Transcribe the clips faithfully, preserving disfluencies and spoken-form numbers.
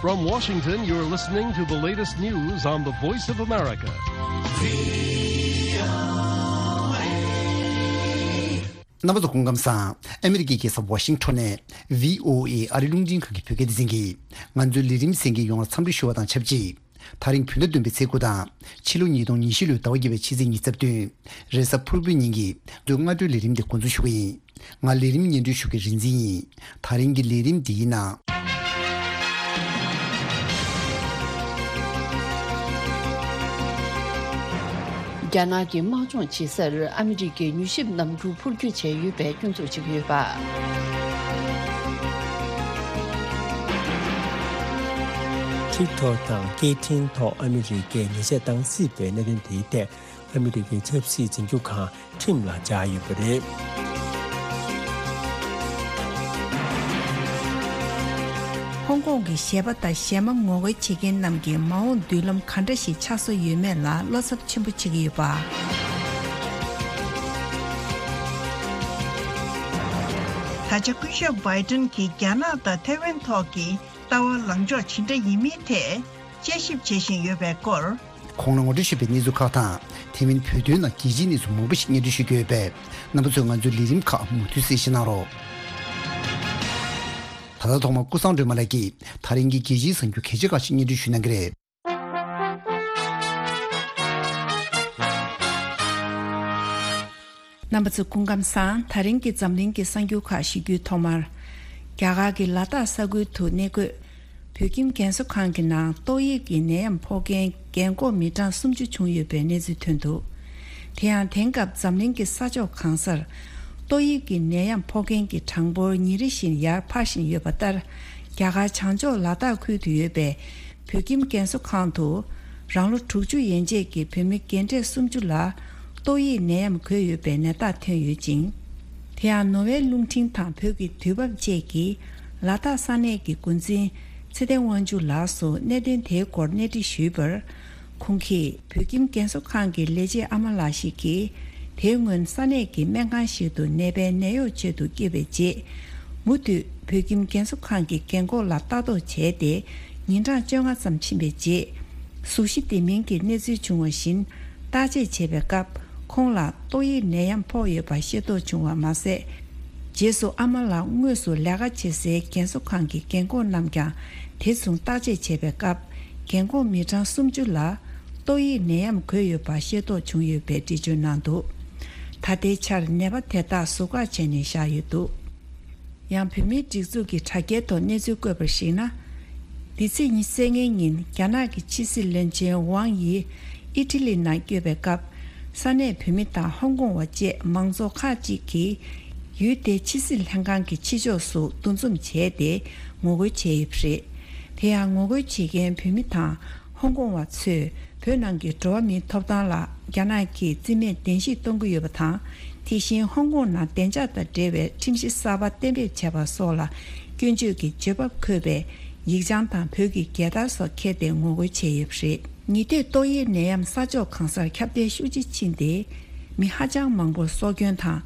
From Washington, you're listening to the latest news on the Voice of America. རྣམ་པ་ཚོ་སྐུ་ཁམས་བཟང་། ཨ་མི་རི་ཀའི་རྒྱལ་ས་ཝ་ཤིང་ཊོན་ནས་བྷི་ཨོ་ཨེ་ཨ་རི་རླུང་འཕྲིན་ཁང་གི་བོད་སྐད་སྡེ་ཚན་གྱིས་ང་ཚོའི་ལས་རིམ་གསན་མཁན་ཡོངས་ལ་འཚམས་འདྲི་ཞུ་བ་དང་ཆབས་ཅིག་དེ་རིང་བོད་ཟླ་བདུན་པའི་ཚེས་དགུ་དང་ཕྱི་ལོ་ཉིས་སྟོང་ཉི་ཤུ་ལོའི་ཟླ་བ་བརྒྱད་པའི་ཕྱི་ཚེས་ཉེར་བདུན། རེས་གཟའ་ཕུར་བུའི་ཉིན་གྱི་ང་ཚོའི་སྔ་དྲོའི་ལས་རིམ་དེ་འགོ་འཛུགས་ཞུ་གི་ཡིན། ང་ལས་རིམ་སྙན་སྒྲོན་ཞུ་མཁན་རིག་འཛིན་ཡིན། དེ་རིང་གི་ལས་རིམ་འདིའི་ནང་། རྒྱ་ནག་གི་དམག་སྦྱོང་བྱེད་སར་ཨ་མི་རི་ཀས་མྱུལ་ཞིབ་རྣམ་འགྱུར་འཕུར་སྐྱོད་བྱས་ཡོད་པའི་སྐྱོན་འཛུགས་བྱེད་ཀྱི་ཡོད་པ། ཊིག་ཊོག་དང་སྐད་འཕྲིན་ཐོག་ཨ་མི་རི་ཀས་ཉེས་ཆད་བཏང་སྲིད་པའི་གནད་དོན་དེའི་ཐད། ཨ་མི་རི་ཀའི་ཆབ་སྲིད་འཛིན་སྐྱོང་ཁང་ཁྲིམས་ལ་སྦྱར་ཡོད་པ་རེད། ཧོང་ཀོང་གི་གཞས་པ་དང་གཞས་མ་ངོ་རྒོལ་བྱེད་མཁན་རྣམས་ཀྱི་མ་འོངས་མདུན་ལམ་ག་འདྲ་ཞིག་ཆགས་བཟོ་ཡོད་མེད་ལ་བློ་འཚབ་ཆེན་པོ་བྱེད་ཀྱི་ཡོད་པ། ད་ཆ་སྐུ་ཞབས་བྷའི་ཏིན་གྱིས་རྒྱ་ནག་དང་ཐའེ་ཝན་ཐོག་གི་ལྟ་བ་ལངས་ཕྱོགས་ཇི་འདྲ་ཡིན་མིན་ཐད་དཔྱད་ཞིབ་བྱེད་བཞིན་ཡོད་པའི་སྐོར། གོང་ལ་ངོ་སྤྲོད་ཞུས་པའི་གནས་ཚུལ་ཁག་དང་། དེ་མིན་བོད་དོན་ནང་རྒྱལ་སྤྱིའི་གནས་ཚུལ་མང་པོ་ཞིག་སྙན་སྒྲོན་ཞུ་རྒྱུ་ཡོད་པས། རྣམ་པ་ཚོས་ང་ཚོའི་ལས་རིམ་ཁག་མུ་མཐུད་གསན་བཞེས་གནང་རོགས། ད་ལྟ་ཐོག་མར་ཀུན་བཟང་སྒྲོལ་མ་ལགས་ཀྱིས་དེ་རིང་གི་རྒྱལ་སྤྱིའི་གསར་འགྱུར་གལ་ཆེ་ཁག་ཅིག་སྙན་སྒྲོན་ཞུ་གནང་གི་རེད། རྣམ་པ་ཚོ་སྐུ་ཁམས་བཟང་། དེ་རིང་གི་འཛམ་གླིང་གི་གསར་འགྱུར་ཁག་ཞུ་རྒྱུའི་ཐོག་མར། རྒྱ་གར་གྱི་ལ་དྭགས་ས་ཁུལ་དུ་གནས་འཁོད་བོད་ཁྱིམ་རྒན་གསོ་ཁང་གི་ནང་ཏོག་དབྱིབས་ཀྱི་ནད་ཡམས་ཕོག་མཁན་རྒན་འཁོགས་མི་གྲངས་སུམ་ཅུ་བྱུང་ཡོད་པའི་གནས་ཚུལ་ཐོན་འདུག་དེ་ཡང་དེང་སྐབས་འཛམ་གླིང་གི་ས་ཕྱོགས་གང་སར་ཏོག་དབྱིབས་ཀྱི་ནད་ཡམས་ཕོག་མཁན་གྱི་གྲངས་འབོར་ཉིན་རེ་བཞིན་ཡར་འཕར་བཞིན་ཡོད་པ་ལྟར། རྒྱ་གར་བྱང་ཕྱོགས་ལ་དྭགས་ཁུལ་དུ་ཡོད་པའི་བོད་ཁྱིམ་རྒན་གསོ་ཁང་དུ་རང་ལོ་དྲུག་ཅུ་ཡན་ཆད་ཀྱི་བོད་མི་རྒན་གྲས་སུམ་ཅུ་ལ་ཏོག་དབྱིབས་ནད་ཡམས་འགོས་ཡོད་པའི་ནད་རྟགས་ཐོན་ཡོད་ཅིང་། དེ་ཡང་ནོར་ཝེ་རླུང་འཕྲིན་དང་བོད་ཀྱི་དུས་བབ་བཅས་ཀྱིས་ལ་དྭགས་ས་གནས་ཀྱི་འགོ་འཛིན་ཚེ་བརྟན་དབང་ཕྱུག་ལགས་སུ་གནད་དོན་དེའི་སྐོར་གནས་འདྲི་ཞུས་པར། ཁོང་གིས་བོད་ཁྱིམ་རྒན་གསོ་ཁང་གི་ལས་བྱེད་ཨ་མ་ལགས་ཤིག་གིས། དེའི་སྔོན་ས་གནས་ཀྱི་སྨན་ཁང་ཞིག་ཏུ་ནད་པའི་ནད་གཡོག་ཆེད་དུ་སྐྱེལ་བའི་རྗེས། མུ་མཐུད་བོད་ཁྱིམ་རྒན་གསོ་ཁང་གི་རྒན་འཁོགས་ལ་ལྟ་རྟོག་བྱས་ཏེ། ཉིན་གྲངས་བཅོ་ལྔ་ཙམ་ཕྱིན་པའི་རྗེས། གཟུགས་གཞི་བདེ་མིན་གྱི་གནས་ཚུལ་བྱུང་བ་བཞིན། བརྟག་དཔྱད་བྱས་པའི་སྐབས། ཁོང་ལ་ཏོག་དབྱིབས་ནད་ཡམས་ཕོག་ཡོད་པ་ཤེས་རྟོགས་བྱུང་བ་མ་ཟད། རྗེས་སུ་ཨ་མ་ལགས་དངོས་སུ་ལས་ཀ་བྱེད་སའི་རྒན་གསོ་ཁང་གི་རྒན་འཁོགས་རྣམས་ཀྱང་དེ་མཚུངས་བརྟག་དཔྱད་བྱས་པའི་སྐབས། རྒན་འཁོགས་མི་གྲངས་སུམ་ཅུ་ལ་ཏོག་དབྱིབས་ནད་ཡམས་འགོས་ཡོད་པ་ཤེས་རྟོགས་བྱུང་ཡོད་པའི་འགྲེལ་བརྗོད་གནང་འདུག་ད་ལྟའི་ཆར་ནད་པ་དེ་དག་ཟུར་བཀག་བྱས་ནས་བཞག་ཡོད་འདུག་ཡང་བོད་མིའི་སྒྲིག་འཛུགས་ཀྱི་དྲ་རྒྱའི་ཐོག་གནས་ཚུལ་བཀོད་པར་གཞིགས་ན། འདི་ཚེས་ཉི་ཤུ་རྩ་ལྔའི་ཉིན་རྒྱ་ནག་གི་ཕྱི་སྲིད་བློན་ཆེན་ཝང་ཡི་ཨི་ཊ་ལི་ནང་བསྐྱོད་པའི་སྐབས། ས་གནས་བོད་མི་དང་ཧོང་ཀོང་བ་བཅས་མང་ཚོགས་ཁག་ཅིག་གིས་ཡུལ་དེའི་ཕྱི་སྲིད་ལྷན་ཁང་གི་ཕྱི་ཕྱོགས་སུ་འདུ་འཛོམས་བྱས་ཏེ་ངོ་རྒོལ་བྱས་ཡོད་པ་རེད། དེ་ཡང་ངོ་རྒོལ་བྱེད་མཁན་བོད་མི་དང་ཧོང་ཀོང་བ་ཚོས་བོད་ནང་གི་འགྲོ་བ་མིའི་ཐོབ་ཐང་ལ་རྒྱ་ནག་གིས་རྩིས་མེད་གདན་ཞུ་གཏོང་གི་ཡོད་པ་དང་། དེ་བཞིན་ཧོང་ཀོང་ནང་བདེ་འཇགས་དང་འབྲེལ་བའི་ཁྲིམས་གཞི་གསར་པ་གཏན་འབེབས་བྱས་པ་སོགས་ལ་སྐྱོན་བརྗོད་ཀྱི་བརྗོད་པ་འཁོད་པའི་ཡིག་བྱང་དང་བོད་ཀྱི་རྒྱལ་དར་སོགས་འཁྱེར་ཏེ་ངོ་རྒོལ་བྱས་ཡོད་པ་རེད། ཉེ་དུས་ཏོག་དབྱིབས་ནད་ཡམས་ས་ཕྱོགས་གང་སར་ཁྱབ་གདལ་ཤུགས་ཆེ་ཕྱིན་ཏེ། མི་ཧ་ཅང་མང་པོར་སྲོག་སྐྱོན་དང་།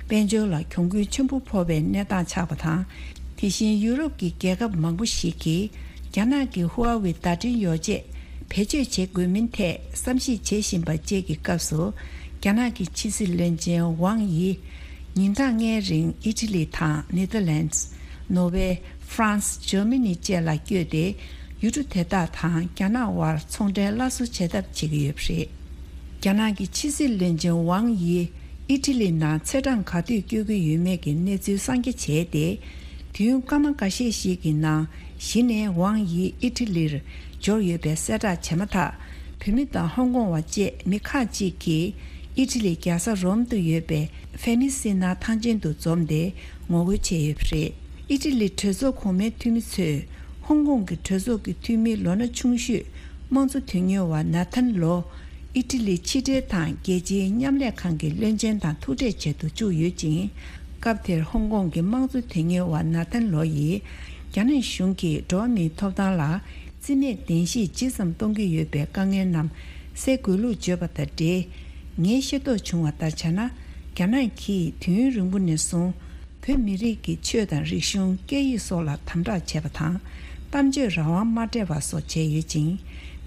དཔལ་འབྱོར་ལ་གྱོང་གུན་ཆེན་པོ་ཕོག་པའི་གནས་སྟངས་ཆགས་པ་དང་། དེ་བཞིན་ཡུ་རོབ་ཀྱི་རྒྱལ་ཁབ་མང་པོ་ཞིག་གིས་རྒྱ་ནག་གི་ཧུའུ་ཝེ་བརྡ་འཕྲིན་ཡོ་བྱད་བེད་སྤྱོད་བྱེད་དགོས་མིན་ཐད་བསམ་གཞིག་བྱེད་བཞིན་པ་བཅས་ཀྱི་སྐབས་སུ། རྒྱ་ནག་གི་ཕྱི་སྲིད་བློན་ཆེན་ཝང་ཡི་ཉིན་གྲངས་ལྔའི་རིང་ཨི་ཊ་ལི་དང་ནེ་ཐར་ལེན་ཌི། ནོར་ཝེ། ཧྥ་རན་སི། འཇར་མ་ནི་བཅས་ལ་བསྐྱོད་དེ། ཡུལ་གྲུ་དེ་དག་དང་རྒྱ་ནག་དབར་ཚོང་འབྲེལ་སླར་གསོ་བྱེད་ཐབས་བྱེད་ཀྱི་ཡོད་པ་རེད། རྒྱ་ནག་གི་ཕྱི་སྲིད་བློན་ཆེན་ཝང་ཡིས་ཨི་ཊ་ལི་ནང་ཚེས་གྲངས་ག་དུས་བསྐྱོད་ཀྱི་ཡོད་མེད་ཀྱི་གནས་ཚུལ་གསང་རྒྱ་བྱས་ཏེ། དུས་ཡུན་སྐར་མ་འགའ་ཤས་ཤིག་གི་ནང་གཞི་ནས་ཝང་ཡི་ཨི་ཊ་ལིར་འབྱོར་ཡོད་པའི་གསལ་བསྒྲགས་བྱས་མ་ཐག་བོད་མི་དང་ཧོང་ཀོང་བ་བཅས་མི་ཁག་ཅིག་གིས་ཨི་ཊ་ལི་རྒྱལ་ས་རོམ་དུ་ཡོད་པའི་ཧྥེ་མི་སི་ན་ཐང་ཆེན་དུ་འཛོམས་ཏེ་ངོ་རྒོལ་བྱས་ཡོད་པ་རེད། ཨི་ཊ་ལི་གྲོས་ཚོགས་གོང་མའི་འཐུས་མི་ཚོས་ཧོང་ཀོང་གི་གྲོས་ཚོགས་ཀྱི་འཐུས་མི་ལོ་ན་ཆུང་ཤོས་དམངས་གཙོ་དོན་གཉེར་བ་ན་ཐན་ལོ། ཨི་ཊ་ལི་ཕྱི་འབྲེལ་དང་རྒྱལ་སྤྱིའི་མཉམ་ལས་ཁང་གི་བློན་ཆེན་དང་ཐུག་འཕྲད་བྱེད་དུ་བཅུག་ཡོད་ཅིང་། སྐབས་དེར་ཧོང་ཀོང་གི་དམངས་གཙོ་དོན་གཉེར་བ་ན་ཐན་ལོ་ཡིས་རྒྱ་ནག་གཞུང་གིས་འགྲོ་བ་མིའི་ཐོབ་ཐང་ལ་རྩིས་མེད་གདན་ཞུ་ཇི་ཙམ་གཏོང་གི་ཡོད་པའི་དཀའ་ངལ་རྣམས་སེལ་དགོས་ལུགས་བརྗོད་པ་དང་འབྲེལ། ངས་ཤེས་རྟོགས་བྱུང་བ་ལྟར་བྱས་ན། རྒྱ་ནག་གིས་དུས་ཡུན་རིང་པོ་ནས་བཟུང་། བོད་མི་རིགས་ཀྱི་ཆོས་དང་རིག་གཞུང་སྐད་ཡིག་སོགས་ལ་དམ་དྲག་བྱས་པ་དང་། གཏམ་བརྗོད་རང་དབང་མ་སྤྲད་པ་སོགས་བྱས་ཡོད་ཅིང་།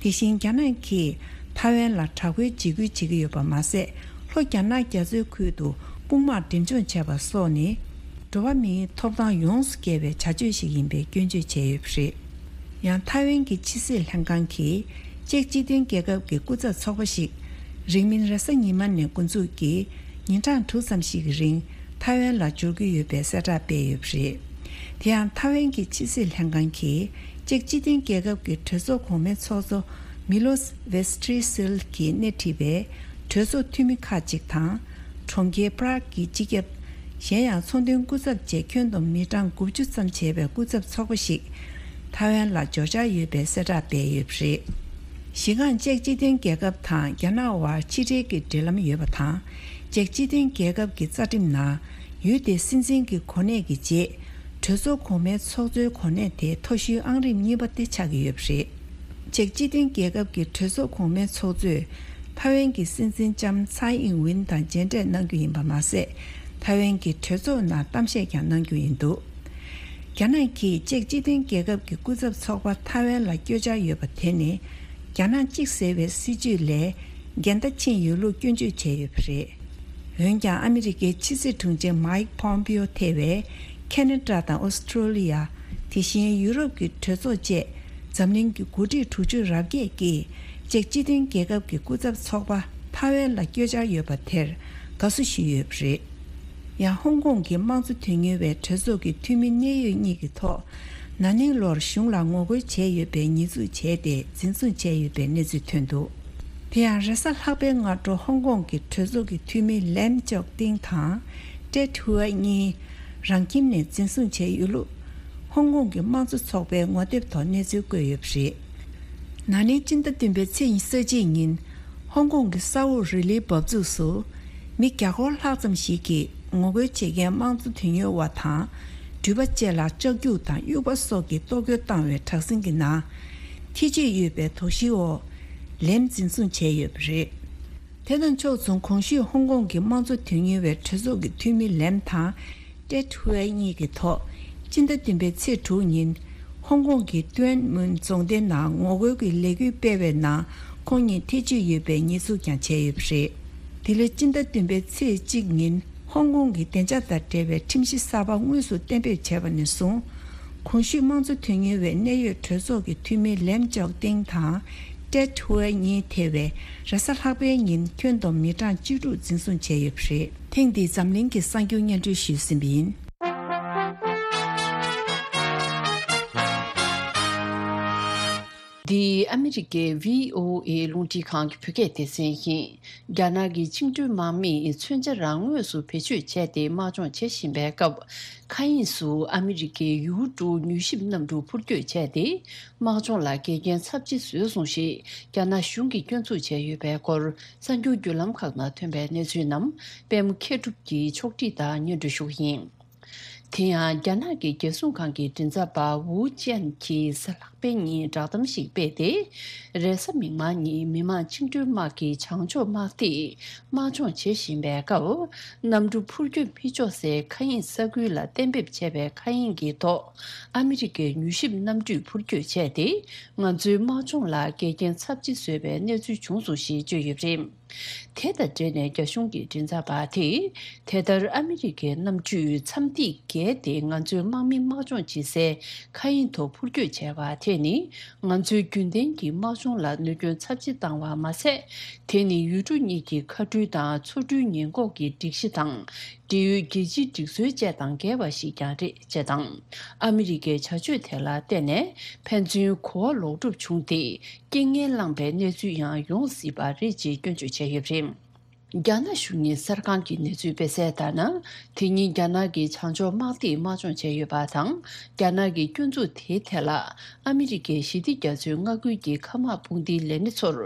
དེ་བཞིན་རྒྱ་ནག་གིས་ཐའེ་ཝན་ལ་དྲག་པོའི་འཇིགས་སྐུལ་བྱེད་ཀྱི་ཡོད་པ་མ་ཟད། ལྷོ་རྒྱ་ནག་རྒྱ་མཚོའི་ཁུལ་དུ་དཔུང་དམག་འགྲེམས་སྦྱོང་བྱས་པ་སོགས་ནི། འགྲོ་བ་མིའི་ཐོབ་ཐང་ཡོངས་སུ་བཀལ་བའི་བྱ་སྤྱོད་ཞིག་ཡིན་པའི་སྐྱོན་བརྗོད་བྱས་ཡོད་པ་རེད། ཡང་ཐའེ་ཝན་གྱི་ཕྱི་སྲིད་ལྷན་ཁང་གིས་ཅེཀ་སྤྱི་མཐུན་རྒྱལ་ཁབ་ཀྱི་སྐུ་ཚབ་ཚོགས་པ་ཞིག་རིང་མིན་རེས་གཟའ་ཉི་མ་ནས་འགོ་འཛུགས་ཀྱིས་ཉིན་གྲངས་དྲུག་ཙམ་ཞིག་གི་རིང་ཐའེ་ཝན་ལ་འབྱོར་གྱི་ཡོད་པའི་གསལ་བསྒྲགས་སྤེལ་ཡོད་པ་རེད། དེ་ཡང་ཐའེ་ཝན་གྱི་ཕྱི་སྲིད་ལྷན་ཁང་གིས་ཅེཀ་སྤྱི་མཐུན་རྒྱལ་ཁབ་ཀྱི་གྲོས་ཚོགས་གོང་མའི་ཚོགས་གཙོ་མི་ལོ་ཝེ་སི་ཏྲི་སིལ་གྱིས་སྣེ་ཁྲིད་པའི་གྲོས་ཚོགས་འཐུས་མི་ཁག་ཅིག་དང་། གྲོང་ཁྱེར་པ་རག་གི་སྤྱི་ཁྱབ། གཞན་ཡང་ཚོང་དོན་སྐུ་ཚབ་བཅས་ཁྱོན་བསྡོམས་མི་གྲངས་དགུ་བཅུ་ཙམ་བྱས་པའི་སྐུ་ཚབ་ཚོགས་པ་ཞིག་ཐའེ་ཝན་ལ་འབྱོར་འཆར་ཡོད་པའི་གསལ་བསྒྲགས་སྤེལ་ཡོད་པ་རེད། གཞི་རྐང་ཅེཀ་སྤྱི་མཐུན་རྒྱལ་ཁབ་དང་རྒྱ་ནག་དབར་ཕྱི་འབྲེལ་གྱི་འབྲེལ་ལམ་ཡོད་པ་དང་། ཅེཀ་སྤྱི་མཐུན་རྒྱལ་ཁབ་ཀྱི་རྩ་ཁྲིམས་ནང་ཡུལ་དེའི་སྲིད་འཛིན་གྱི་གོ་གནས་ཀྱི་རྗེས། གྲོས་ཚོགས་གོང་མའི་ཚོགས་གཙོའི་གོ་གནས་དེ་མཐོ་ཤོས་ཨང་རིམ་གཉིས་པ་དེ་ཆགས་ཀྱི་ཡོད་པ་རེད། ཅེཀ་སྤྱི་མཐུན་རྒྱལ་ཁབ་ཀྱི་གྲོས་ཚོགས་གོང་མའི་ཚོགས་གཙོས་ཐའེ་ཝན་གྱི་སྲིད་འཛིན་ལྕམ་ཚའེ་ཨིང་ཝིན་དང་མཇལ་འཕྲད་གནང་རྒྱུ་ཡིན་པ་མ་ཟད། ཐའེ་ཝན་གྱི་གྲོས་ཚོགས་ནང་གཏམ་བཤད་ཀྱང་གནང་རྒྱུ་ཡིན་འདུག་རྒྱ་ནག་གིས་ཅེཀ་སྤྱི་མཐུན་རྒྱལ་ཁབ་ཀྱི་སྐུ་ཚབ་ཚོགས་པ་ཐའེ་ཝན་ལ་བསྐྱོད་འཆར་ཡོད་པ་དེ་ནི། རྒྱ་ནག་གཅིག་ཟེར་བའི་སྲིད་བྱུས་ལས་འགལ་ཟླ་ཕྱིན་ཡོད་ལུགས་སྐྱོན་བརྗོད་བྱས་ཡོད་པ་རེད། འོན་ཀྱང་ཨ་མི་རི་ཀའི་ཕྱི་སྲིད་དྲུང་ཆེ་མཱིག་པོམ་པིའོ་ཐེ་བས་ཁེ་ན་ཌ་དང་ཨོ་སི་ཀྲོ་ལི་ཡ། དེ་བཞིན་ཡུ་རོབ་ཀྱི་གྲོས་ཚོགས་བཅས་འཛམ་གླིང་གི་འགོ་ཁྲིད་དྲུག་ཅུ་རེ་བརྒྱད་ཀྱིས་ཅེཀ་སྤྱི་མཐུན་རྒྱལ་ཁབ་ཀྱི་སྐུ་ཚབ་ཚོགས་པ་ཐའེ་ཝན་ལ་བསྐྱོད་འཆར་ཡོད་པ་དེར་དགའ་བསུ་ཞུས་ཡོད་པ་རེད། ཡང་ཧོང་ཀོང་གི་དམངས་གཙོ་དོན་གཉེར་བའི་གྲོས་ཚོགས་ཀྱི་འཐུས་མི་གནད་ཡོད་གཉིས་ཀྱི་ཐོག་ན་ནིང་ལོར་གཞུང་ལ་ངོ་རྒོལ་བྱས་ཡོད་པའི་ཉེས་འཛུགས་བྱས་ཏེ་འཛིན་བཟུང་བྱས་ཡོད་པའི་གནས་ཚུལ་ཐོན་འདུག་དེ་ཡང་རེས་གཟའ་ལྷག་པའི་སྔ་དྲོ་ཧོང་ཀོང་གི་གྲོས་ཚོགས་ཀྱི་འཐུས་མི་ལེམ་ཅོག་ཏིང་དང་ཏེད་ཧུའེ་གཉིས་རང་ཁྱིམ་ནས་འཛིན་བཟུང་བྱས་ཡོད་ལུགས་ཧོང་ཀོང་གི་དམངས་གཙོ་ཚོགས་པས་ངོ་དེབ་ཐོག་གནས་ཚུལ་བཀོད་ཡོད་པ་རེད། ན་ནིང་སྤྱི་ཟླ་བདུན་པའི་ཚེས་ཉི་ཤུ་རྩ་གཅིག་ཉིན་ཧོང་ཀོང་གི་ས་འོག་རི་ལིའི་འབབ་ཚུགས་སུ་མི་བརྒྱ་སྐོར་ལྷག་ཙམ་ཞིག་གིས་ངོ་རྒོལ་བྱེད་མཁན་དམངས་གཙོ་དོན་གཉེར་བ་དང་འགྲུལ་པ་བཅས་ལ་ལྕགས་རྒྱུག་དང་དབྱུག་པ་སོགས་ཀྱིས་གཏོར་རྒོལ་བཏང་བའི་དྲག་ཟིང་གི་ནང་། ཐེ་བྱུས་ཡོད་པའི་དོགས་གཞིའི་འོག་ལེམ་འཛིན་བཟུང་བྱས་ཡོད་པ་རེད། དེ་དང་ཕྱོགས་མཚུངས་གོང་ཞུས་ཧོང་ཀོང་གི་དམངས་གཙོ་དོན་གཉེར་བའི་གྲོས་ཚོགས་ཀྱི་འཐུས་མི་ལེམ་དང་ཏེད་ཧུའེ་གཉིས་ཀྱི་ཐོག་སྤྱི་ཟླ་བདུན་པའི་ཚེས་དྲུག་ཉིན་ཧོང་ཀོང་གི་ཏུའན་མུན་རྫོང་སྡེ་ནང་ངོ་རྒོལ་གྱི་ལས་འགུལ་སྤེལ་བའི་ནང་ཁོང་གཉིས་ཐེ་བྱུས་ཡོད་པའི་ཉེས་འཛུགས་ཀྱང་བྱས་ཡོད་པ་རེད། དེ་ལས་སྤྱི་ཟླ་བདུན་པའི་ཚེས་གཅིག་ཉིན་ཧོང་ཀོང་གི་བདེ་འཇགས་དང་འབྲེལ་བའི་ཁྲིམས་གཞི་གསར་པ་དངོས་སུ་གཏན་འབེབས་བྱས་པ་ནས་བཟུང་། གོང་ཞུས་དམངས་གཙོ་དོན་གཉེར་བའི་གནད་ཡོད་གྲོས་ཚོགས་ཀྱི་འཐུས་མི་ལེམ་ཅོག་ཏིང་དང་ཏེད་ཧུའེ་གཉིས་ཐེ་བའི་རེས་གཟའ་ལྷག་པའི་ཉིན་ཁྱོན་བསྡོམས་མི་གྲངས་བཅུ་དྲུག་འཛིན་བཟུང་བྱས་ཡོད་པ་རེད། ཐེངས་འདིའི་འཛམ་གླིང་གི་གསར་འགྱུར་སྙན་སྒྲོན་ཞུས་ཟིན་པ་ཡིན། འདི་ཨ་མི་རི་ཀའི་བྷི་ཨོ་ཨེ་རླུང་འཕྲིན་ཁང་གི་བོད་སྐད་སྡེ་ཚན་ཡིན། རྒྱ་ནག་གི་བཅིངས་འགྲོལ་དམག་མིས་མཚོན་ཆ་རང་ངོས་སུ་བེད་སྤྱོད་བྱས་ཏེ་དམག་སྦྱོང་བྱེད་བཞིན་པའི་སྐབས། མཁའ་དབྱིངས་སུ་ཨ་མི་རི་ཀའི་ཡུ་ཀྲུའུ་མྱུལ་ཞིབ་གནམ་གྲུ་འཕུར་སྐྱོད་བྱས་ཏེ། དམག་སྦྱོང་ལ་འགལ་རྐྱེན་ཚབས་ཆེ་བཟོས་སོང་ཞེས་རྒྱ་ནག་གཞུང་གིས་སྐྱོན་འཛུགས་བྱས་ཡོད་པའི་སྐོར་གསར་འགྱུར་བརྒྱུད་ལམ་ཁག་ནང་ཐོན་པའི་གནས་ཚུལ་རྣམས་པད་མ་མཁས་གྲུབ་ཀྱིས་ཕྱོགས་སྒྲིག་དང་སྙན་སྒྲོན་ཞུ་གི་ཡིན། དེ་ཡང་རྒྱ་ནག་གི་རྒྱལ་སྲུང་ཁང་གི་མགྲིན་ཚབ་པ་ཝུའུ་ཅན་གྱིས་གཟའ་ལྷག་པའི་ཉིན་བསྒྲགས་གཏམ་ཞིག་སྤེལ་ཏེ། རེས་གཟའ་མིག་དམར་ཉིན་མི་དམངས་བཅིངས་འགྲོལ་དམག་གི་བྱང་ཕྱོགས་དམག་སྡེས་དམག་སྦྱོང་བྱེད་བཞིན་པའི་སྐབས། གནམ་གྲུ་འཕུར་སྐྱོད་མི་ཆོག་སའི་མཁའ་དབྱིངས་ས་ཁུལ་ལ་གཏན་འབེབས་བྱས་པའི་མཁའ་དབྱིངས་ཀྱི་ཐོག་ཨ་མི་རི་ཀའི་མྱུལ་ཞིབ་གནམ་གྲུས་འཕུར་སྐྱོད་བྱས་ཏེ། ང་ཚོའི་དམག་སྦྱོང་ལ་འགལ་རྐྱེན་ཚབས་ཆེ་བཟོས་པའི་གནས་ཚུལ་བྱུང་སོང་ཞེས་བརྗོད་ཡོད་པ་རེད། དེ་དང་འབྲེལ་ནས་རྒྱ་གཞུང་གི་མགྲིན་ཚབ་པ་དེས། དེ་ལྟར་ཨ་མི་རི་ཀའི་གནམ་གྲུས་མཚམས་ཐིག་བརྒལ་ཏེ་ང་ཚོའི་དམག་མི་དམག་སྦྱོང་བྱེད་སའི་མཁའ་དབྱིངས་ཐོག་འཕུར་སྐྱོད་བྱས་པ་དེ་ནི། ང་ཚོའི་རྒྱུན་ལྡན་གྱི་དམག་སྦྱོང་ལ་གནོད་སྐྱོན་ཚབས་ཆེ་བཏང་བ་མ་ཟད། དེ་ནི་ཡུལ་གྲུ་གཉིས་ཀྱི་མཁའ་འགྲུལ་དང་མཚོ་འགྲུལ་ཉེན་འགོག་གི་སྒྲིག་གཞི་དང་། འབྲེལ་ཡོད་རྒྱལ་སྤྱིའི་སྒྲིག་སྲོལ་བཅས་དང་འགལ་བ་ཞིག་ཀྱང་རེད་ཅེས་དང་། ཨ་མི་རི་ཀའི་བྱ་སྤྱོད་དེ་ལ་བརྟེན་ནས་ཕན་ཚུན་གོ་བ་ལོག་སྒྲུབ་བྱུང་སྟེ། རྐྱེན་ངན་བསླངས་པའི་གནས་ཚུལ་ཡང་ཡོང་སྲིད་པ་རེད་ཅེས་སྐྱོན་བརྗོད་བྱས་ཡོད་པ་རེད། རྒྱ་ནག་གཞུང་གཉེར་གསར་ཁང་གི་གནས་ཚུལ་སྤེལ་གསལ་ལྟར་ན། དེ་ཉིན་རྒྱ་ནག་གི་བྱང་ཕྱོགས་དམག་སྡེས་དམག་སྦྱོང་བྱས་ཡོད་པ་དང་། རྒྱ་ནག་གི་སྐྱོན་འཛུགས་དེའི་ཐད་ལ། ཨ་མི་རི་ཀའི་ཞི་བདེ་རྒྱ་མཚོའི་མངའ་ཁུལ་གྱི་མཁའ་དམག་དཔུང་སྡེའི་ལས་སྣེ་ཚོར།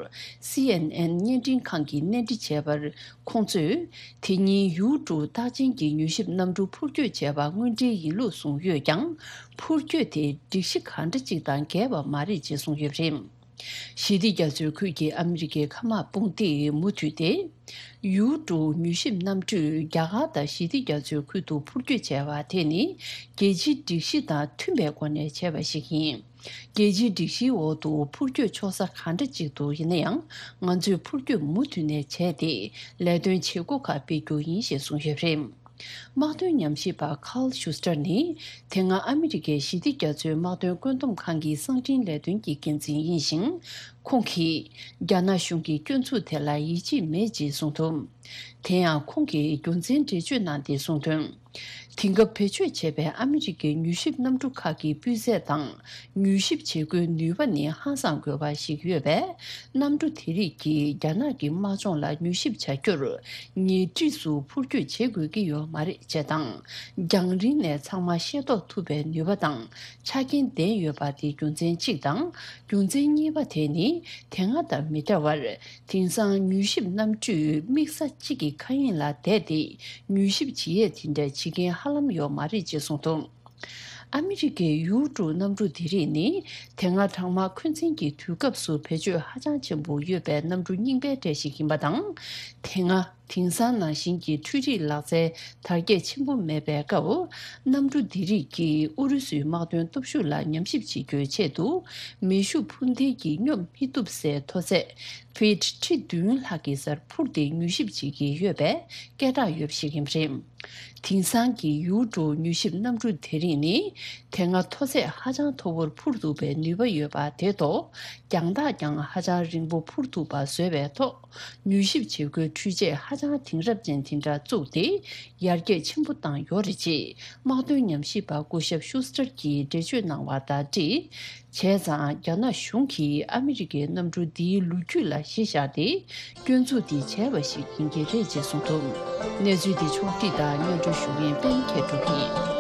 སི་ཨེན་ཨེན་བརྙན་འཕྲིན་ཁང་གིས་གནས་འདྲི་བྱས་པར། ཁོང་ཚོས། དེ་ཉིན་ཡུའུ་ཀྲུའུ་རྟགས་ཅན་གྱི་མྱུལ་ཞིབ་གནམ་གྲུ་འཕུར་སྐྱོད་བྱས་པ་དངོས་འབྲེལ་ཡིན་ལུགས་གསུངས་ཡོད་ཀྱང་། འཕུར་སྐྱོད་དེ་སྒྲིག་གཞི་གང་འདྲ་ཅིག་དང་འགལ་བ་མ་རེད་ཅེས་གསུངས་ཡོད་པ་རེད། ཞི་བདེ་རྒྱ་མཚོའི་ཁུལ་གྱི་ཨ་མི་རི་ཀའི་མཁའ་དམག་དཔུང་སྡེས་མུ་མཐུད་དེ། ཡུའུ་ཀྲུའུ་མྱུལ་ཞིབ་གནམ་གྲུས་རྒྱ་གར་དང་ཞི་བདེ་རྒྱ་མཚོའི་ཁུལ་དུ་འཕུར་སྐྱོད་བྱས་པ་དེ་ནི། རྒྱལ་སྤྱིའི་སྒྲིག་གཞི་དང་མཐུན་པའི་སྒོ་ནས་བྱས་པ་ཞིག་ཡིན། རྒྱལ་སྤྱིའི་སྒྲིག་གཞིའི་འོག་ཏུ་འཕུར་སྐྱོད་ཆོག་ས་གང་འདྲ་ཅིག་འདུག་ཡིན་ན་ཡང་། ང་ཚོས་འཕུར་སྐྱོད་མུ་མཐུད་ནས་བྱས་ཏེ། ལས་དོན་བྱེད་སྒོ་ཁག་སྤེལ་རྒྱུ་ཡིན་ཞེས་གསུངས་ཡོད་པ་རེད། དམག་དོན་ཉམས་ཞིབ་པ་Carl Shuster་ནི། དེ་སྔ་ཨ་མི་རི་ཀའི་ཞི་བདེ་རྒྱ་མཚོའི་དམག་དོན་བཀོད་འདོམས་ཁང་གི་གསང་འཕྲིན་ལས་དོན་གྱི་འགན་འཛིན་ཡིན་ཞིང་། ཁོང་གིས། རྒྱ་ནག་གཞུང་གི་སྐྱོན་འཛུགས་དེ་ལ་ཡིད་ཆེས་མེད་ཅེས་གསུངས་འདུག་དེ་ཡང་ཁོང་གིས་རྒྱུ་མཚན་འགྲེལ་བརྗོད་གནང་སྟེ་གསུངས་དོན། དེང་སྐབས་བེད་སྤྱོད་བྱས་པའི་ཨ་མི་རི་ཀའི་མྱུལ་ཞིབ་གནམ་གྲུ་ཁག་གི་སྤུས་ཚད་དང་། མྱུལ་ཞིབ་བྱེད་སྒོའི་ནུས་པ་ནི་ཧང་སངས་དགོས་པ་ཞིག་ཡོད་པས། གནམ་གྲུ་དེ་རིགས་ཀྱིས་རྒྱ་ནག་གི་དམག་སྦྱོང་ལ་མྱུལ་ཞིབ་བྱ་རྒྱུར། ཉེ་འཁྲིས་སུ་འཕུར་སྐྱོད་བྱེད་དགོས་ཀྱི་ཡོད་མ་རེད་ཅེས་དང་། རྒྱང་རིང་ནས་ཚང་མ་ཤེས་རྟོགས་ཐུབ་པའི་ནུས་པ་དང་ཆ་རྐྱེན་ལྡན་ཡོད་པ་དེ་རྒྱུ་མཚན་གཅིག་དང་། རྒྱུ་མཚན་གཉིས་པ་དེ་ནི། དེ་སྔ་དང་མི་འདྲ་བར། དེང་སང་མྱུལ་ཞིབ་གནམ་གྲུས་དམིགས་ས་གཅིག་གི་མཁའ་དབྱིངས་ལ་བསྡད་དེ། མྱུལ་ཞིབ་བྱེད་ཡས་དེ་འདྲ་བྱེད་མཁན་ཧ་ལམ་ཡོད་མ་རེད་ཅེས་གསུངས་འདུག་ཨ་མི་རི་ཀའི་ཡུ་ཀྲུག་གནམ་གྲུ་དེ་རིགས་ནི། དེ་སྔ་གྲང་དམག་འཁོན་འཛིན་གྱི་དུས་སྐབས་སུ་བེད་སྤྱོད་ཧ་ཅང་ཆེན་པོ་ཡོད་པའི་གནམ་གྲུ་རྙིང་པའི་གྲས་ཤིག་ཡིན་པ་དང་། དེ་སྔ། དེང་སང་ནང་བཞིན་གྱི་འཕྲུལ་རིག་ལག་རྩལ་དར་རྒྱས་ཆེན་པོ་མེད་པའི་སྐབས། གནམ་གྲུ་འདི་རིགས་ཀྱིས་ཨུ་རུ་སུའི་དམག་དོན་སྟོབས་ཤུགས་ལ་ཉམས་ཞིབ་བྱེད་རྒྱུའི་ཆེད་དུ། མེ་ཤུགས་འཕུར་མདེལ་གྱིས་སྙོབ་མི་ཐུབ་སའི་མཐོ་ཚད་ཕིཊ་ཁྲི་བདུན་ལྷག་གི་སར་འཕུར་ཏེ་མྱུལ་ཞིབ་བྱེད་ཀྱི་ཡོད་པའི་སྐད་གྲགས་ཡོད་པ་ཞིག་ཡིན་པ་རེད། དེང་སང་གི་ཡུ་ཀྲུག་མྱུལ་ཞིབ་གནམ་གྲུ་དེ་རིགས་ནི། དེ་སྔ་མཐོ་ཚད་ཧ་ཅང་མཐོ་བོར་འཕུར་ཐུབ་པའི་ནུས་པ་ཡོད་པ་དེ་ཐོག་རྒྱང་ཐག་ཀྱང་ཧ་ཅང་རིང་པོ་འཕུར་ཐུབ་པ་བཟོས་པའི་ཐོག་མྱུལ་ཞིབ་བྱེད་སྒོའི་འཕྲུལ་ཆས་ཧ་ཅང་དེང་རབས་ཅན་དེ་འདྲ་བཙུགས་ཏེ། ཡར་རྒྱས་ཆེན་པོ་བཏང་ཡོད་རེད་ཅེས། དམག་དོན་ཉམས་ཞིབ་པ་སྐུ་ཞབས་ཤུ་སི་ཏར་གྱིས་འགྲེལ་བརྗོད་གནང་བ་དང་འབྲེལ། བྱས་ཙང་། རྒྱ་ནག་གཞུང་གིས་ཨ་མི་རི་ཀའི་གནམ་གྲུ་འདིའི་ལོ་རྒྱུས་ལ་གཞི་བཞག་སྟེ། སྐྱོན་འཛུགས་འདི་བྱས་པ་ཞིག་ཡིན་གྱི་རེད་ཅེས་གསུངས་འདུག་གནས་ཚུལ་འདི་ཕྱོགས་བསྒྲིགས་དང་སྙན་སྒྲོན་ཞུ་མཁན་པད་མཁས་གྲུབ་ཡིན།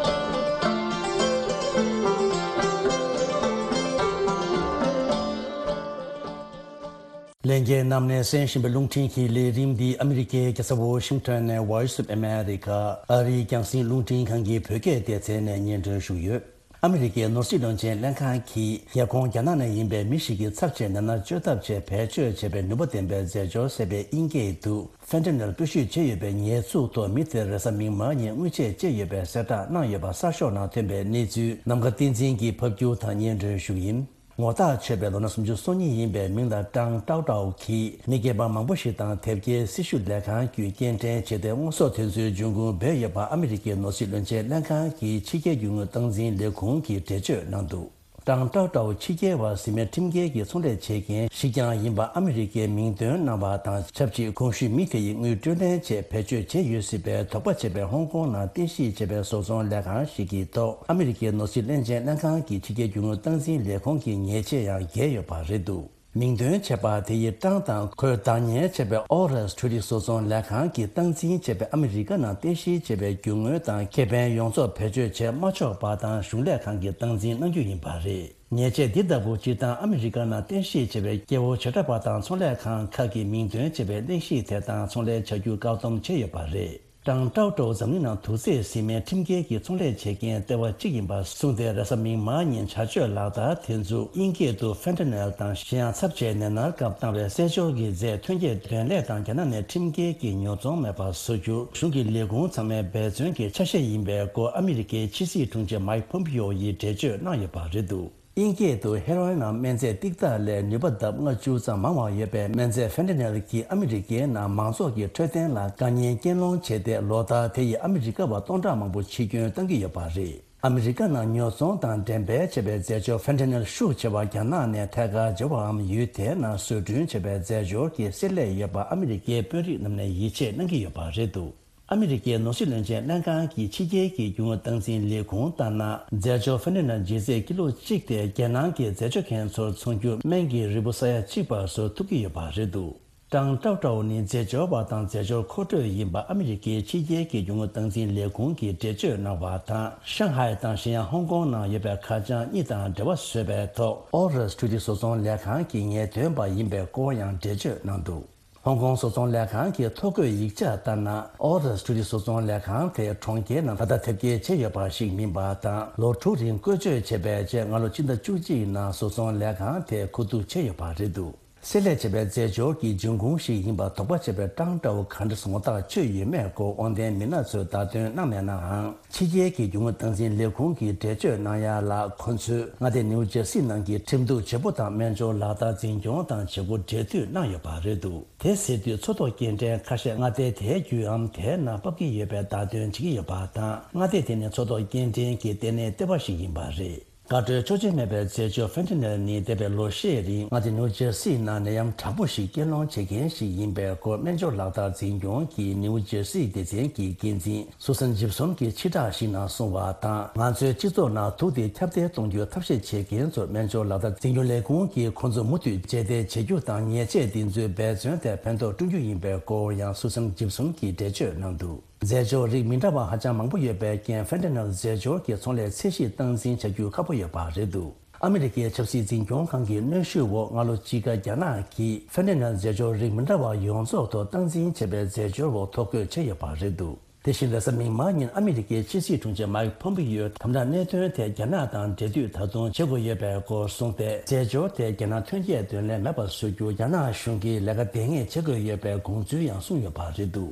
ལྷན་རྒྱས་རྣམས་ནས་གསན་བཞིན་པའི་རླུང་འཕྲིན་གྱི་ལས་རིམ་འདི་ཨ་མི་རི་ཀའི་རྒྱལ་ས་ཝོ་ཤིང་ཊོན་ནས་Voice of America ཨ་རིའི་རྒྱང་སྲིང་རླུང་འཕྲིན་ཁང་གི་བོད་སྐད་སྡེ་ཚན་ནས་སྙན་སྒྲོན་ཞུས་ཡོད། ཨ་མི་རི་ཀའི་ནོར་སྲིད་བློན་ཆེན་ལྷན་ཁང་གིས་རྒྱལ་ཁོངས་རྒྱ་ནག་ནས་ཡིན་པའི་མི་ཞིག་གི་ཚབ་བྱས་ནད་མནར་བཅོས་ཐབས་ཆེད་བེད་སྤྱོད་བྱས་པའི་ནུས་པ་ལྡན་པའི་རྫས་སྦྱོར་ཟེར་བའི་དབྱིན་སྐད་དུ་Fentanyl་སྤོ་བཤུད་བྱས་ཡོད་པའི་ཉེས་འཛུགས་ཐོག་མི་དེར་རེས་གཟའ་མིག་དམར་ཉིན་དངུལ་ཆད་བཅད་ཡོད་པའི་གསལ་བསྒྲགས་གནང་ཡོད་པ་གསར་ཤོག་ནང་ཐོན་པའི་གནས་ཚུལ་ནམ་མཁའ་བསྟན་འཛིན་གྱིས་ཕབ་སྒྱུར་དང་སྙན་སྒྲོན་ཞུ་ཡིན། ངོ་རྟགས་ཆོད་པའི་ལོ་ན་སུམ་ཅུ་སོ་གཉིས་ཡིན་པའི་མིང་ལ་ཀྲང་ཀྲའོ་ཀྲའོ་གིས་མི་སྒེར་པ་མང་པོ་ཞིག་དང་དེབ་སྐྱེལ་སྲི་ཞུ་ལས་ཁང་བརྒྱུད་སྐྱེལ་འདྲེན་བྱས་ཏེ་དངོས་ཟོག་དེ་ཚོའི་འབྱུང་ཁུངས་བོད་ཡོད་པ་ཨ་མི་རི་ཀའི་ནོར་སྲིད་བློན་ཆེན་ལྷན་ཁང་གི་ཕྱི་རྒྱལ་རྒྱུ་དངོས་སྟངས་འཛིན་ལས་ཁུངས་ཀྱིས་འགྲེལ་བརྗོད་གནང་འདུག་ཀྲང་ཀྲའོ་ཀྲའོ་ཕྱི་རྒྱལ་བ་ཟིན་མེད་ཁྲིམས་འགལ་གྱི་ཚོང་ལས་བྱེད་མཁན་ཞིག་ཀྱང་ཡིན་པ་ཨ་མི་རི་ཀའི་མིང་འདོན་གནང་བ་དང་ཆབས་ཅིག་གོང་ཞུས་མི་དེ་ཡི་དངུལ་སྤྲོད་ལེན་ཆེད་བེད་སྤྱོད་བྱས་ཡོད་སྲིད་པའི་དོགས་པ་བྱས་པའི་ཧོང་ཀོང་ནང་རྟེན་གཞི་བྱས་པའི་བཟོ་ཚོང་ལས་ཁང་ཞིག་གི་ཐོག་ཨ་མི་རི་ཀའི་ནོར་སྲིད་བློན་ཆེན་ལྷན་ཁང་གི་ཕྱི་རྒྱལ་རྒྱུ་དངོས་སྟངས་འཛིན་ལས་ཁུངས་ཀྱི་ཉེས་ཆད་ཡང་འགེལ་ཡོད་པ་རེད་འདུག་མིང་འདོན་བྱས་པ་དེ་ཡི་ཀྲང་དང་ཁོས་བདག་གཉེར་བྱས་པའི་ཨོ་རེས་འཕྲུལ་རིག་བཟོ་ཚོང་ལས་ཁང་གིས་སྟངས་འཛིན་བྱས་པའི་ཨ་མི་རི་ཀ་ནང་རྟེན་གཞི་བྱས་པའི་རྒྱུ་དངོས་དང་ཁེ་ཕན་ཡོངས་རྫོགས་བེད་སྤྱོད་བྱེད་མ་ཆོག་པ་དང་གཞུང་ལས་ཁང་གིས་སྟངས་འཛིན་གནང་རྒྱུ་ཡིན་པ་རེད། ཉེས་ཆད་འདི་ལྟ་བུ་སྤྱིར་བཏང་ཨ་མི་རི་ཀ་ནང་རྟེན་གཞི་བྱས་པའི་སྐྱེ་བོ་བྱེ་བྲག་པ་དང་ཚོང་ལས་ཁང་ཁག་གི་མིང་འདོན་བྱས་པའི་གླེང་གཞི་དེ་དང་ཚོང་ལས་བྱ་རྒྱུ་བཀག་སྡོམ་བྱས་ཡོད་པ་རེད། ཀྲང་ཀྲའོ་ཀྲའོ་འཛམ་གླིང་ནང་དུག་རྫས་ཟིན་མའི་ཁྲིམས་འགལ་གྱི་ཚོང་ལས་བྱེད་མཁན་ལྟེ་བ་གཅིག་ཡིན་པ་གསུངས་ཏེ་རེས་གཟའ་མིག་དམར་ཉིན་བྱ་སྤྱོད་ལག་བསྟར་དེ་ཚོ་དབྱིན་སྐད་དུ་Fentanyl་དང་གཞན་ཡང་ཚབས་ཆེའི་ནད་མནར་སྐབས་བཏང་བའི་རྩེད་འཇོར་གྱི་རྫས་ཐོན་སྐྱེད་འདོན་ལས་དང་རྒྱ་ནག་ནས་ཁྲིམས་འགལ་གྱི་ཉོ་ཚོང་མེད་པ་བཟོ་རྒྱུ་གཞུང་གི་ལས་ཁུངས་ཚང་མའི་འབད་བརྩོན་གྱི་ཆ་ཤས་ཡིན་པའི་སྐོར་ཨ་མི་རི་ཀའི་ཕྱི་སྲིད་དྲུང་ཆེ་མའིག་ཕོམ་པིའོ་ཡིས་འགྲེལ་བརྗོད་གནང་ཡོད་པ་རེད་འདུག་དབྱིན་སྐད་དུ་ཧེ་རོ་ཨིན་ནམ་སྨན་རྫས་ཏིག་ཏག་ལས་ནུས་པ་ལྡབ་ལྔ་བཅུ་ཙམ་མང་བ་ཡོད་པའི་སྨན་རྫས་Fentanyl་གྱིས་ཨ་མི་རི་ཀའི་ནང་མང་ཚོགས་ཀྱི་འཕྲོད་བསྟེན་ལ་དཀའ་ངལ་རྐྱེན་སློང་བྱས་ཏེ་ལོ་ལྟར་དེ་ཡིས་ཨ་མི་རི་ཀ་བ་སྟོང་ཕྲག་མང་པོ་འཆི་སྐྱོན་བཏང་གི་ཡོད་པ་རེད། ཨ་མི་རི་ཀ་ནང་ཉོ་ཚོང་དང་འགྲེམས་སྤེལ་བྱས་པའི་རྫས་སྦྱོར་Fentanyl་ཤུགས་ཆེ་བ་རྒྱ་ནག་ནས་ཐད་ཀར་འབྱོར་བའམ་ཡུལ་དེའི་ནང་བཟོ་སྐྲུན་བྱས་པའི་རྫས་སྦྱོར་གྱི་བསྲེ་ལྷད་ཡོད་པ་ཨ་མི་རི་ཀའི་དཔོན་རིགས་རྣམས་ནས་ཡིད་ཆེས་གནང་གི་ཡོད་པ་རེད་འདུག་ཨ་མི་རི་ཀའི་ནོར་སྲིད་བློན་ཆེན་ལྷན་ཁང་གི་ཕྱི་རྒྱལ་གྱི་རྒྱུ་དངོས་སྟངས་འཛིན་ལས་ཁུངས་ལྟར་ན། རྫས་སྦྱོར་Fentanyl་ལྗིད་ཚད་ཀི་ལོ་གཅིག་དེ་རྒྱལ་ནང་གི་རྫས་སྦྱོར་མཁན་ཚོར་འཚོང་རྒྱུ་སྨན་གྱི་རིལ་བུ་ས་ཡ་གཅིག་བར་བཟོ་ཐུབ་ཀྱི་ཡོད་པ་རེད་འདུག་ཀྲང་ཀྲའོ་ཀྲའོ་ནི་རྫས་སྦྱོར་བ་དང་རྫས་སྦྱོར་མཁོ་སྤྲོད་ཡིན་པ་ཨ་མི་རི་ཀའི་ཕྱི་རྒྱལ་གྱི་རྒྱུ་དངོས་སྟངས་འཛིན་ལས་ཁུངས་ཀྱིས་འགྲེལ་བརྗོད་གནང་བ་དང་། ཤང་ཧའེ་དང་གཞན་ཡང་ཧོང་ཀོང་ནང་ཡོད་པའི་ཁ་བྱང་གཉིས་དང་འབྲེལ་བ་བཟོས་པའི་ཐོག་ཨོ་རེས་འཕྲུལ་རིག་བཟོ་ཚོང་ལས་ཁང་གི་ངེས་སྟོན་པ་ཡིན་པའི་སྐོར་ཡང་འགྲེལ་བརྗོད་གནང་འདུག་ཧོང་ཀོང་བཟོ་ཚོང་ལས་ཁང་གི་ཐོ་འགོད་ཡིག་ཆ་ལྟར་ན། ཨོ་རེས་འཕྲུལ་རིག་བཟོ་ཚོང་ལས་ཁང་དེ་གྲོང་ཁྱེར་ནང་ད་ལྟ་དེབ་སྐྱེལ་བྱས་ཡོད་པ་ཞིག་མིན་པ་དང་། ལོ་དྲུག་རིང་བཀོལ་སྤྱོད་བྱས་པའི་རྗེས་སྔ་ལོ་ཕྱི་ཟླ་བཅུ་གཅིག་ནང་བཟོ་ཚོང་ལས་ཁང་དེ་ཁུ་བསྡུ་བྱས་ཡོད་པ་རེད་འདུག་བསྲེས་ལྷད་བྱས་པའི་རྫས་སྦྱོར་གྱི་འབྱུང་ཁུངས་ཤིག་ཡིན་པར་དོགས་པ་བྱེད་པའི་གྲངས་འདྲ་བོ་ག་འདྲ་ངོ་རྟགས་ཆོད་ཡོད་མེད་སྐོར་དབང་ལྡན་མི་སྣ་ཚོས་བརྡ་སྟོན་གནང་མེད་ནའང་། ཕྱི་རྒྱལ་གྱི་རྒྱུ་དངོས་སྟངས་འཛིན་ལས་ཁུངས་ཀྱིས་འགྲེལ་བརྗོད་གནང་ཡ་ལ། ཁོ་ཚོས་མངའ་སྡེ་ནིའུ་ཇར་སི་ནང་གི་ཁྲིམས་གཏུག་བྱེད་པོ་དང་སྨན་སྦྱོར་ལག་བསྟར་འཛིན་སྐྱོང་དང་བྱེད་སྒོ་འབྲེལ་མཐུད་གནང་ཡོད་པ་རེད་འདུག་དེ་ཟེར་དུས་འཚོ་ཐོག་སྐྱེལ་འདྲེན་ཁ་ཤས་མངའ་སྡེ་དེའི་རྒྱུད་འམ་དེའི་ནང་ཕབ་ཀྱི་ཡོད་པའི་བརྡ་སྟོན་བྱེད་ཀྱི་ཡོད་པ་དང་། མངའ་སྡེ་དེ་ནི་འཚོ་ཐོག་སྐྱེལ་འདྲེན་གྱི་ལྟེ་གནས་ལྟེ་བ་ཞིག་ཡིན་པ་རེད། དགའ་སྤྲོའི་གཅོག་མཆན་མེད་པའི་རྫས་སྦྱོར་ཕེན་ཏ་ནེལ་ནི་འདས་པའི་ལོ་ཤས་རིང་མངའ་སྡེ་ནིའུ་ཇར་སི་ནང་ནད་ཡམས་དྲག་པོ་ཞིག་སྐྱེད་སློང་བྱེད་མཁན་ཞིག་ཡིན་པའི་སྐོར་སྨན་སྦྱོར་ལག་བསྟར་འཛིན་སྐྱོང་གི་ནིའུ་ཇར་སི་སྡེ་ཚན་གྱི་འགན་འཛིན་སུ་སན་ཇིབ་སོན་གྱིས་ཕྱིར་བསྒྲགས་ཤིག་ནང་གསུངས་པ་དང་། ང་ཚོའི་སྤྱི་ཚོགས་ནང་དུག་དེ་ཁྱབ་གདལ་གཏོང་རྒྱུའི་ཐབས་ཤེས་བྱེད་མཁན་ཚོར་སྨན་སྦྱོར་ལག་བསྟར་འཛིན་སྐྱོང་ལས་ཁུངས་ཀྱིས་ཁོང་ཚོ་མུ་མཐུད་རྗེས་འདེད་བྱེད་རྒྱུ་དང་། ཉེས་ཆད་འདི་ཚོའི་འབད་བརྩོན་དེ་ཕན་ཐོགས་བསྐྲུན་རྒྱུ་ཡིན་པའི་སྐོར་ཡང་སུ་སན་ཇིབ་སོན་གྱིས་འགྲེལ་བརྗོད་གནང་འདུག་རྫས་སྦྱོར་རིགས་མི་འདྲ་བ་ཧ་ཅང་མང་པོ་ཡོད་པའི་རྐྱེན། ཕེན་ཏ་ནེལ་རྫས་སྦྱོར་གྱི་ཚོང་ལས་ཚད་གཞི་སྟངས་འཛིན་བྱ་རྒྱུ་ཁག་པོ་ཡོད་པ་རེད་འདུག་ཨ་མི་རི་ཀའི་ཆབ་སྲིད་འཛིན་སྐྱོང་ཁང་གི་གནོན་ཤུགས་འོག་སྔ་ལོ་དཔྱིད་ཀ་རྒྱ་ནག་གིས་ཕེན་ཏ་ནེལ་རྫས་སྦྱོར་རིགས་མི་འདྲ་བ་ཡོངས་རྫོགས་ཐོག་སྟངས་འཛིན་བྱས་པའི་རྫས་སྦྱོར་འོག་ཐོ་འགོད་བྱས་ཡོད་པ་རེད་འདུག་དེ་བཞིན་རེས་གཟའ་མིག་དམར་ཉིན་ཨ་མི་རི་ཀའི་ཕྱི་སྲིད་དྲུང་ཆེ་མའིག་ཕོམ་པི་ཡོས་དམ་དྲག་གནད་དོན་ཐད་རྒྱ་ནག་དང་འབྲེལ་མཐུད་ད་དུང་བྱེད་དགོས་ཡོད་པའི་སྐོར་གསུངས་ཏེ། རྫས་སྦྱོར་དེ་རྒྱ་ནག་ཐོན་སྐྱེད་དོན་ལས་མེད་པར་བཟོ་རྒྱུ་རྒྱ་ནག་གཞུང་གིས་ལས་ཀ་འབད་ངེས་བྱེད་དགོས་ཡོད་པའི་དགོངས་ཚུལ་ཡང་གསུངས་ཡོད་པ་རེད་འདུག་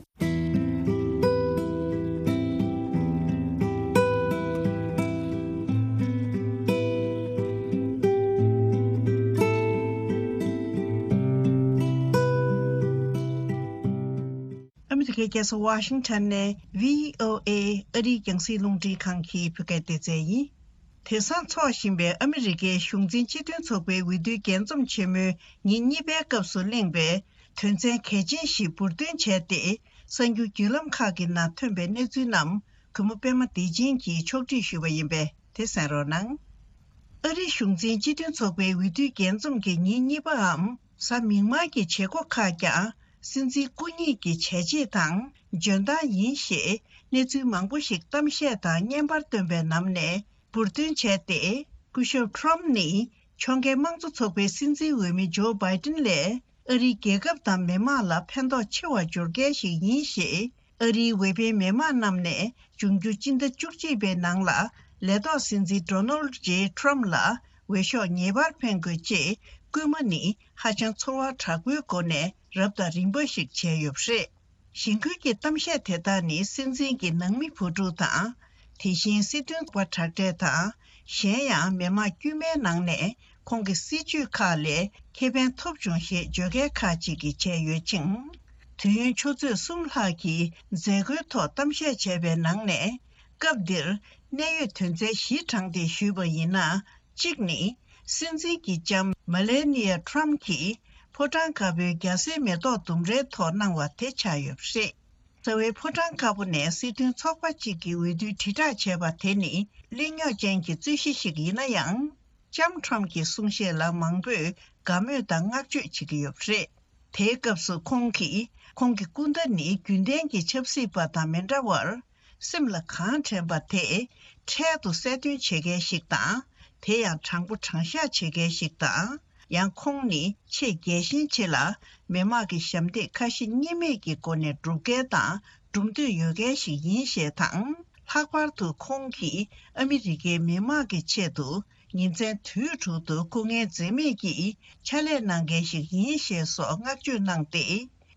ཨ་མི་རི་ཀའི་རྒྱལ་ས་ཝ་ཤིང་ཊོན་ནས་བྷི་ཨོ་ཨེ་ཨ་རིའི་རྒྱང་སྲིང་རླུང་འཕྲིན་ཁང་གི་བོད་སྐད་སྡེ་ཚན་ཡིན། དེང་སང་འཚོགས་བཞིན་པའི་ཨ་མི་རི་ཀའི་གཞུང་འཛིན་སྤྱི་མཐུན་ཚོགས་པའི་འོས་བསྡུའི་རྒྱས་འཛོམས་ཆེན་མོའི་ཉིན་གཉིས་པའི་སྐབས་སུ་གླེང་བའི་དོན་ཚན་གལ་ཆེན་ཞིག་འབུར་འདོན་བྱས་ཏེ། གསར་འགྱུར་བརྒྱུད་ལམ་ཁག་གི་ནང་ཐོན་པའི་གནས་ཚུལ་རྣམས་གུས་མོ་པད་མ་བདེ་ཆེན་གྱིས་ཕྱོགས་སྒྲིག་ཞུས་པ་ཡིན་པས། དེ་གསན་རོགས་གནང་། ཨ་རིའི་གཞུང་འཛིན་སྤྱི་མཐུན་ཚོགས་པའི་འོས་བསྡུའི་རྒྱས་འཛོམས་ཀྱི་ཉིན་གཉིས་པའམ་གཟའ་མིག་དམར་གྱི་བྱེད་སྒོ་ཁག་ཀྱང་སྲིད་འཛིན་སྐུ་ཉིད་ཀྱི་བྱས་རྗེས་དང་འཇོན་ཐང་ཡིན་ཞེས་གནས་ཚུལ་མང་པོ་ཞིག་གཏམ་བཤད་དང་བརྙན་པར་བཏོན་པའི་ནང་ནས་འབུར་འདོན་བྱས་ཏེ། སྐུ་ཞབས་ཁྲོམ་ནི་ཕྱོགས་འགལ་དམངས་གཙོ་ཚོགས་པའི་སྲིད་འཛིན་འོས་མི་ཇོ་བྷའི་ཏིན་ལས་ཨ་རིའི་རྒྱལ་ཁབ་དང་མི་དམངས་ལ་ཕན་ཐོགས་ཆེ་བ་འབྱོར་མཁན་ཞིག་ཡིན་ཞེས། ཨ་རིའི་འོས་འཕེན་མི་མང་རྣམས་ནས་འབྱུང་འགྱུར་སྤྱི་ཟླ་བཅུ་གཅིག་པའི་ནང་ལ་ལས་ཐོག་སྲིད་འཛིན་ཌོ་ནལ་ཇེ་ཁྲོམ་ལ་འོས་ཤོག་ངེས་པར་འཕེན་དགོས་ཅེས་སྐུལ་མ་ནི་ཧ་ཅང་ཚོར་བ་དྲག་པོའི་སྒོ་ནས་རབ་དང་རིམ་པ་ཞིག་བྱས་ཡོད་པ་རེད། གཞེན་སྐུལ་གྱི་གཏམ་བཤད་དེ་དག་ནི་སྲིད་འཛིན་གྱི་ནང་མི་བུ་ཕྲུག་དང་། དེ་བཞིན་སྲིད་དོན་པ་དྲག་གྲས་དང་། གཞན་ཡང་མི་མང་དཀྱུས་མའི་ནང་ནས་ཁོང་གི་སྲིད་བྱུས་ཁག་ལས་ཁེ་ཕན་ཐོབ་བྱུང་ཞེས་བརྗོད་མཁན་ཁག་ཅིག་གིས་བྱས་ཡོད་ཅིང་། དུས་ཡུན་ཆུ་ཚོད་གསུམ་ལྷག་གི་མཛད་སྒོའི་ཐོག་གཏམ་བཤད་བྱས་པའི་ནང་ནས། སྐབས་འདིར་གནད་ཡོད་དོན་ཚན་བཞི་དྲངས་ཏེ་ཞུས་པ་ཡིན་ན། གཅིག་ནི། སྲིད་འཛིན་གྱི་ལྕམ་མེ་ལེ་ནི་ཡ་ཁྲོམ་གྱིས་ཕོ་བྲང་དཀར་པོའི་རྒྱ་སེར་མེ་ཏོག་ལྡུམ་རའི་ཐོག་གནང་བ་དེ་ཆགས་ཡོད་པ་རེད། རྩ་བའི་ཕོ་བྲང་དཀར་པོ་ནས་སྲིད་དོན་ཚོགས་པ་གཅིག་གི་འོས་བསྡུའི་དྲིལ་བསྒྲགས་བྱས་པ་དེ་ནི་གླེང་རྙོག་ཅན་གྱི་རྩོད་གཞི་ཞིག་ཡིན་ན་ཡང་། ལྕམ་ཁྲོམ་གྱི་གསུང་བཤད་ལ་མང་པོས་དགའ་མོས་དང་བསྔགས་བརྗོད་བྱེད་ཀྱི་ཡོད་པ་རེད། དེའི་སྐབས་སུ་ཁོང་གིས་ཁོང་གི་སྐུ་ཟླ་ནི་རྒྱུན་ལྡན་གྱི་ཆབ་སྲིད་པ་དང་མི་འདྲ་བར། སེམས་ལ་གང་དྲན་པ་དེ་འཕྲལ་དུ་གསལ་སྟོན་བྱེད་མཁན་ཞིག་དང་། དེ་ཡང་དྲང་པོ་དྲང་བཞག་བྱེད་མཁན་ཞིག་དང་། ཡང་ཁོང་ནི་ཆེས་རྒྱལ་ཞེན་ཆེ་ལ། མི་དམངས་ཀྱི་ཞབས་འདེགས་ཁ་ཞེ་གཉིས་མེད་ཀྱི་སྒོ་ནས་སྒྲུབ་མཁན་དང་སྒྲུབ་འདོད་ཡོད་མཁན་ཞིག་ཡིན་ཞེས་དང་། ལྷག་པར་དུ་ཁོང་གིས་ཨ་མི་རི་ཀའི་མི་དམངས་ཀྱི་ཆེད་དུ་ཉིན་མཚན་དུས་དྲུག་ཏུ་སྐུ་ངལ་འཛེམས་མེད་ཀྱིས་ཕྱག་ལས་གནང་མཁན་ཞིག་ཡིན་ཞེས་སོགས་བསྔགས་བརྗོད་གནང་སྟེ།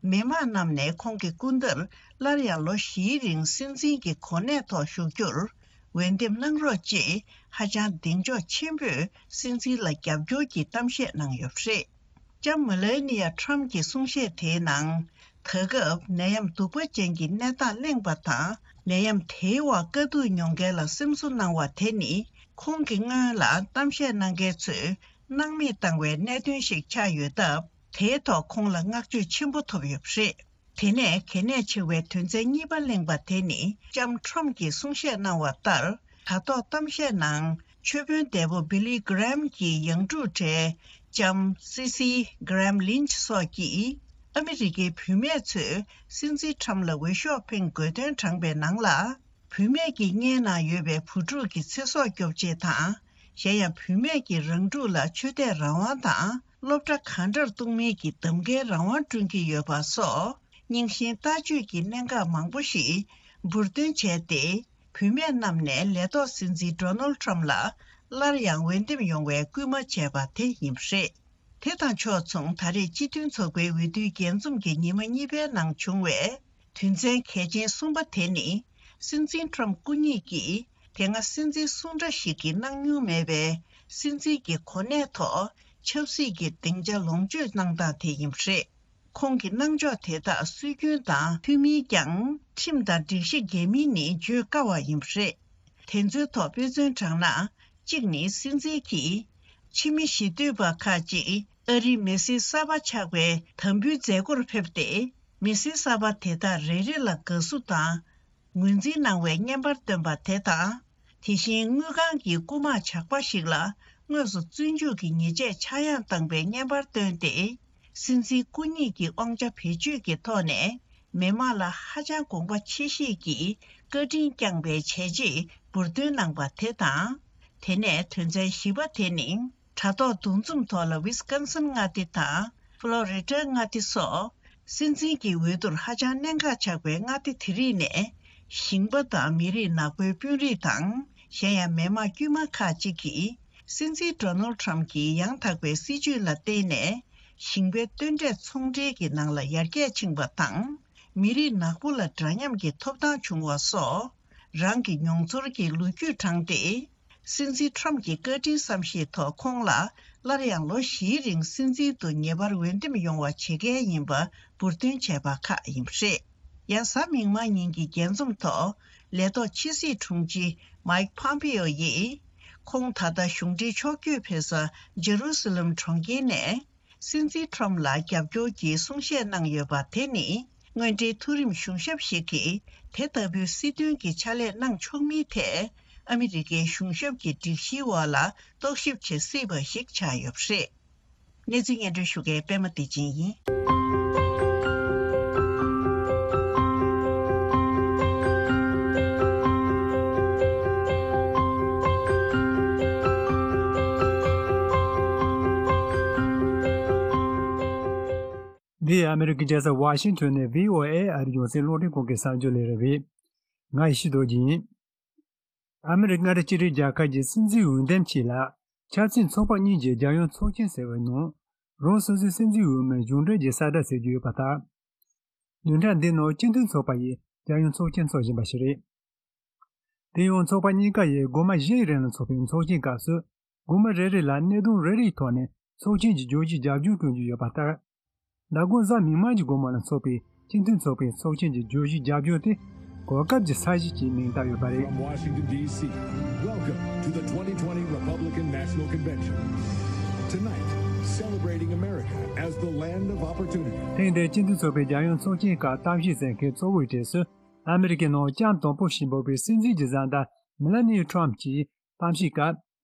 མི་དམངས་རྣམས་ནས་ཁོང་གི་སྐུ་ཟླར་སླར་ཡང་ལོ་བཞིའི་རིང་སྲིད་འཛིན་གྱི་གོ་གནས་ཐོག་བཞུགས་རྒྱུར་འོས་འདེམས་གནང་རོགས་ཅེས་ཧ་ཅང་གདེང་འཇོག་ཆེན་པོས་སྲིད་འཛིན་ལ་རྒྱབ་སྐྱོར་གྱི་གཏམ་བཤད་གནང་ཡོད་པ་རེད། ལྕམ་མེ་ལེ་ནི་ཡ་ཁྲམ་གྱི་གསུང་བཤད་དེའི་ནང་། ད་སྐབས་ནད་ཡམས་གདུག་པ་ཅན་གྱི་གནས་སྟངས་གླེང་བ་དང་། ནད་ཡམས་དེའི་འོག་དཀའ་སྡུག་མྱོང་མཁན་ལ་སེམས་གསོ་གནང་བ་དེ་ནི་ཁོང་གི་སྔོན་ལ་གཏམ་བཤད་གནང་མཁན་ཚོས་སྣང་མེད་བཏང་བའི་གནད་དོན་ཞིག་ཆགས་ཡོད་སྟབས། དེའི་ཐོག་ཁོང་ལ་བསྔགས་བརྗོད་ཆེན་པོ་ཐོབ་ཡོད་པ་རེད། དེ་ནས་གལ་གནད་ཆེ་བའི་དོན་ཚན་གཉིས་པ་གླེང་བ་དེ་ནི་ལྕམ་ཁྲོམ་གྱིས་གསུང་བཤད་གནང་བ་ལྟར། དྲ་ཐོག་གཏམ་བཤད་ནང་ཆོས་དཔོན་འདས་པོ་བྷི་ལི་གྷི་རེམ་གྱི་ཡང་སྤྲུལ་གྲས་ལྕམ་སི་སི་གྷི་རེམ་ལིན་ཆི་སོགས་ཀྱིས་ཨ་མི་རི་ཀའི་བུད་མེད་ཚོས་སྲིད་འཛིན་ཁྲམ་ལ་འོས་ཤོག་འཕེན་དགོས་དོན་དྲངས་པའི་ནང་ལ། བུད་མེད་ཀྱི་མངལ་ནང་ཡོད་པའི་བུ་ཕྲུག་གི་ཚེ་སྲོག་སྐྱོབ་ཆེད་དང་། གཞན་ཡང་བུད་མེད་ཀྱི་རང་སྒྲུག་ལ་ཆོས་དད་རང་དབང་དང་སློབ་གྲྭ་གང་འདྲར་གཏོང་མིན་གྱི་གདམ་ཀའི་རང་དབང་བསྐྲུན་གྱི་ཡོད་པ་སོགས། རྙིང་ཞེན་ལྟ་སྤྱོད་ཀྱི་གནད་འགག་མང་པོ་ཞིག་འབུར་འདོན་བྱས་ཏེ། བུད་མེད་རྣམས་ནས་ལས་ཐོག་སྲིད་འཛིན་ཌོ་ནལ་ཁྲམ་ལ་སླར་ཡང་འོས་འདེམས་ཡོང་བའི་སྐུལ་མ་བྱས་པ་དེ་ཡིན་པ་རེད། དེ་དང་ཕྱོགས་མཚུངས། ད་རེས་སྤྱི་མཐུན་ཚོགས་པའི་འོས་བསྡུའི་རྒྱས་འཛོམས་ཀྱི་ཉི་མ་གཉིས་པའི་ནང་བྱུང་བའི་དོན་ཚན་གལ་ཆེན་གསུམ་པ་དེ་ནི། སྲིད་འཛིན་ཁྲོམ་སྐུ་ཉིད་ཀྱིས་དེ་སྔ་སྲིད་འཛིན་སུ་འདྲ་ཞིག་གིས་གནང་མྱོང་མེད་པའི་སྲིད་འཛིན་གྱི་གོ་གནས་ཐོག་ཆབ་སྲིད་ཀྱི་སྡིངས་ཆ་ལོངས་སྤྱོད་གནང་སྟངས་དེ་ཡིན་པ་རེད། ཁོང་གི་གནང་ཕྱོགས་དེ་དག་སྲོལ་རྒྱུན་དང་མཐུན་མིན་ཀྱང་། ཁྲིམས་དང་སྒྲིག་གཞི་འགལ་མིན་ནི་བརྗོད་དཀའ་བ་ཡིན་པ་རེད། དེ་ཚོའི་ཐོག་དཔེ་མཚོན་དྲངས་ན། གཅིག་ནི་སྲིད་འཛིན་གྱིས་ཕྱི་མི་ཞི་འདོད་པ་ཁག་ཅིག་ཨ་རིའི་མི་སེར་གསར་པ་ཆགས་པའི་དམ་འབུལ་མཛད་སྒོར་ཕེབས་ཏེ། མི་སེར་གསར་པ་དེ་དག་རེ་རེ་ལ་དགའ་བསུ་དང་ངོས་འཛིན་གནང་བའི་བརྙན་པར་བཏོན་པ་དེ་དང་། དེ་བཞིན་དངུལ་ཁང་གི་རྐུ་མ་ཇག་པ་ཞིག་ལ་དངོས་སུ་བཙོན་འཇུག་གི་ཉེས་ཆད་ཆག་ཡང་བཏང་པའི་བརྙན་པར་བཏོན་ཏེ། སྲིད་འཛིན་སྐུ་ཉིད་ཀྱི་དབང་ཆ་བེད་སྤྱོད་ཀྱི་ཐོག་ནས་མི་དམངས་ལ་ཧ་ཅང་དགོངས་པ་ཆེ་བཞེས་ཀྱིས་བཀའ་དྲིན་བསྐྱངས་པའི་བྱས་རྗེས་འབུར་འདོན་གནང་པ་དེ་དང་། དེ་ནས་དོན་ཚན་བཞི་པ་དེ་ནི། དྲ་ཐོག་འདུ་འཛོམས་ཐོག་ལ་ཝི་སི་ཀོན་སིན་མངའ་སྡེ་དང་ཕློ་རི་ཌ་མངའ་སྡེ་སོགས། སྲིད་འཛིན་གྱི་འོས་བསྡུར་ཧ་ཅང་གནད་འགག་ཆགས་པའི་མངའ་སྡེ་དེ་རིགས་ནས། ཞིང་པ་དང་མི་རིགས་ནག་པོའི་དཔོན་རིགས་དང་། གཞན་ཡང་མི་དམངས་དཀྱུས་མ་ཁག་ཅིག་གིས། སྲིད་འཛིན་ཌོ་ནལ་ཌི་ཊརམ་ཕི་གྱི་ཡང་དག་པའི་སྲིད་ཇུས་ལ་བརྟེན་ནས། ཞིང་པའི་སྟོན་འབྲས་ཚོང་འབྲེལ་གྱི་ནང་ལ་ཡར་རྒྱས་ཕྱིན་པ་དང་། མི་རིགས་ནག་པོ་ལ་འདྲ་མཉམ་གྱི་ཐོབ་ཐང་བྱུང་བ་སོགས། རང་གི་མྱོང་ཚོར་གྱི་ལོ་རྒྱུས་དྲངས་ཏེ། སྲིད་འཛིན་ཊརམ་ཕི་གྱི་བཀའ་དྲིན་བསམ་ཤེས་ཐོག་ཁོང་ལ་སླར་ཡང་ལོ་བཞིའི་རིང་སྲིད་འཛིན་དུ་ངེས་པར་འོས་འདེམས་ཡོང་བ་བྱེད་མཁན་ཡིན་པ་འབུར་འདོན་བྱས་པ་ཁག་ཡིན་པ་རེད། ཡང་གཟའ་མིག་དམར་ཉིན་གྱི་རྒྱས་འཛོམས་ཐོག་ལས་ཐོག་ཕྱི་སྲིད་དྲུང་ཆེ་མཱིག་ཕམ་པེའོ་ཡིས། ཁོང་ད་ལྟ་གཞུང་འབྲེལ་ཕྱོགས་བསྐྱོད་ཕེབས་ས་ཇེ་རུ་སི་ལམ་གྲོང་ཁྱེར་ནས། སྲིད་འཛིན་ཊརམ་ཕི་ལ་རྒྱབ་སྐྱོར་གྱི་གསུང་བཤད་གནང་ཡོད་པ་དེ་ནི། དངོས་འབྲེལ་མཐོ་རིམ་གཞུང་ཞབས་ཤིག་གིས་དེ་ལྟ་བུའི་སྲིད་དོན་གྱི་ཕྱག་ལས་གནང་ཆོག་མིན་ཐད། ཨ་མི་རི་ཀའི་གཞུང་ཞབས་ཀྱི་སྒྲིག་གཞིའི་འོག་ལ་རྟོག་ཞིབ་བྱེད་སྲིད་པ་ཞིག་ཆགས་ཡོད་པ་རེད། གནས་ཚུལ་སྙན་སྒྲོན་ཞུ་མཁན་པད་མ་བདེ་ཆེན་ཡིན། འདི་ཨ་མི་རི་ཀའི་རྒྱལ་ས་ཝ་ཤིང་ཊོན་ནས་བྷི་ཨོ་ཨེ་ཨ་རིའི་རྒྱང་སྲིང་རླུང་འཕྲིན་ཁང་གི་གསར་འགྱུར་ལས་རིམ་རེད། ང་ཡེ་ཤེས་རྡོ་རྗེ་ཡིན། ཨ་མི་རི་ཀ་མངའ་སྡེ་གཅིག་སྒྲིལ་རྒྱལ་ཁབ་ཀྱི་སྲིད་འཛིན་འོས་འདེམས་ཆེད་ལ། ཆབ་སྲིད་ཚོགས་པ་གཉིས་ཀྱི་རྒྱལ་ཡོངས་ཚོགས་ཆེན་ཟེར་བའི་ནང་། རང་སོ་སོའི་སྲིད་འཛིན་འོས་མི་གཞུང་འབྲེལ་གྱི་གསལ་བསྒྲགས་ཟེར་རྒྱུ་ཡོད་པ་ལྟར། བདུན་ཕྲག་འདིའི་ནང་སྤྱི་མཐུན་ཚོགས་པ་ཡིས་རྒྱལ་ཡོངས་ཚོགས་ཆེན་འཚོགས་བཞིན་པ་ཞིག་རེད། དེ་ཡང་ཚོགས་པ་གཉིས་ཀ་ཡིས་སྒོར་མོ་བཞིའི་རིང་ལ་འཚོགས་པའི་ཚོགས་ཆེན་སྐབས་སུ། སྒོར་མོ་རེ་རེ་ལ་གནད་དོན་རེ་རེའི་ཐོག་ནས་ཚོགས་ཆེན་གྱི་བརྗོད་གཞི་རྒྱབ་ལྗོངས་སྐྱོན་རྒྱུ་ཡོད་པ་ལྟར། མདང་དགོང་གཟའ་མིག་དམར་གྱི་དགོང་མོ་ལ་འཚོགས་པའི་སྤྱི་མཐུན་ཚོགས་པའི་ཚོགས་ཆེན་གྱི་བརྗོད་གཞི་རྒྱབ་ལྗོངས་དེ། གོ་སྐབས་ཀྱི་ས་གཞི་ཞེས་མིང་བཏགས་ཡོད་པ་རེད། From Washington, D C, welcome to the twenty twenty Republican National Convention. Tonight, celebrating America as the land of opportunity. ཐེངས་འདིའི་སྤྱི་མཐུན་ཚོགས་པའི་རྒྱལ་ཡོངས་ཚོགས་ཆེན་སྐབས་གཏམ་བཤད་མཛད་མཁན་གཙོ་བོའི་གྲས་སུ། ཨ་མི་རི་ཀའི་ནང་ལྕམ་དང་པོ་ཞིག་འབོད་པའི་སྲིད་འཛིན་གྱི་བཟའ་ཟླ་མེ་ལ་ནི་ཊརམ་ཕི་གྱིས་གཏམ་བཤད་སྐབས།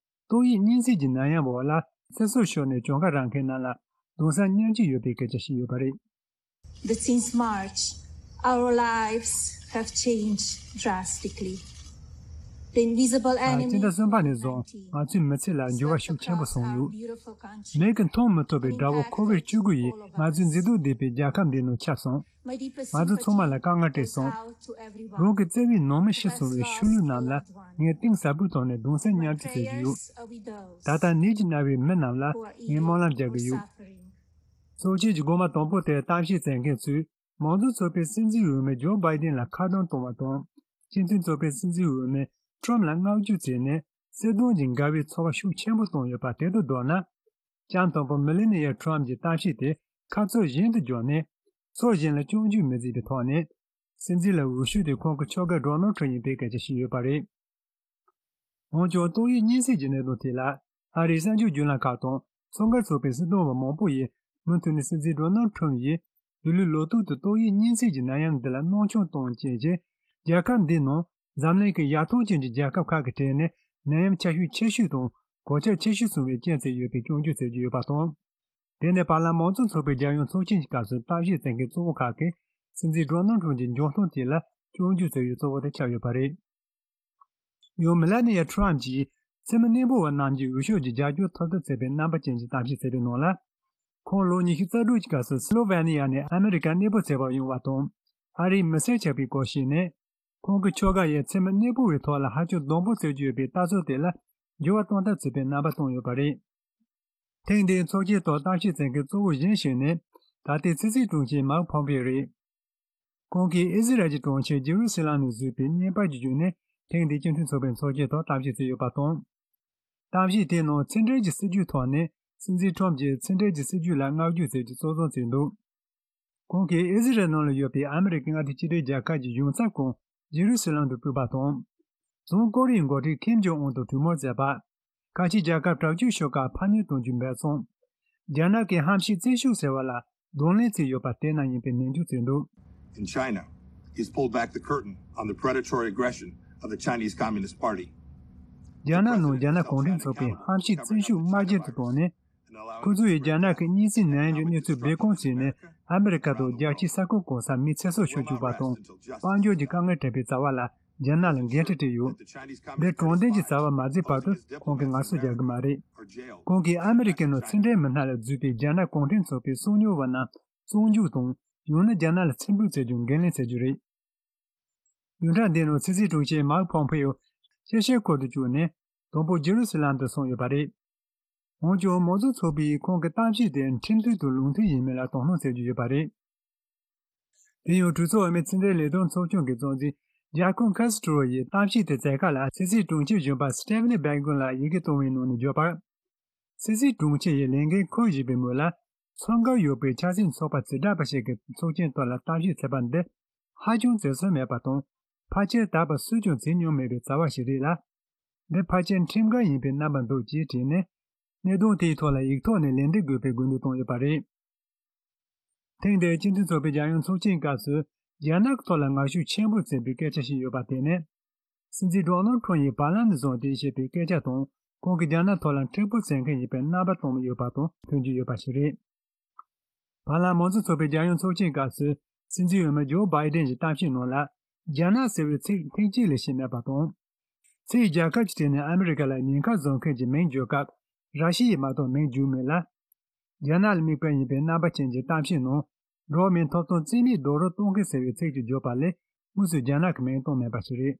ཏོག་དབྱིབས་གཉན་སྲིན་གྱི་ནད་ཡམས་འོག་ལ་ཚེ་སྲོག་ཤོར་ནས་གྱོང་ཁ་རག་མཁན་རྣམས་ལ་གདུང་སེམས་མཉམ་སྐྱེད་ཡོད་པའི་སྐད་ཆ་བཤད་ཡོད་པ་རེད། That since March, our lives have changed drastically. The invisible ཨ། སྤྱི་enemy ཟླ་གསུམ་པ་ནས་བཟུང་ང་ཚོའི་མི་ཚེ་ལ་འགྱུར་བ་ཤུགས་ཆེན་པོ་སོང་ཡོད། མིག་གིས་མཐོང་མི་ཐུབ་པའི་དགྲ་བོ་ཁོ་བིཌ་བཅུ་དགུ་ཡིས་ང་ཚོའི་མཛེས་སྡུག་ལྡན་པའི་རྒྱལ་ཁབ་འདིའི་ནང་ཁྱབ་སོང་། ང་ཚོ་ཚང་མ་ལ་དཀའ་ངལ་སྤྲད་སོང་། རང་གི་བརྩེ་བའི་ནང་མི་ཤི་སོང་བའི་ཤུལ་ལུས་རྣམས་ལ་ངས་གཏིང་ཟབ་པོའི་ཐོག་ནས་གདུང་སེམས་མཉམ་སྐྱེད་བྱེད་ཀྱི་ཡོད། ད་ལྟ་ནད་ཀྱིས་མནར་བའི་མི་རྣམས་ལ་ངས་སྨོན་ལམ་རྒྱག་གི་ཡོད། ཚོགས་ཆེན་གྱི་སྒོ་མ་དང་པོ་དེར་གཏམ་བཤད་མཛད་མཁན་ཚོས་མང་གཙོ་ཚོགས་པའི་སྲིད་འཛིན་འོས་མི་ཇོ་བྷའི་ཌེན་ལ་ཁ་རྡུང་གཏོང་བ་དང་། སྤྱི་མཐུན་ཚོགས་པའི་སྲིད་འཛིན་འོས་མི་ཊརམ་ཕི་ལ་བསྔགས་བརྗོད་བྱས་ནས་སྲིད་དོན་གྱི་འགལ་བའི་ཚོར་བ་ཤུགས་ཆེན་པོ་བཏོན་ཡོད་པ་དེ་དང་བསྡུར་ན། ལྕམ་དང་པོ་མེ་ལ་ནི་ཡ་ཊརམ་ཕི་གྱི་གཏམ་བཤད་དེ་ཁ་ཕྱོགས་གཞན་དུ་བསྒྱུར་ནས། ཕྱོགས་གཞན་ལ་སྐྱོན་བརྗོད་མི་མཛད་པའི་ཐོག་ནས། སྲིད་འཛིན་ལ་འོས་ཤོག་དེ་ཁོང་གི་ཁྱོ་ག་ཌོ་ནལ་ཊརམ་ཕི་ཡིན་པའི་སྐད་ཆ་བཤད་ཡོད་པ་རེད། འོན་ཀྱང་ཏོག་དབྱིབས་གཉན་སྲིན་གྱི་གནད་དོན་ཐད་ལ། ཨ་རིའི་གསར་འགྱུར་བརྒྱུད་ལམ་ཁག་དང་ཚོགས་འགན་ཚོགས་པའི་སྲིད་དོན་པ་མང་པོ་ཡིས་མུ་མཐུད་ནས་སྲིད་འཛིན་ཌོ་ནལ་ཊརམ་ཕི་ཡིས་འདི་ལོའི་ལོ་ཐོག་ཏུ་ཏོག་དབྱིབས་གཉན་སྲིན་གྱི་ནད་ཡམས་འདི་ལ་སྣང་ཆུང་གཏོང་བའི་རྐྱེན་གྱིས། རྒྱལ་ཁབ་འདིའི་ནང་འཛམ་གླིང་གི་ཡར་ཐོན་ཅན་གྱི་རྒྱལ་ཁབ་ཁག་གི་གྲས་ནས་ནད་ཡམས་ཁྱབ་ཤུགས་ཆེ་ཤོས་དང་གོད་ཆག་ཆེ་ཤོས་སོང་བའི་རྐྱེན་བྱས་ཡོད་པའི་སྐྱོན་བརྗོད་བྱེད་ཀྱི་ཡོད་པ་དང་། དེ་ནས་བར་ལམ་མང་གཙོ་ཚོགས་པའི་རྒྱལ་ཡོངས་ཚོགས་ཆེན་གྱི་སྐབས་སུ་གཏམ་བཤད་མཛད་མཁན་གཙོ་བོ་ཁག་གིས་སྲིད་འཛིན་ཌོ་ནལ་ཊརམ་ཕི་གྱི་འཇོན་ཐང་དེ་ལ་སྐྱོན་བརྗོད་བྱས་ཡོད་གཙོ་བོ་དེ་ཆགས་ཡོད་པ་རེད། ཡང་མེ་ལ་ནི་ཡ་ཊརམ་ཕི་གྱིས་མཚན་མོ་གནས་སྤོ་བ་རྣམས་ཀྱི་འོས་ཤོག་གི་རྒྱབ་སྐྱོར་ཐོབ་ཐབས་བྱས་པའི་རྣམ་པ་ཅན་གྱི་གཏམ་བཤད་ཟེར་བའི་ནང་ལ། ཁོང་ལོ་ཉི་ཤུ་རྩ་དྲུག་གི་སྐབས་སུ་སི་ལོ་ཝེ་ནི་ཡ་ནས་ཨ་མི་རི་ཀར་གནས་སྤོ་བྱེད་པར་ཡོང་བ་དང་། ཨ་རིའི་མི་སེར་ཆགས་པའི་སྐོར་བཤད་ནས། ཁོང་གི་ཁྱོ་ག་ཡིས་མཚན་མོ་གནས་སྤོ་བའི་ཐོག་ལ་ཧ་ཅང་སྡུག་པོ་བྱེད་རྒྱུ་ཡོད་པའི་ལྟ་ཚུལ་དེ་ལ་འགྱུར་བ་གཏོང་ཐབས་བྱས་པའི་རྣམ་པ་བསྟན་ཡོད་པ་རེད། ཐེངས་འདིའི་ཚོགས་ཆེན་ཐོག་གཏམ་བཤད་བྱེད་མཁན་གཙོ་བོ་གཞན་ཞིག་ནི། ད་ལྟའི་ཕྱི་སྲིད་དྲུང་ཆེ་མཱིག་ཕོམ་པེ་རེད། ཁོང་གིས་ཨི་ཟི་རལ་གྱི་གྲོང་ཁྱེར་ཇེ་རུ་སི་ལམ་ནས་བཟོས་པའི་བརྙན་པར་གྱི་བརྒྱུད་ནས་ཐེངས་འདིའི་སྤྱི་མཐུན་ཚོགས་པའི་ཚོགས་ཆེན་ཐོག་གཏམ་བཤད་བྱས་ཡོད་པ་དང་། གཏམ་བཤད་དེའི་ནང་ཕྱི་འབྲེལ་གྱི་སྲིད་ཇུས་ཐོག་ནས་སྲིད་འཛིན་ཁྲོམ་གྱིས་ཕྱི་འབྲེལ་གྱི་སྲིད་ཇུས་ལ་བསྔགས་བརྗོད་བྱས་ཏེ་གཙོ་བཟུང་བྱས་འདུག་ཁོང་གིས་ཨི་ཟི་རལ་ནང་ལ་ཡོད་པའི་ཨ་མི་རི་ཀའི་མངའ་སྡེ་གཅིག་སྒྲིལ་རྒྱལ་ཁབ་ཀྱི་གཞུང་ཚབ་ཁང་ཇེ་རུ་སི་ལམ་དུ་ཕུད་པ་དང་། བྱང་ཀོ་རི་ཡའི་འགོ་ཁྲིད་ཁིམ་ཇོང་ཨུན་དང་གྲོས་མོལ་མཛད་པ། ཁ་ཆེ་རྒྱལ་ཁབ་དྲག་སྤྱོད་ཤོག་ཁག་ཕར་ཉོག་གཏོང་རྒྱུའི་འབད་བརྩོན། རྒྱ་ནག་གིས་ཧམ་བཤད་བཙན་ཤུགས་ཟེར་བ་ལ་གདོང་ལེན་བྱས་ཡོད་པ་དེ་རྣམས་ཡིན་པའི་ནན་བརྗོད་བྱས་འདུག In China, he's pulled back the curtain on the predatory aggression of the Chinese Communist Party. རྒྱ་ནག་ནང་རྒྱ་ནག་གུང་ཁྲན་ཚོགས་པའི་ཧམ་བཤད་བཙན་ཤུགས་དམར་རྗེན་དུ་བཏང་ནས། ཁོ་ཚོ་ཡིས་རྒྱ་ནག་གི་གཉན་སྲིན་ནད་ཡམས་ཀྱི་གནས་ཚུལ་སྦས་སྐུང་བྱས་ནས་ཨ་མི་རི་ཀ་དང་རྒྱལ་སྤྱིའི་ས་ཁུལ་གང་སར་མི་ཚེ་སྲོག་ཤོར་བཅུག་པ་དང་དཔལ་འབྱོར་གྱི་དཀའ་ངལ་འཕྲད་པའི་བྱ་བ་ལ་རྒྱ་ནག་ལ་འགན་འཁྲི་སྤྲད་ཡོད། འདི་དྲང་བདེན་གྱི་བྱ་བ་མ་བྱས་བར་དུ་ཁོང་གིས་ངལ་གསོ་རྒྱག་གི་མ་རེད། ཁོང་གིས་ཨ་མི་རི་ཀའི་ནང་ཕྱི་འབྲེལ་མི་སྣ་ལ་བརྒྱུད་དེ་རྒྱ་ནག་གུང་ཁྲན་ཚོགས་པའི་སྲུང་སྐྱོབ་པ་རྣམས་བཙོན་འཇུག་དང་ཡང་ན་རྒྱ་ནག་ལ་ཕྱིར་འབུད་བྱེད་རྒྱུར་འགན་ལེན་བྱེད་རྒྱུ་རེད། བདུན་ཕྲག་འདིའི་ནང་ཕྱི་སྲིད་དྲུང་ཆེ་མཱིག་ཕོམ་ཕེ་ཡོ་ཤེ་ཤེ་ཁུལ་དུ་བཅུག་ནས་དང་པོ་ཇེ་རུ་སི་ལམ་དུ་སོང་ཡོད་པ་རེད། འོན་ཀྱང་མང་གཙོ་ཚོགས་པས་ཁོང་གི་གཏམ་བཤད་དེ་ཁྲིམས་མཐུན་དང་ལུགས་མཐུན་ཡིན་མིན་ལ་དོ་སྣང་བྱེད་ཀྱི་ཡོད་པ་རེད། དེ་ཡང་གྲོས་ཚོགས་འོས་མི་ཕྱི་འབྲེལ་ལས་དོན་ཚོགས་ཆུང་གི་གཙོ་འཛིན་ཇཱ་ཁོ་ཁ་སི་ཏྲོ་ཡིས་གཏམ་བཤད་དེ་མཛད་ཁག་ལ་ཕྱི་སྲིད་དྲུང་ཆེ་གཞོན་པ་སི་ཏེ་ཕ་ནི་བྷེ་གོན་ལ་ཡི་གེ་བཏང་བའི་ནང་ནས་བརྗོད་པར། ཕྱི་སྲིད་དྲུང་ཆེ་ཡིས་ལས་འགན་འཁུར་བཞིན་པའི་མོད་ལ། མཚོན་ཁ་ཡོད་པའི་ཆབ་སྲིད་ཚོགས་པ་བྱེ་བྲག་པ་ཞིག་གི་ཚོགས་ཆེན་ཐོག་ལ་གཏམ་བཤད་བྱས་པ་འདི་ཧ་ཅང་བྱེད་སྲོལ་མེད་པ་དང་། ཕལ་ཆེར་ད་བར་སུས་ཀྱང་བྱས་མྱོང་མེད་པའི་བྱ་བ་ཞིག་རེད་ལ། འདི་ཕལ་ཆེར་ཁྲིམས་འགལ་ཡིན་པའི་རྣམ་པ་འདུག་ཅེས་བྲིས་ནས། གནད་དོན་དེའི་ཐོག་ལ་ཡིག་ཐོག་ནས་ལན་འདེབས་དགོས་པའི་དགོས་འདུན་བཏང་ཡོད་པ་རེད། ཐེངས་འདིའི་སྤྱི་མཐུན་ཚོགས་པའི་རྒྱལ་ཡོངས་ཚོགས་ཆེན་སྐབས་སུ་རྒྱ་ནག་གི་ཐོག་ལ་ངར་ཤུགས་ཆེན་པོ་བྱས་པའི་སྐད་ཆ་ཞིག་ཡོད་པ་དེ་ནི། སྲིད་འཛིན་ཌོ་ནལ་ཁྲོམ་ཡིས་བར་ལམ་ནས་བཟུང་སྟེ་བཤད་པའི་སྐད་ཆ་དང་། ཁོང་གིས་རྒྱ་ནག་ཐོག་ལ་མཁྲེགས་པོ་བྱེད་མཁན་ཡིན་པའི་རྣམ་པ་སྟོན་ཡོད་པ་དང་མཐུན་གྱི་ཡོད་པ་ཞིག་རེད། བར་ལམ་མང་གཙོ་ཚོགས་པའི་རྒྱལ་ཡོངས་ཚོགས་ཆེན་སྐབས་སུ་སྲིད་འཛིན་འོས་མི་ཇོ་བྷའི་ཌེན་གྱི་གཏམ་བཤད་ནང་ལ། རྒྱ་ནག་ཟེར་བའི་ཚིག་ཐེངས་གཅིག་ལས་བཤད་མེད་པ་དང་། ཕྱིའི་རྒྱལ་ཁབ་ཀྱི་གྲས་ནས་ཨ་མི་རི་ཀ་ལ་ཉེན་ཁ་བཟོ་མཁན་གྱི་མིང་བརྗོད་སྐབས། ར་ཤི་ཡ་མ་གཏོགས་མིང་བརྗོད་མེད་ལ། རྒྱ་ནག་ལ་དམིགས་པ་ཡིན་པའི་རྣམ་པ་ཅན་གྱི་གཏམ་བཤད་ནང་། འགྲོ་བ་མིའི་ཐོབ་ཐང་རྩིས་མེད་རྡོག་རོལ་གཏོང་མཁན་ཟེར་བའི་ཚིག་ཅིག་བརྗོད་པ་ལས། དངོས་སུ་རྒྱ་ནག་གི་མིང་བཏོན་མེད་པ་ཞིག་རེད།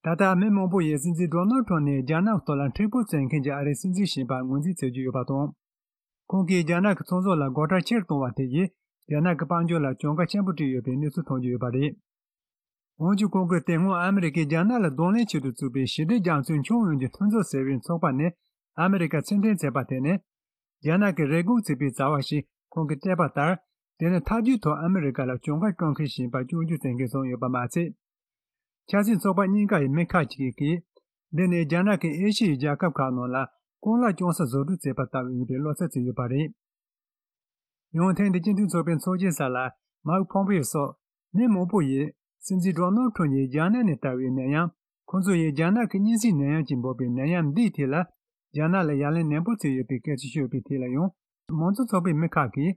ད་ལྟ་མི་མང་པོ་ཡིས་སྲིད་འཛིན་ཌོ་ནལ་ཁྲོམ་ནི་རྒྱ་ནག་ཐོག་ལ་མཁྲེགས་པོ་བྱེད་མཁན་གྱི་ཨ་རིའི་སྲིད་འཛིན་ཞིག་པ་ངོས་འཛིན་བྱེད་ཀྱི་ཡོད་པ་དང་། ཁོང་གིས་རྒྱ་ནག་གི་ཚོང་ཟོག་ལ་སྒོ་ཁྲལ་ཆེར་གཏོང་བ་དེ་ཡིས་རྒྱ་ནག་གི་དཔལ་འབྱོར་ལ་གྱོང་ཁ་ཆེན་པོ་སྤྲད་ཡོད་པའི་གནས་ཚུལ་ཐོན་གྱི་ཡོད་པ་རེད། འོན་ཀྱང་ཁོང་གིས་དེ་སྔོན་ཨ་མི་རི་ཀས་རྒྱ་ནག་ལ་གདོང་ལེན་ཆེད་དུ་བཙུགས་པའི་ཞི་བདེ་རྒྱ་མཚོའི་མཆོང་ཡོང་གི་མཐུན་ཚོགས་ཟེར་བའི་ཚོགས་པ་ནས་ཨ་མི་རི་ཀ་ཕྱིར་འཐེན་བྱས་པ་དེ་ནི། རྒྱ་ནག་གིས་རེ་སྒུག་བྱས་པའི་བྱ་བ་ཞིག་ཁོང་གིས་སྤྲད་པ་ལྟར། དེ་ནི་ཐབས་ཇུས་ཐོག་ཨ་མི་རི་ཀ་ལ་གྱོང་ཁ་སྤྲོད་མཁན་ཞིག་ཡིན་པ་སྐྱོན་བརྗོད་བྱེད་མཁན་བཟོས་ཡོད་པ་མ་ཚད། ཆབ་སྲིད་ཚོགས་པ་གཉིས་ཀ་ཡི་མི་ཁག་ཅིག་གིས། འདི་ནི་རྒྱ་ནག་གིས་ཨེ་ཤི་ཡའི་རྒྱལ་ཁབ་ཁག་ནང་ལ་རྐང་ལག་རྐྱང་ས་བཟོ་སྒྲིག་བྱས་པ་ལྟ་བུ་ཡིན་པའི་བློ་འཚབ་བྱས་ཡོད་པ་རེད། ཡང་ཐེངས་འདིའི་སྤྱི་མཐུན་ཚོགས་པའི་ཚོགས་ཆེན་སྐབས་ལ་མཱིག་ཕོམ་པེ་ཡོ་སོགས་མི་མང་པོ་ཡིས་སྲིད་འཛིན་ཌོ་ནལ་ཁྲོམ་ཡིས་རྒྱ་ནག་ནས་དར་བའི་ནད་ཡམས། ཁོང་ཚོ་ཡིས་རྒྱ་ནག་གི་གཉན་སྲིན་ནད་ཡམས་ཀྱིས་འབོད་པའི་ནད་ཡམས་འདིའི་ཐད་ལ་རྒྱ་ནག་ལ་ཡ་ལན་ནན་པོ་བྱས་ཡོད་པའི་སྐད་ཆ་ཤོད་པའི་ཐད་ལ་ཡང་། མང་གཙོ་ཚོགས་པའི་མི་ཁག་གིས།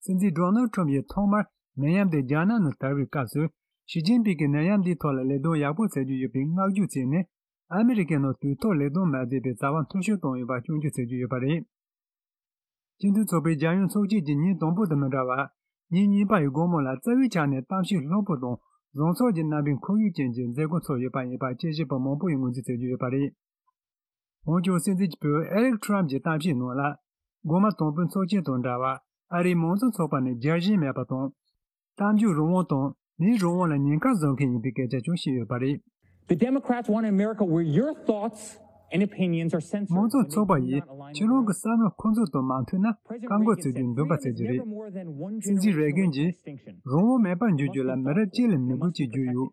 སྲིད་འཛིན་ཌོ་ནལ་ཁྲོམ་ཡིས་ཐོག་མར་ནད་ཡམས་དེ་རྒྱ་ནག་ནང་དར་བའི་སྐབས་སུ། ཞི་ཅིན་ཕིང་གིས་ནད་ཡམས་འདིའི་ཐོག་ལ་ལས་དོན་ཡག་པོ་བྱེད་རྒྱུ་ཡོད་པའི་བསྔགས་བརྗོད་བྱས་ནས། ཨ་མི་རི་ཀའི་ནང་དུས་ཐོག་ལས་དོན་མ་བྱས་པའི་བྱ་བ་འཐུས་ཤོར་བཏང་ཡོད་པ་སྐྱོན་བརྗོད་བྱེད་ཀྱི་ཡོད་པ་རེད། སྤྱི་མཐུན་ཚོགས་པའི་རྒྱལ་ཡོངས་ཚོགས་ཆེན་གྱི་ཉིན་དང་པོ་དང་མི་འདྲ་བར། ཉིན་གཉིས་པ་ཡི་དགོང་མོ་ལ་རྩ་བའི་ཆ་ནས་གཏམ་བཤད་ལྷུག་པོ་དང་བཟང་ཕྱོགས་ཀྱི་རྣམ་པའི་ཁོར་ཡུག་ཅན་གྱི་མཛད་སྒོ་ཚོགས་ཡོད་པ་ཡིན་པ་དཔྱད་ཞིབ་པ་མང་པོ་ཡིས་ངོས་འཛིན་བྱེད་ཀྱི་ཡོད་པ་རེད། འོན་ཀྱང་སྲིད་འཛིན་གྱི་བུ་ཨེ་རིག་ཁྲོམ་གྱི་གཏམ་བཤད་ནང་ལ། འགོ་མ་དང་པོའི་ཚོགས་ཆེན་དང་འདྲ་བར་ཨ་རིའི་མང་གཙོ་ཚོགས་པ་ནས་རྒྱལ་ཞེན་མེད་པ་དང་། གཏམ་རྒྱུད་རང་དབང་དང་མིའི་རང་དབང་ལ་ཉེན་ཁ་བཟོ་མཁན་ཡིན་པའི་སྐད་ཆ་ཀྱང་བཤད་ཡོད་པ་རེད། The Democrats want an America where your thoughts and opinions are censored. མང་གཙོ་ཚོགས་པ་ཡིས་ཁྱེད་རང་གི་བསམ་བློ་ཁོ་ཚོ་དང་མ་མཐུན་ན་བཀག་འགོག་བྱེད་རྒྱུའི་འདུན་པ་བྱེད་ཀྱི་རེད། སྲིད་འཛིན་རེ་གན་གྱིས་རང་དབང་མེད་པར་འགྱུར་རྒྱུ་ལ་མི་རབས་གཅིག་ལས་མི་དགོས་ཅེས་བརྗོད་ཡོད།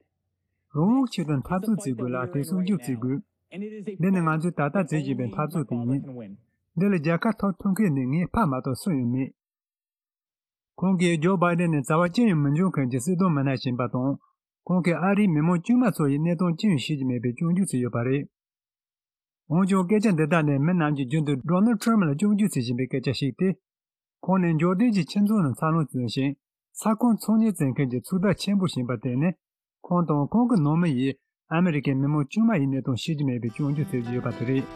རང་དབང་ཆེད་དུ་འཐབ་རྩོད་བྱེད་དགོས་ལ་དེ་སྲུང་སྐྱོབ་བྱེད་དགོས། འདི་ནི་ང་ཚོས་ད་ལྟ་བྱེད་བཞིན་པའི་འཐབ་རྩོད་དེ་ཡིན། འདི་ལ་རྒྱལ་ཁ་ཐོབ་ཐུབ་མཁན་ནི་ངས་ཕ་མ་གཏོགས་སུ་ཡང་མེད། ཁོང་གིས་ཇོ་བྷའི་ཌེན་ནི་བྱ་བ་ཅི་ཡང་མི་འཇོན་མཁན་གྱི་སྲིད་དོན་མི་སྣ་ཞིག་ཡིན་པ་དང་། ཁོང་གིས་ཨ་རིའི་མི་མང་དཀྱུས་མ་ཚོ་ཡི་གནས་སྟངས་ཅི་ཡང་ཤེས་ཀྱི་མེད་པའི་སྐྱོན་བརྗོད་བྱས་ཡོད་པ་རེད། འོན་ཀྱང་སྐད་ཆ་འདི་དག་ནི་མི་རྣམས་ཀྱིས་རྒྱུན་དུ་ཌོ་ནལ་ཁྲམ་ལ་སྐྱོན་བརྗོད་བྱེད་བཞིན་པའི་སྐད་ཆ་ཞིག་སྟེ། ཁོང་ནི་འབྱོར་ལྡན་གྱི་ཁྱིམ་ཚང་ནང་འཚར་ལོངས་བྱུང་ཞིང་། ས་ཁོངས་ཚོང་གཉེར་བྱེད་མཁན་གྱི་ཚོགས་བདག་ཆེན་པོ་ཞིག་ཡིན་པ་དེ་ནི། ཁོང་དང་ཁོང་གི་ནང་མི་ཡིས་ཨ་མི་རི་ཀའི་མི་མང་དཀྱུས་མ་ཡི་གནས་སྟངས་ཤེས་ཀྱི་མེད་པའི་སྐྱོན་བརྗོད་བྱེད་ཀྱི་ཡོད་པ་དེ་རེད།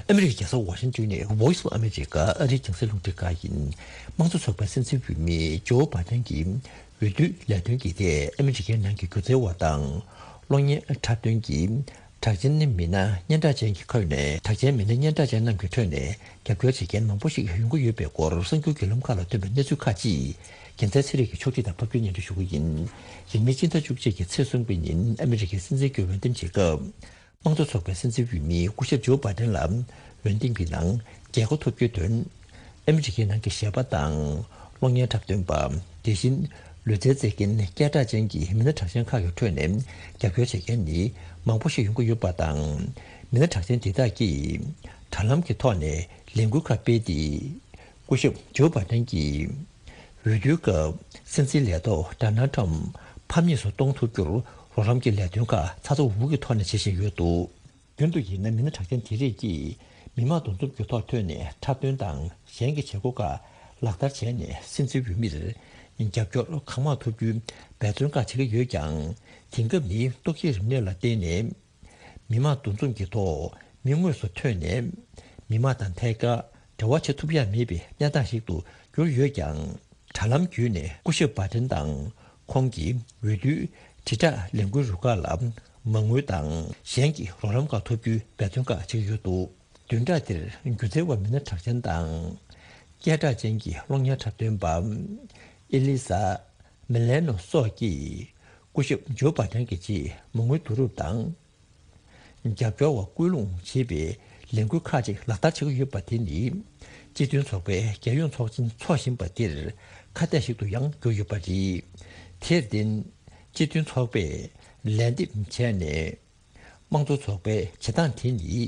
ཨ་མི་རི་ཀའི་རྒྱལ་ས་ཝ་ཤིང་ཏོན་ནས་Voice of America ཨ་རིའི་རྒྱང་སྲིང་རླུང་འཕྲིན་ཁང་ཡིན། དམངས་གཙོ་ཚོགས་པའི་སྲིད་འཛིན་འོས་མི་ཇོ་བྷ་དན་གྱི་འོས་བསྡུའི་ལས་དོན་གྱི་ཐད་ཨ་མི་རི་ཀའི་ནང་གི་སྒྱུ་རྩལ་བ་དང་གློག་བརྙན་འཁྲབ་སྟོན་གྱི་གྲགས་ཅན་མི་སྣ་སྙན་གྲགས་ཅན་གྱི་ཁ་ནས། གྲགས་ཅན་མི་སྣ་སྙན་གྲགས་ཅན་རྣམས་ཀྱི་ཁྲོད་ནས་རྒྱབ་སྐྱོར་བྱེད་མཁན་མང་པོ་ཞིག་ཡོང་གི་ཡོད་པའི་སྐོར་གསར་འགྱུར་བརྒྱུད་ལམ་ཁག་ལ་ཐོན་པའི་གནས་ཚུལ་ཁག་ཅིག་རྒྱལ་མཚན་ཚེ་རིང་གིས་ཕྱོགས་སྒྲིག་དང་ཕབ་སྒྱུར་སྙན་སྒྲོན་ཞུ་གི་ཡིན། ཡིན་ནའི་སྤྱི་ཟླ་བཅུ་གཅིག་གི་ཚེས་གསུམ་པའི་ཉིན་ཨ་མི་རི་ཀའི་སྲིད་འཛིན་གྱི་འོས་འདེམས་བྱེད་སྐབས། དམངས་གཙོ་ཚོགས་པའི་སྲིད་འཛིན་འོས་མི་སྐུ་ཞབས་ཇོ་བྷ་དན་ལ་འོས་འདེམས་ཀྱི་ནང་རྒྱལ་ཁ་ཐོབ་རྒྱུའི་དོན། ཨ་མི་རི་ཀའི་ནང་གི་གཞས་པ་དང་གློག་བརྙན་འཁྲབ་སྟོན་པ། དེ་བཞིན་ལུས་རྩལ་རྩེད་མཁན་སྐད་གྲགས་ཅན་གྱི་མི་སྣ་གྲགས་ཅན་ཁག་གི་ཁྲོད་ནས་རྒྱབ་སྐྱོར་བྱེད་མཁན་ནི་མང་པོ་ཞིག་ཡོང་གི་ཡོད་པ་དང་། མི་སྣ་གྲགས་ཅན་དེ་དག་གིས་དྲ་ལམ་གྱི་ཐོག་ནས་ལས་འགུལ་ཁག་སྤེལ་ཏེ། སྐུ་ཞབས་ཇོ་བྷ་དན་གྱི་འོས་བསྡུའི་སྐབས་སྲིད་འཛིན་ལས་ཐོག་ཌོ་ནལ་ཁྲམ་ཕམ་ཉེས་སུ་གཏོང་ཐུབ་རྒྱུར་རོགས་རམ་གྱི་ལས་དོན་ཁག་ཚ་ཚ་འུར་འུར་གྱི་ཐོག་ནས་བྱེད་བཞིན་ཡོད་འདུག་རྒྱུན་དུ་ཡིན་ན་མི་སྣ་གྲགས་ཅན་དེ་རིགས་ཀྱིས་མི་མང་འདུ་འཛོམས་ཀྱི་ཐོག་ཐོན་ནས་འཁྲབ་སྟོན་དང་གཞན་གྱི་བྱེད་སྒོ་ཁག་ལག་བསྟར་བྱས་ནས་སྲིད་འཛིན་འོས་མིར་རྒྱབ་སྐྱོར་གང་མང་ཐོབ་རྒྱུའི་འབད་བརྩོན་ཁག་བྱེད་ཀྱི་ཡོད་ཀྱང་། དེང་སྐབས་ནི་ཏོག་དབྱིབས་རིམས་ནད་ལ་བརྟེན་ནས། མི་མང་འདུ་འཛོམས་ཀྱི་ཐོག་མི་དངོས་སུ་ཐོན་ནས་མི་མང་དང་ཐད་ཀར་འབྲེལ་བ་བྱེད་ཐུབ་ཡ་མེད་པའི་གནས་སྟངས་ཤིག་ཏུ་གྱུར་ཡོད་ཀྱང་། དྲ་ལམ་བརྒྱུད་ནས་སྐུ་ཞབས་བྷ་དན་དང་ཁོང་གི་འོས་བསྡུའི་དྲིལ་བསྒྲགས་ལས་འགུལ་རུ་ཁག་ལ་མ་དངུལ་དང་གཞན་གྱི་རོགས་རམ་ཁག་ཐོབ་རྒྱུའི་འབད་བརྩོན་ཁག་བྱེད་ཀྱི་ཡོད་འདུག་བདུན་ཕྲག་འདིར་སྒྱུ་རྩལ་བ་མི་སྣ་གྲགས་ཅན་དང་། སྐད་གྲགས་ཅན་གྱི་གློག་བརྙན་འཁྲབ་སྟོན་པ་ཨེ་ལི་ས་མི་ལེ་ནོ་སོགས་ཀྱིས་སྐུ་ཞབས་ཇོ་བྷ་དན་གྱི་ཆེད་མ་དངུལ་བསྡུ་རུབ་དང་། རྒྱབ་སྐྱོར་བ་སྐུལ་སློང་བྱེད་པའི་ལས་འགུལ་ཁག་ཅིག་ལག་བསྟར་བྱེད་ཀྱི་ཡོད་པ་དེ་ནི། སྤྱི་མཐུན་ཚོགས་པའི་རྒྱལ་ཡོངས་ཚོགས་ཆེན་འཚོགས་བཞིན་པ་འདིར་ཁ་གཏད་ཞིག་ཏུ་ཡང་གྱུར་ཡོད་པ་རེད། དེར་བརྟེན། སྤྱི་མཐུན་ཚོགས་པས་ལན་འདེབས་བྱས་ནས། དམངས་གཙོ་ཚོགས་པའི་བྱེད་སྟངས་དེ་ནི།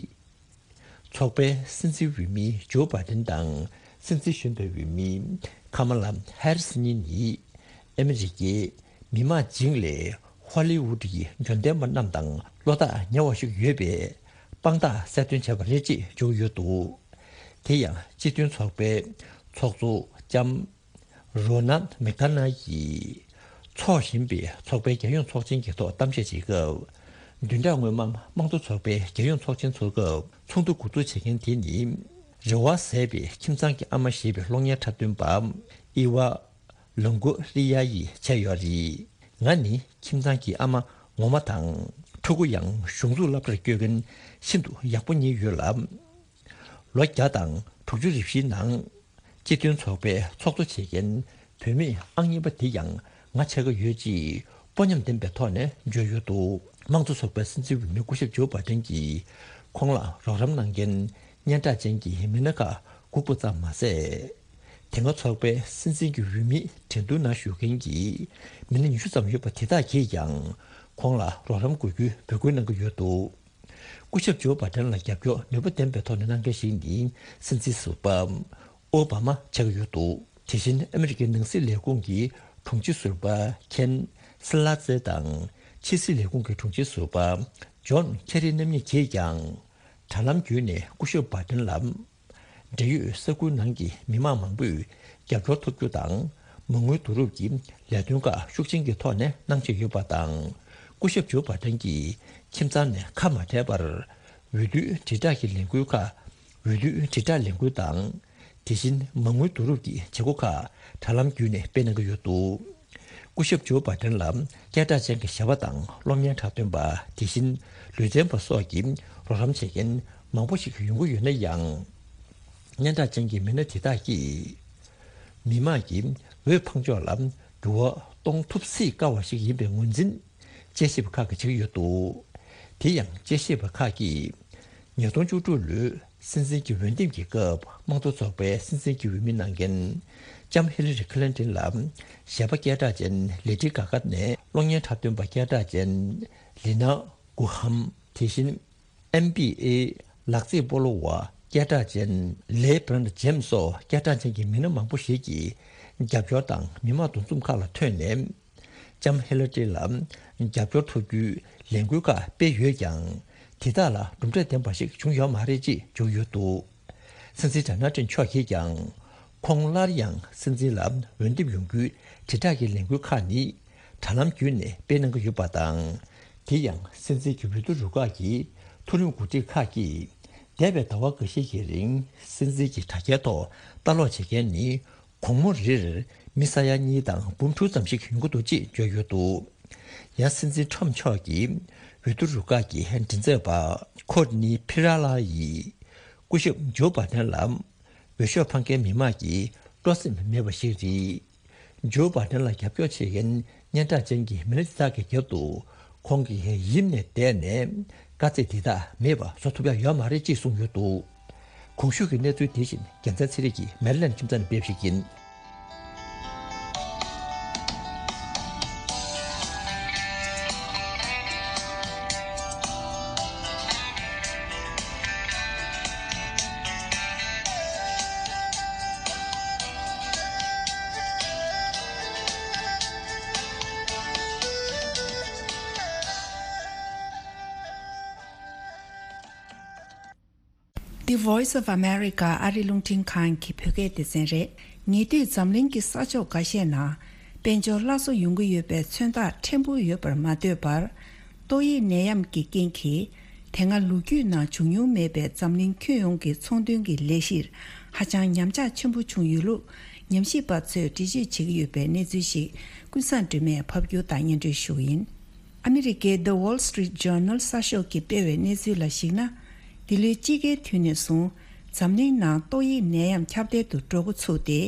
ཚོགས་པའི་སྲིད་འཛིན་འོས་མི་ཇོ་བྷ་དན་དང་སྲིད་འཛིན་གཞོན་པའི་འོས་མི་ཁ་མ་ལ་ཧེ་རི་སི་གཉིས་ནི་ཨ་མི་རི་ཀའི་མི་དམངས་རྗེས་ལས་ཧོ་ལི་ཝུད་ཀྱི་འབྱོར་ལྡན་པ་རྣམས་དང་བློ་ཐག་ཉེ་བ་ཞིག་ཡོད་པའི་དཔང་རྟགས་གསལ་སྟོན་བྱས་པ་རེད་ཅེས་བརྗོད་ཡོད་འདུག་དེ་ཡང་སྤྱི་མཐུན་ཚོགས་པའི་ཚོགས་གཙོ་ལྕམ་རོ་ན་མེག་ཐ་ན་ཡིས་འཚོགས་བཞིན་པའི་ཚོགས་པའི་རྒྱལ་ཡོངས་ཚོགས་ཆེན་གྱི་ཐོག་གཏམ་བཤད་བྱེད་སྐབས། བདུན་ཕྲག་སྔོན་མ་དམངས་གཙོ་ཚོགས་པའི་རྒྱལ་ཡོངས་ཚོགས་ཆེན་ཚོགས་སྐབས་ཚོགས་འདུ་འགོ་འཛུགས་བྱེད་མཁན་དེ་ནི། རེ་བ་ཟད་པའི་ཁྱིམ་ཚང་གི་ཨ་མ་ཞེས་པའི་གློག་བརྙན་འཁྲབ་སྟོན་པ་ཨི་ཝ་ལོང་གོ་རི་ཡ་ཡིས་བྱས་ཡོད་རེད། ང་ནི་ཁྱིམ་ཚང་གི་ཨ་མ་ངོ་མ་དང་། ཕྲུ་གུ་ཡང་གཞུང་འཛུགས་སློབ་གྲྭར་སྐྱོད་མཁན་ཤིན་ཏུ་ཡག་པོ་གཉིས་ཡོད་ལ། ལོ་བརྒྱ་དང་དྲུག་ཅུ་རེ་བཞིའི་ནང་། སྤྱི་མཐུན་ཚོགས་པའི་ཚོགས་གཙོ་བྱེད་མཁན་བུད་མེད་ཨང་གཉིས་པ་དེ་ཡང་ང་ཆགས་ཀྱི་ཡོད་ཅེས་དཔོན་ཉམས་ལྡན་པའི་ཐོག་ནས་བརྗོད་ཡོད་འདུག་དམངས་གཙོ་ཚོགས་པའི་སྲིད་འཛིན་འོས་མི་སྐུ་ཞབས་ཇོ་བྷ་ཏན་གྱིས་ཁོང་ལ་རོགས་རམ་གནང་མཁན་སྙན་གྲགས་ཅན་གྱི་མི་སྣ་ཁག་སྒུག་པ་ཙམ་མ་ཟད། དེ་སྔ་ཚོགས་པའི་སྲིད་འཛིན་གྱི་འོས་མིའི་འགྲན་བསྡུར་ནང་ཞུགས་མཁན་གྱི་མི་སྣ་ཉི་ཤུ་ཙམ་ཡོད་པ་དེ་དག་གིས་ཀྱང་ཁོང་ལ་རོགས་རམ་དགོས་རྒྱུའི་འབོད་སྐུལ་གནང་གི་ཡོད་འདུག་སྐུ་ཞབས་ཇོ་བྷ་ཏན་ལ་རྒྱབ་སྐྱོར་ནུས་པ་ལྡན་པའི་ཐོག་ནས་གནང་མཁན་ཞིག་ནི་སྲིད་འཛིན་ཟུར་པ་ཨོ་བྷ་མ་ཆགས་ཀྱི་ཡོད་འདུག་དེ་བཞིན་ཨ་མི་རི་ཀའི་ནང་སྲིད་ལས་ཁུངས་ཀྱི་དྲུང་ཆེ་ཟུར་པ་ཁེན་སི་ལ་ཙེ་དང་ཕྱི་སྲིད་ལས་ཁུངས་ཀྱི་དྲུང་ཆེ་ཟུར་པ་ཇོན་ཁེ་རི་རྣམ་གཉིས་ཀྱིས་ཀྱང་དྲ་ལམ་བརྒྱུད་ནས་སྐུ་ཞབས་བྷ་ཏན་ལ། འབྲེལ་ཡོད་ས་ཁུལ་ནང་གི་མི་མང་མང་པོས་རྒྱབ་སྐྱོར་ཐོབ་རྒྱུ་དང་། མ་དངུལ་བསྡུ་རུབ་ཀྱི་ལས་དོན་ཁག་ཤུགས་ཆེན་གྱི་ཐོག་ནས་གནང་བཞིན་ཡོད་པ་དང་། སྐུ་ཞབས་ཇོ་བྷ་ཏན་གྱིས་ཁྱིམ་ཚང་ནས་ཁ་མ་བྲལ་བར། འོས་བསྡུའི་དྲིལ་བསྒྲགས་ཀྱི་ལས་འགུལ་ཁག་འོས་བསྡུའི་དྲིལ་བསྒྲགས་ལས་འགུལ་དང་། དེ་བཞིན་མ་དངུལ་བསྡུ་རུབ་ཀྱི་བྱེད་སྒོ་ཁག་དྲ་ལམ་བརྒྱུད་ནས་སྤེལ་གནང་གི་ཡོད་འདུག་སྐུ་ཞབས་ཇོ་བྷ་ཏན་ལ་སྐད་གྲགས་ཅན་གྱི་གཞས་པ་དང་གློག་བརྙན་འཁྲབ་སྟོན་པ། དེ་བཞིན་ལུས་རྩལ་པ་སོགས་ཀྱིས་རོགས་རམ་བྱེད་མཁན་མང་པོ་ཞིག་ཡོང་གི་ཡོད་ན་ཡང་། སྙན་གྲགས་ཅན་གྱི་མི་སྣ་དེ་དག་གིས་མི་དམངས་ཀྱི་འོས་འཕེན་ཕྱོགས་ལ་འགྱུར་བ་གཏོང་ཐུབ་སྲིད་དཀའ་བ་ཞིག་ཡིན་པའི་ངོས་འཛིན་དཔྱད་ཞིབ་པ་ཁག་གིས་བྱེད་ཀྱི་ཡོད་འདུག་དེ་ཡང་དཔྱད་ཞིབ་པ་ཁག་གིས་ཉིས་སྟོང་བཅུ་དྲུག་ལོའི་སྲིད་འཛིན་གྱི་འོས་འདེམས་ཀྱི་སྐབས་དམངས་གཙོ་ཚོགས་པའི་སྲིད་འཛིན་གྱི་འོས་མི་གནང་མཁན་ལྕམ་ཧི་ལ་རི་ཁི་ལིན་ཏིན་ལ་གཞས་པ་སྐད་གྲགས་ཅན་ལེ་ཌི་གྷ་གྷ་ནས་གློག་བརྙན་འཁྲབ་སྟོན་པ་སྐད་གྲགས་ཅན་ལི་ན་གུ་ཧམ། དེ་བཞིན་ཨེན་བྷི་ཨེ་ལག་རྩེད་སྤོ་ལོ་བ་སྐད་གྲགས་ཅན་ལེ་བྷི་རོན་ཇེམ་སོགས་སྐད་གྲགས་ཅན་གྱི་མི་སྣ་མང་པོ་ཞིག་གིས་རྒྱབ་སྐྱོར་དང་མི་མང་འདུ་འཛོམས་ཁག་ལ་ཐོན་ནས། ལྕམ་ཧི་ལ་ཏི་ལ་རྒྱབ་སྐྱོར་ཐོབ་རྒྱུའི་ལས་འགུལ་ཁག་སྤེལ་ཡོད་ཀྱང་། དེ་དག་ལ་གྲུབ་འབྲས་ལྡན་པ་ཞིག་བྱུང་ཡོད་མ་རེད་ཅེས་བརྗོད་ཡོད་འདུག་སྲིད་འཛིན་ཌོ་ནལ་ཊམ་མཆོག་གིས་ཀྱང་། ཁོང་སླར་ཡང་སྲིད་འཛིན་ལ་འོས་འདེམས་ཡོང་རྒྱུའི་དྲིལ་བསྒྲགས་ཀྱི་ལས་འགུལ་ཁག་ནི་དྲ་ལམ་བརྒྱུད་ནས་སྤེལ་གནང་གི་ཡོད་པ་དང་། དེ་ཡང་སྲིད་འཛིན་གྱི་འོས་བསྡུ་རུ་ཁག་གི་མཐོ་རིམ་འགོ་ཁྲིད་ཁག་གིས་ འདས་པའི་ཟླ་བ་འགའ་ཤས་ཀྱི་རིང་སྲིད་འཛིན་གྱི་དྲ་རྒྱའི་ཐོག་ལྟ་ཀློག་བྱེད་མཁན་ནི་གུང་མོ་རེར་མི་ས་ཡ་གཉིས་དང་འབུམ་དྲུག་ཙམ་ཞིག་ཡོང་གི་འདུག་ཅེས་བརྗོད་ཡོད་འདུག་ཡང་སྲིད་འཛིན་ཁྲོམ་མཆོག་གི་འོས་བསྡུ་རུ་ཁག་གི་མགྲིན་ཚབ་པ་ཁོར་ནི་ཕི་ར་ལ་ཡིས་སྐུ་ཞབས་ཇོ་བྷ་དན་ལ་འོས་ཤོག་འཕང་མཁན་མི་མང་གི་སྤྲོ་སེམས་མེད་པ་ཞིག་རེད། ཇོ་བྷ་དན་ལ་རྒྱབ་སྐྱོར་བྱེད་མཁན་སྙན་གྲགས་ཅན་གྱི་མི་སྣ་དེ་དག་གི་རྒྱབ་ཏུ་ཁོང་གིས་ཡིབ་ནས་བསྡད་ནས་དཀའ་ཚེགས་འདི་དག་མེད་པ་བཟོ་ཐུབ་ཡ་ཡོད་མ་རེད་ཅེས་གསུངས་ཡོད་འདུག་གོང་ཞུས་ཀྱི་གནས་ཚུལ་དེ་བཞིན་རྒྱལ་མཚན་ཚེ་རིང་གིས་མེ་རི་ལན་ཁྱིམ་ཚང་ནས་སྤེལ་བ་ཞིག་ཡིན། The Voice of America ཨ་རི་རླུང་འཕྲིན་ཁང་གི་བོད་སྐད་སྡེ་ཚན་རེད། ཉེ་དུས་འཛམ་གླིང་གི་ས་ཕྱོགས་འགའ་ཤས་ནང་དཔལ་འབྱོར་སླར་གསོ་ཡོང་གི་ཡོད་པའི་མཚོན་རྟགས་ཕྲན་བུ་ཡོད་པར་མ་ལྟོས་པར། ཏོག་དབྱིབས་ནད་ཡམས་ཀྱི་རྐྱེན་གྱིས་དེ་སྔ་ལོ་རྒྱུས་ནང་བྱུང་མྱོང་མེད་པའི་འཛམ་གླིང་ཁྱོན་ཡོངས་ཀྱི་ཚོང་དོན་གྱི་ལས་གཞིར་ཧ་ཅང་ཉམས་ཆག་ཆེན་པོ་བྱུང་ཡོད་ལུགས་ཉམས་ཞིབ་པ་ཚོས་འགྲེལ་བརྗོད་བྱེད་ཀྱི་ཡོད་པའི་གནས་ཚུལ་ཞིག་ཀུན་བཟང་སྒྲོལ་མས་ཕབ་སྒྱུར་དང་སྙན་སྒྲོན་ཞུ་གི་ཡིན། ཨ་མི་རི་ཀའི་The Wall Street Journal གསར་ཤོག་གིས་སྤེལ་བའི་གནས་ཚུལ་ལ་གཞིགས་ན། འདི་ལོའི་དཔྱིད་ཀའི་དུས་ནས་བཟུང་འཛམ་གླིང་ནང་ཏོག་དབྱིབས་ནད་ཡམས་ཁྱབ་གདལ་དུ་འགྲོ་འགོ་ཚུགས་ཏེ།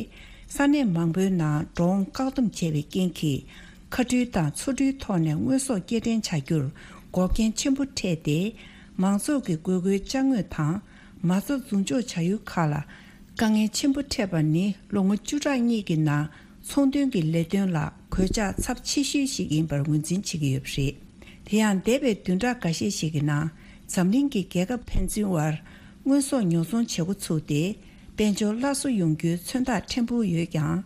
ས་གནས་མང་པོའི་ནང་འགྲོ་འོང་བཀག་སྡོམ་བྱས་པའི་རྐྱེན་གྱིས། མཁའ་འགྲུལ་དང་མཚོ་འགྲུལ་ཐོག་ནས་དངོས་ཟོག་སྐྱེལ་འདྲེན་བྱ་རྒྱུར་འགོག་རྐྱེན་ཆེན་པོ་འཕྲད་དེ། མང་ཚོགས་ཀྱི་དགོས་མཁོའི་ཅ་དངོས་དང་མ་རྩ་འཛུགས་འཇོག་བྱ་ཡུལ་ཁག་ལ་དཀའ་ངལ་ཆེན་པོ་འཕྲད་པ་ནི་ལོ་ངོ་བཅུ་ཕྲག་གཉིས་ཀྱི་ནང་ཚོང་དོན་གྱི་ལས་དོན་ལ་གོད་ཆག་ཚབས་ཆེ་ཤོས་ཤིག་ཡིན་པར་ངོས་འཛིན་བྱེད་ཀྱི་ཡོད་པ་རེད། དེ་ཡང་འདས་པའི་བདུན་ཕྲག་འགའ་ཤས་ཤིག་གི་ནང་འཛམ་གླིང་གི་རྒྱལ་ཁབ་ཕན་ཚུན་དབར་དངོས་ཟོག་ཉོ་ཚོང་བྱེད་འགོ་ཚུགས་ཏེ། དཔལ་འབྱོར་སླར་གསོ་ཡོང་རྒྱུའི་མཚོན་རྟགས་ཕྲན་བུ་ཡོད་ཀྱང་།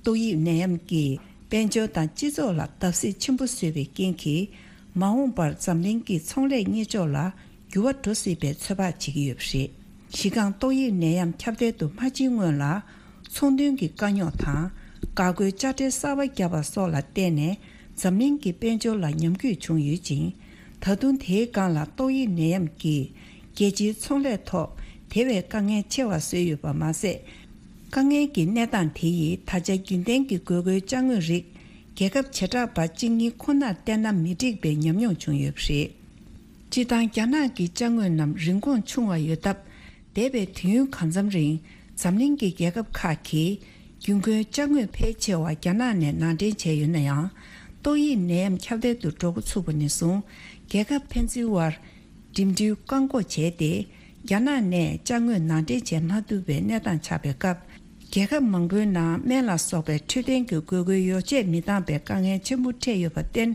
ཏོག་དབྱིབས་ནད་ཡམས་ཀྱིས་དཔལ་འབྱོར་དང་སྤྱི་ཚོགས་ལ་བརྡབ་གསིག་ཆེན་པོ་བཟོས་པའི་རྐྱེན་གྱིས། མ་འོངས་པར་འཛམ་གླིང་གི་ཚོང་ལས་གཉེར་ཕྱོགས་ལ་འགྱུར་བ་འགྲོ་སྲིད་པའི་ཚོད་དཔག་བྱེད་ཀྱི་ཡོད་པ་རེད། གཞི་རྐང་ཏོག་དབྱིབས་ནད་ཡམས་ཁྱབ་གདལ་དུ་མ་ཕྱིན་སྔོན་ལ། ཚོང་དོན་གྱི་དཀའ་རྙོག་དང་། འགག་སྒོའི་དཔྱ་ཁྲལ་གསར་པ་བརྒྱབ་པ་སོགས་ལ་བརྟེན་ནས། འཛམ་གླིང་གི་དཔལ་འབྱོར་ལ་ཉམས་རྒུད་བྱུང་ཡོད་ཅིང་། ད་དུང་དེའི་སྒང་ལ་ཏོག་དབྱིབས་ནད་ཡམས་ཀྱིས་རྒྱལ་སྤྱིའི་ཚོང་ལས་ཐོག་དེ་བས་དཀའ་ངལ་ཆེ་བ་བཟོས་ཡོད་པ་མ་ཟད། དཀའ་ངལ་གྱི་གནས་སྟངས་དེ་ཡིས་ད་ཆ་རྒྱུན་ལྡན་གྱི་དགོས་མཁོའི་ཅ་དངོས་རིགས་རྒྱལ་ཁབ་བྱེ་བྲག་པ་གཅིག་གཉིས་ཁོ་ནར་བརྟེན་ན་མི་འགྲིག་པའི་ཉམས་མྱོང་བྱུང་ཡོད་པ་རེད། སྤྱིར་བཏང་རྒྱ་ནག་གི་ཅ་དངོས་རྣམས་རིན་གོང་ཆུང་བ་ཡོད་སྟབས། འདས་པའི་དུས་ཡུན་གང་འཚམ་རིང་འཛམ་གླིང་གི་རྒྱལ་ཁབ་ཁག་གིས་རྒྱུན་མཁོའི་ཅ་དངོས་ཕལ་ཆེ་བ་རྒྱ་ནག་ནས་ནང་འདྲེན་བྱས་ཡོད་ན་ཡང་། ཏོག་དབྱིབས་ནད་ཡམས་ཁྱབ་གདལ་དུ་འགྲོ་འགོ་ཚུགས་པ་ནས་བཟུང་རྒྱལ་ཁབ་ཕན་ཚུན་དབར་འགྲིམ་འགྲུལ་བཀག་འགོག་བྱས་ཏེ། རྒྱ་ནག་ནས་ཅ་དངོས་ནང་འདྲེན་བྱེད་མ་ཐུབ་པའི་གནས་སྟངས་ཆགས་པའི་སྐབས། རྒྱལ་ཁབ་མང་པོའི་ནང་སྨན་ལ་སོགས་པའི་འཕྲོད་བསྟེན་གྱི་དགོས་མཁོའི་ཡོ་བྱད་མི་འདང་པའི་དཀའ་ངལ་ཆེན་པོ་འཕྲད་ཡོད་པར་བརྟེན།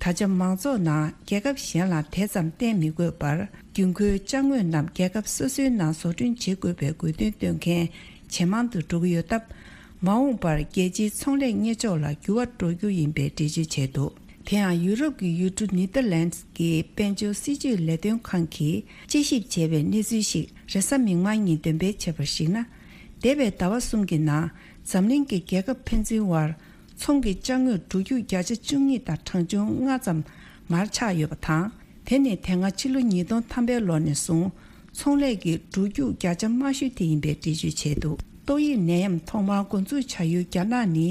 ད་ཆ་མང་ཚོགས་ནང་རྒྱལ་ཁབ་གཞན་ལ་དེ་ཙམ་བརྟེན་མི་དགོས་པར། རྒྱུན་མཁོའི་ཅ་དངོས་རྣམས་རྒྱལ་ཁབ་སོ་སོའི་ནང་བཟོ་སྐྲུན་བྱེད་དགོས་པའི་དགོས་འདུན་བཏོན་མཁན་ཇེ་མང་དུ་འགྲོ་གི་ཡོད་སྟབས། མ་འོངས་པར་རྒྱལ་སྤྱིའི་ཚོང་ལས་གཉེར་ཕྱོགས་ལ་འགྱུར་བ་འགྲོ་རྒྱུ་ཡིན་པའི་འགྲེལ་བརྗོད་བྱས་འདུག་དེ་ཡང་ཡུ་རོབ་ཀྱི་ཡུལ་གྲུ་ནེ་ཐར་ལན་ཌི་གི་དཔལ་འབྱོར་སྲིད་ཇུས་ལས་དོན་ཁང་གིས་དཔྱད་ཞིབ་བྱས་པའི་གནས་ཚུལ་ཞིག་རེས་གཟའ་མིག་དམར་ཉིན་འདོན་སྤེལ་བྱས་པར་གཞིགས་ན། འདས་པའི་ཟླ་བ་གསུམ་གྱི་ནང་འཛམ་གླིང་གི་རྒྱལ་ཁབ་ཕན་ཚུན་དབར། ཚོང་གི་ཅ་དངོས་འགྲོ་རྒྱུག་བརྒྱ་ཆ་བཅུ་གཉིས་དང་གྲངས་ཆུང་ལྔ་ཙམ་མར་ཆག་ཡོད་པ་དང་། དེ་ནི་དེ་སྔ་ཕྱི་ལོ་ཉིས་སྟོང་ཐམ་པའི་ལོ་ནས་བཟུང་ཚོང་ལས་ཀྱི་འགྲོ་རྒྱུག་བརྒྱ་ཆ་དམའ་ཤོས་དེ་ཡིན་པའི་འགྲེལ་བརྗོད་བྱས་འདུག་ཏོག་དབྱིབས་ནད་ཡམས་ཐོག་མར་འགོ་འཛུགས་བྱ་ཡུལ་རྒྱ་ནག་ནི་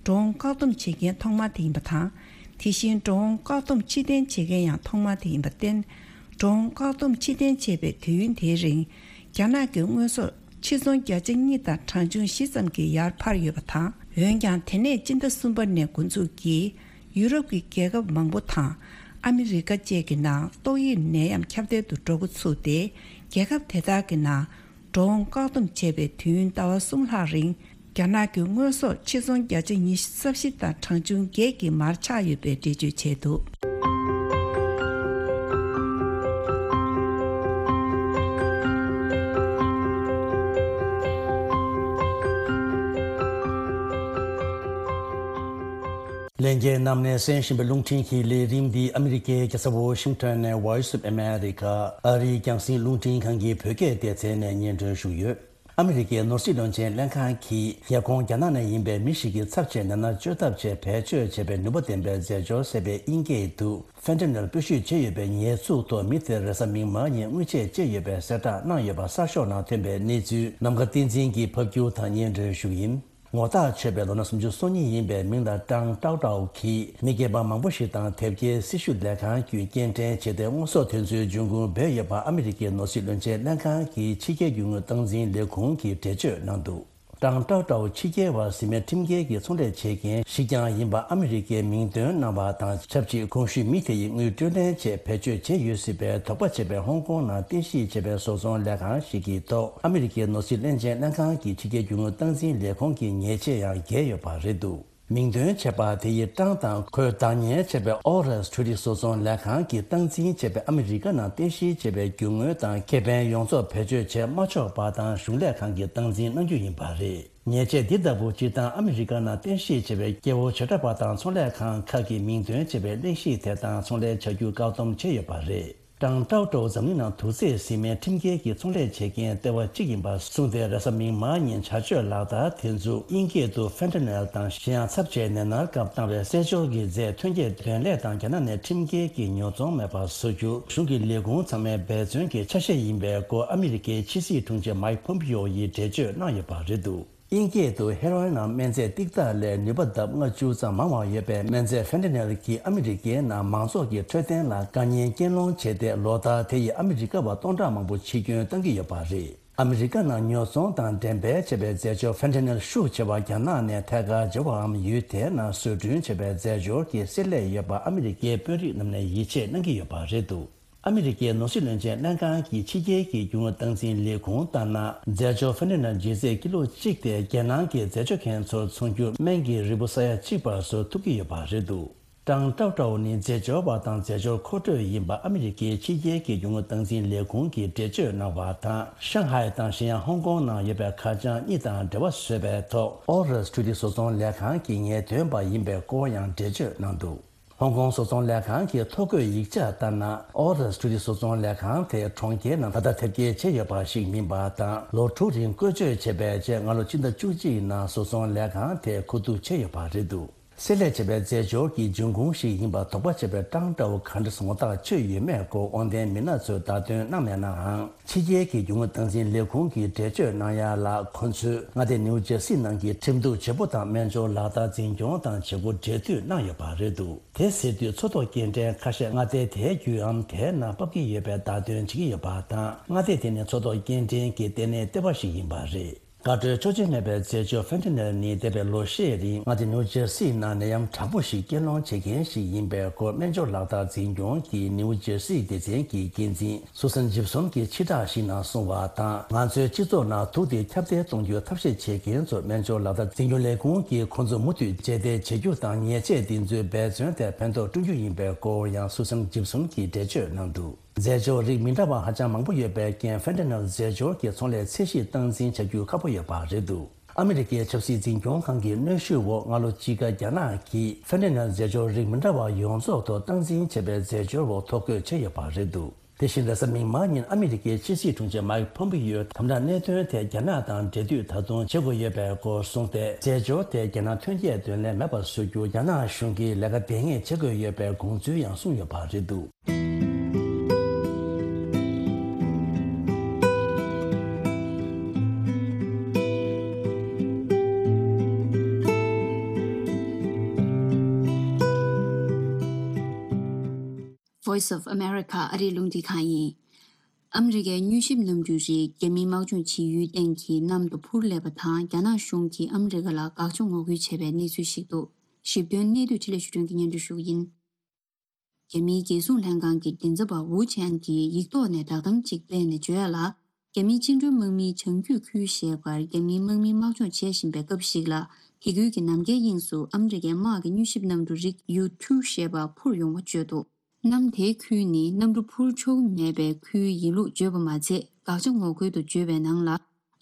འགྲོ་འོང་བཀག་སྡོམ་བྱེད་མཁན་ཐོག་མ་དེ་ཡིན་པ་དང་། དེ་བཞིན་འགྲོ་འོང་བཀག་སྡོམ་ཕྱིར་འཐེན་བྱེད་མཁན་ཡང་ཐོག་མ་དེ་ཡིན་པར་བརྟེན། འགྲོ་འོང་བཀག་སྡོམ་ཕྱིར་འཐེན་བྱས་པའི་དུས་ཡུན་དེའི་རིང་རྒྱ་ནག་གི་དངོས་ཟོག་ཕྱིར་ཚོང་བརྒྱ་ཆ་གཉིས་དང་གྲངས་ཆུང་བཞི་ཙམ་གྱིས་ཡར་འཕར་ཡོད་པ་དང་། འོན་ཀྱང་དེ་ནས་སྤྱི་ཟླ་གསུམ་པ་ནས་འགོ་འཛུགས་ཀྱིས་ཡུ་རོབ་ཀྱི་རྒྱལ་ཁབ་མང་པོ་དང་ཨ་མི་རི་ཀ་བཅས་ཀྱི་ནང་ཏོག་དབྱིབས་ནད་ཡམས་ཁྱབ་གདལ་དུ་འགྲོ་འགོ་ཚུགས་ཏེ། རྒྱལ་ཁབ་དེ་དག་གི་ནང་འགྲོ་འོང་བཀག་སྡོམ་བྱས་པའི་དུས་ཡུན་ཟླ་བ་གསུམ་ལྷག་རིང་རྒྱ་ནག་གི་དངོས་ཟོག་ཕྱིར་ཚོང་བརྒྱ་ཆ་ཉི་ཤུ་རྩ་བཞི་དང་གྲངས་ཆུང་བརྒྱད་ཀྱིས་མར་ཆག་ཡོད་པའི་འགྲེལ་བརྗོད་བྱས་འདུག་ལྷན་རྒྱས་རྣམས་ནས་གསན་བཞིན་པའི་རླུང་འཕྲིན་གྱི་ལས་རིམ་འདི་ཨ་མི་རི་ཀའི་རྒྱལ་ས་ཝོ་ཤིང་ཊོན་ནས་Voice of America ཨ་རིའི་རྒྱང་སྲིང་རླུང་འཕྲིན་ཁང་གི་བོད་སྐད་སྡེ་ཚན་ནས་སྙན་སྒྲོན་ཞུས་ཡོད། ཨ་མི་རི་ཀའི་ནོར་སྲིད་བློན་ཆེན་ལྷན་ཁང་གིས་རྒྱལ་ཁོངས་རྒྱ་ནག་ནས་ཡིན་པའི་མི་ཞིག་གི་ཚབ་བྱས་ནད་མནར་བཅོས་ཐབས་ཆེད་བེད་སྤྱོད་བྱས་པའི་ནུས་པ་ལྡན་པའི་རྫས་སྦྱོར་ཟེར་བའི་དབྱིན་སྐད་དུ་ཕེན་ཏ་ནེལ་སྤོས་ཞུས་བྱས་ཡོད་པའི་ཉེས་འཛུགས་ཐོག་མི་དེར་རེས་གཟའ་མིག་དམར་ཉིན་དངུལ་ཆད་བཅད་ཡོད་པའི་གསལ་བསྒྲགས་གནང་ཡོད་པ་གསར་ཤོག་ནང་ཐོན་པའི་གནས་ཚུལ་ནམ་མཁའ་བསྟན་འཛིན་གྱིས་ཕབ་སྒྱུར་དང་སྙན་སྒྲོན་ཞུ་གི་ཡིན། ངོ་རྟགས་ཆོད་པའི་ལོ་ན་སུམ་ཅུ་སོ་གཉིས་ཡིན་པའི་མིང་ལ་ཀྲང་ཀྲའོ་ཀྲའོ་གིས་མི་སྐྱེས་པ་མང་པོ་ཞིག་དང་དེབ་སྐྱེལ་སྲི་ཞུ་ལས་ཁང་བརྒྱུད་སྐྱེལ་འདྲེན་བྱས་ཏེ་དངོས་ཟོག་དེ་ཚོའི་འབྱུང་ཁུངས་བོད་ཡོད་པ་ཨ་མི་རི་ཀའི་ནོར་སྲིད་བློན་ཆེན་ལྷན་ཁང་གི་ཕྱི་རྒྱལ་རྒྱུ་དངོས་སྟངས་འཛིན་ལས་ཁུངས་ཀྱིས་འགྲེལ་བརྗོད་གནང་འདུག་ཀྲང་ཀྲའོ་ཀྲའོ་ཕྱི་རྒྱལ་བ་ཟིན་མའི་ཁྲིམས་འགལ་གྱི་ཚོང་ལས་བྱེད་མཁན་ཞིག་ཀྱང་ཡིན་པ་ཨ་མི་རི་ཀའི་མིང་འདོན་གནང་བ་དང་ཆབས་ཅིག་གོང་ཞུས་མི་དེ་ཡི་དངུལ་སྤྲོད་ལེན་ཆེད་བེད་སྤྱོད་བྱས་ཡོད་སྲིད་པའི་དོགས་པ་བྱས་པའི་ཧོང་ཀོང་ནང་རྟེན་གཞི་བྱས་པའི་བཟོ་ཚོང་ལས་ཁང་ཞིག་གི་ཐོག་ཨ་མི་རི་ཀའི་ནོར་སྲིད་བློན་ཆེན་ལྷན་ཁང་གི་ཕྱི་རྒྱལ་རྒྱུ་དངོས་སྟངས་འཛིན་ལས་ཁུངས་ཀྱི་ཉེས་ཆད་ཡང་འགེལ་ཡོད་པ་རེད་འདུག་མིང་འདོན་བྱས་པ་དེ་ཡིས་ཀྲང་དང་ཁོས་བདག་གཉེར་བྱས་པའི་ཨོ་རེས་འཕྲུལ་རིག་བཟོ་ཚོང་ལས་ཁང་གིས་སྟངས་འཛིན་བྱས་པའི་ཨ་མི་རི་ཀ་ནང་རྟེན་གཞི་བྱས་པའི་རྒྱུ་དངོས་དང་ཁེ་ཕན་ཡོངས་རྫོགས་བེད་སྤྱོད་བྱས་མ་ཆོག་པ་དང་གཞུང་ལས་ཁང་གིས་སྟངས་འཛིན་གནང་རྒྱུ་ཡིན་པ་རེད། ཉེས་ཆད་འདི་ལྟ་བུ་སྤྱིར་བཏང་ཨ་མི་རི་ཀ་ནང་རྟེན་གཞི་བྱས་པའི་སྐྱེ་བོ་བྱེ་བྲག་པ་དང་ཚོང་ལས་ཁང་ཁག་གི་མིང་འདོན་བྱས་པའི་གླེང་གཞི་དེ་དང་ཚོང་ལས་བྱ་རྒྱུ་བཀག་སྡོམ་བྱས་ཡོད་པ་རེད། ཀྲང་ཀྲའོ་ཀྲའོ་འཛམ་གླིང་ནང་དུག་རྫས་ཟིན་མའི་ཁྲིམས་འགལ་གྱི་ཚོང་ལས་བྱེད་མཁན་ལྟེ་བ་གཅིག་ཡིན་པ་གསུངས་ཏེ་རེས་གཟའ་མིག་དམར་ཉིན་བྱ་སྤྱོད་ལག་བསྟར་དེ་ཚོ་དབྱིན་སྐད་དུ་ཕེན་ཏ་ནེལ་དང་གཞན་ཡང་ཚབས་ཆེའི་ནད་མནར་སྐབས་བཏང་བའི་རྩེད་འཇོར་གྱི་རྫས་ཐོན་སྐྱེད་འདོན་ལས་དང་རྒྱ་ནག་ནས་ཁྲིམས་འགལ་གྱི་ཉོ་ཚོང་མེད་པར་བཟོ་རྒྱུ་གཞུང་གི་ལས་ཁུངས་ཚང་མའི་འབད་བརྩོན་གྱི་ཆ་ཤས་ཡིན་པའི་སྐོར་ཨ་མི་རི་ཀའི་ཕྱི་སྲིད་དྲུང་ཆེ་མའིག་ཕོམ་པི་ཡོ་ཡིས་འགྲེལ་བརྗོད་གནང་ཡོད་པ་རེད་འདུག་དབྱིན་སྐད་དུ་ཧེ་རོ་ཨིན་ནམ་སྨན་རྫས་ཏིག་ཏག་ལས་ནུས་པ་ལྡབ་ལྔ་བཅུ་ཙམ་མང་བ་ཡོད་པའི་སྨན་རྫས་ཕེན་ཏ་ནེལ་གྱིས་ཨ་མི་རི་ཀའི་ནང་མང་ཚོགས་ཀྱི་འཕྲོད་བསྟེན་ལ་དཀའ་ངལ་རྐྱེན་སློང་བྱས་ཏེ་ལོ་ལྟར་དེ་ཡིས་ཨ་མི་རི་ཀ་བ་སྟོང་ཕྲག་མང་པོ་འཆི་སྐྱོན་བཏང་གི་ཡོད་པ་རེད། ཨ་མི་རི་ཀ་ནང་ཉོ་ཚོང་དང་འགྲེམས་སྤེལ་བྱས་པའི་རྫས་སྦྱོར་ཕེན་ཏ་ནེལ་ཤུགས་ཆེ་བ་རྒྱ་ནག་ནས་ཐད་ཀར་འབྱོར་བའམ་ཡུལ་དེའི་ནང་བཟོ་སྐྲུན་བྱས་པའི་རྫས་སྦྱོར་གྱི་བསྲེ་ལྷད་ཡོད་པ་ཨ་མི་རི་ཀའི་དཔོན་རིགས་རྣམས་ནས་ཡིད་ཆེས་གནང་གི་ཡོད་པ་རེད་འདུག་ཨ་མི་རི་ཀའི་ནོར་སྲིད་བློན་ཆེན་ལྷན་ཁང་གི་ཕྱི་རྒྱལ་གྱི་རྒྱུ་དངོས་སྟངས་འཛིན་ལས་ཁུངས་ལྟར་ན། རྫས་སྦྱོར་ཕེན་ཏ་ནེལ་ལྗིད་ཚད་ཀི་ལོ་གཅིག་དེ་རྒྱལ་ནང་གི་རྫས་སྦྱོར་མཁན་ཚོར་འཚོང་རྒྱུར་སྨན་གྱི་རིལ་བུ་ས་ཡ་གཅིག་བར་བཟོ་ཐུབ་ཀྱི་ཡོད་པ་རེད་འདུག་ཀྲང་ཀྲའོ་ཀྲའོ་ནི་རྫས་སྦྱོར་བ་དང་རྫས་སྦྱོར་མཁོ་སྤྲོད་ཡིན་པ་ཨ་མི་རི་ཀའི་ཕྱི་རྒྱལ་གྱི་རྒྱུ་དངོས་སྟངས་འཛིན་ལས་ཁུངས་ཀྱིས་འགྲེལ་བརྗོད་གནང་བ་དང་། ཤང་ཧའེ་དང་གཞན་ཡང་ཧོང་ཀོང་ནང་ཡོད་པའི་ཁ་བྱང་གཉིས་དང་འབྲེལ་བ་བཟོས་པའི་ཐོག་ཨོ་རེས་འཕྲུལ་རིག་བཟོ་ཚོང་ལས་ཁང་གི་ངེས་སྟོན་པ་ཡིན་པའི་སྐོར་ཡང་འགྲེལ་བརྗོད་གནང་འདུག་ཧོང་ཀོང་བཟོ་ཚོང་ལས་ཁང་གི་ཐོ་འགོད་ཡིག་ཆ་ལྟར་ན། ཨོ་རེས་འཕྲུལ་རིག་བཟོ་ཚོང་ལས་ཁང་དེ་གྲོང་ཁྱེར་ནང་ད་ལྟ་དེབ་སྐྱེལ་བྱས་ཡོད་པ་ཞིག་མིན་པ་དང་། ལོ་དྲུག་རིང་བཀོལ་སྤྱོད་བྱས་པའི་རྗེས་སྔ་ལོ་ཕྱི་ཟླ་བཅུ་གཅིག་ནང་བཟོ་ཚོང་ལས་ཁང་དེ་མཁོ་བསྡུ་བྱས་ཡོད་པ་རེད་འདུག་བསྲེ་ལྷད་བྱས་པའི་རྫས་སྦྱོར་གྱི་འབྱུང་ཁུངས་ཤིག་ཡིན་པ་དོགས་པ་བྱས་པའི་ཀྲང་ཀྲའོ་ག་འདྲ་ངོ་རྟགས་ཆོད་ཡོད་མེད་སྐོར་དབང་ལྡན་མི་སྣ་ཚོས་བརྡ་སྟོན་གནང་མེད་ནའང་། ཕྱི་རྒྱལ་གྱི་རྒྱུ་དངོས་སྟངས་འཛིན་ལས་ཁུངས་ཀྱིས་འགྲེལ་བརྗོད་གནང་ཡ་ལ། ཁོ་ཚོས་མངའ་སྡེ་ནིའུ་ཇེར་སི་ནང་གི་ཁྲིམས་གཏུག་བྱེད་པོ་དང་སྨན་སྦྱོར་ལག་བསྟར་འཛིན་སྐྱོང་དང་བྱེད་སྒོ་འབྲེལ་མཐུད་གནང་ཡོད་པ་རེད་འདུག་དེ་ཟེར་དུས་མཚོ་ཐོག་སྐྱེལ་འདྲེན་ཁ་ཤས་མངའ་སྡེ་དེའི་བརྒྱུད་འམ་དེའི་ནང་ཕབ་ཀྱི་ཡོད་པའི་བརྡ་སྟོན་བྱེད་ཀྱི་ཡོད་པ་དང་། མངའ་སྡེ་དེ་ནི་མཚོ་ཐོག་སྐྱེལ་འདྲེན་གྱི་ལྟེ་གནས་ལྟེ་བ་ཞིག་ཡིན་པ་རེད། དགའ་སྤྲོའི་ཆོག་མཆན་མེད་པའི་རྫས་སྦྱོར་ཕེན་ཏ་ནེལ་ནི་འདས་པའི་ལོ་ཤས་རིང་མངའ་སྡེ་ནིའུ་ཇེར་སི་ནང་ནད་ཡམས་དྲག་པོ་ཞིག་སྐྱེད་སློང་བྱེད་མཁན་ཞིག་ཡིན་པའི་སྐོར་སྨན་སྦྱོར་ལག་བསྟར་འཛིན་སྐྱོང་གི་ནིའུ་ཇེར་སི་སྡེ་ཚན་གྱི་འགན་འཛིན་སུ་སན་ཇིབ་སོན་གྱིས་ཕྱི་བསྒྲགས་ཤིག་ནང་གསུངས་པ་དང་། ང་ཚོའི་སྤྱི་ཚོགས་ནང་དུག་དེ་ཁྱབ་གདལ་གཏོང་རྒྱུའི་ཐབས་ཤེས་བྱེད་མཁན་ཚོར་སྨན་སྦྱོར་ལག་བསྟར་འཛིན་སྐྱོང་ལས་ཁུངས་ཀྱིས་ཁོང་ཚོ་མུ་མཐུད་རྗེས་འདེད་བྱེད་རྒྱུ་དང་། ཉེས་ཆད་འདི་ཚོའི་འབད་བརྩོན་དེ་ཕན་ཐོགས་བསྐྲུན་རྒྱུ་ཡིན་པའི་སྐོར་ཡང་སུ་སན་ཇིབ་སོན་གྱིས་འགྲེལ་བརྗོད་གནང་འདུག་རྫས་སྦྱོར་རིགས་མི་འདྲ་བ་ཧ་ཅང་མང་པོ་ཡོད་པའི་རྐྱེན། ཕེན་ཏ་ནེལ་རྫས་སྦྱོར་གྱི་ཚོང་ལས་ཚད་གཞི་སྟངས་འཛིན་བྱ་རྒྱུ་ཁག་པོ་ཡོད་པ་རེད་འདུག་ཨ་མི་རི་ཀའི་ཆབ་སྲིད་འཛིན་སྐྱོང་ཁང་གི་གནོན་ཤུགས་འོག་སྔ་ལོ་དཔྱིད་ཀ་རྒྱ་ནག་གིས་ཕེན་ཏ་ནེལ་རྫས་སྦྱོར་རིགས་མི་འདྲ་བ་ཡོངས་རྫོགས་ཐོག་སྟངས་འཛིན་བྱས་པའི་རྫས་སྦྱོར་འོག་ཐོ་འགོད་བྱས་ཡོད་པ་རེད་འདུག་དེ་བཞིན་རེས་གཟའ་མིག་དམར་ཉིན་ཨ་མི་རི་ཀའི་ཕྱི་སྲིད་དྲུང་ཆེ་མའིག་ཕོམ་པི་ཡོས་དམ་དྲག་གནད་དོན་ཐད་རྒྱ་ནག་དང་འབྲེལ་མཐུད་ད་དུང་བྱེད་དགོས་ཡོད་པའི་སྐོར་གསུངས་ཏེ། རྫས་སྦྱོར་དེ་རྒྱ་ནག་ཐོན་སྐྱེད་དོན་ལས་མེད་པར་བཟོ་རྒྱུར་རྒྱ་ནག་གཞུང་གིས་ལས་ཀ་འབད་མཁས་བྱེད་དགོས་ཡོད་པའི་དགོངས་ཚུལ་ཡང་གསུངས་ཡོད་པ་རེད་འདུག Voice of America ཨ་རིའི་རླུང་འཕྲིན་ཁང་ཡིན། ཨ་མི་རི་ཀའི་མྱུལ་ཞིབ་གནམ་གྲུའི་རིགས་རྒྱ་མིའི་དམག་སྦྱོང་བྱེད་ཡུལ་སྟེང་གི་གནམ་དུ་འཕུར་སླེབས་པ་དང་། རྒྱ་ནག་གཞུང་གིས་ཨ་མི་རི་ཀ་ལ་དགག་བྱ་ངོ་རྒོལ་བྱས་པའི་གནས་ཚུལ་ཞིག་འདུག་ཞིབ་ཐོན་གནད་བསྡུས་འཕྲིན་ལས་ཞུ་སྒྲོན་གྱིས་སྙན་སྒྲོན་ཞུ་གི་ཡིན། རྒྱ་མིའི་རྒྱལ་སྲུང་ལྷན་ཁང་གི་མགྲིན་ཚབ་པ་ཝུ་ཆན་གྱིས་ཡིག་ཐོག་ནས་བསྒྲགས་གཏམ་གཅིག་སྤེལ་ནས་བརྗོད་ཡ་ལ། རྒྱ་མིའི་བཅིངས་འགྲོལ་དམག་མིའི་བྱང་རྒྱུད་ཁུལ་ཞེས་པར་རྒྱ་མིའི་དམག་མིས་དམག་སྦྱོང་བྱེད་བཞིན་པའི་སྐབས་ཤིག་ལ། དེ་ཁུལ་གྱི་ནམ་མཁའི་དབྱིངས་སུ་ཨ་མི་རི་ཀའི་དམག་གི་མྱུལ་ཞིབ་གནམ་གྲུ་རིགས་ཡུ་ཊུ་ཞེས་པ་འཕུར་ཡོང་བ་བརྗོད་འདུག་གནམ་དེའི་ཁུལ་ནི་གནམ་གྲུ་འཕུར་ཆོག་མེད་པའི་ཁུལ་ཡིན་ལུགས་བརྗོད་པ་མ་ཚད། དགག་བྱ་ངོ་རྒོལ་དུ་བརྗོད་པའི་ནང་ལ།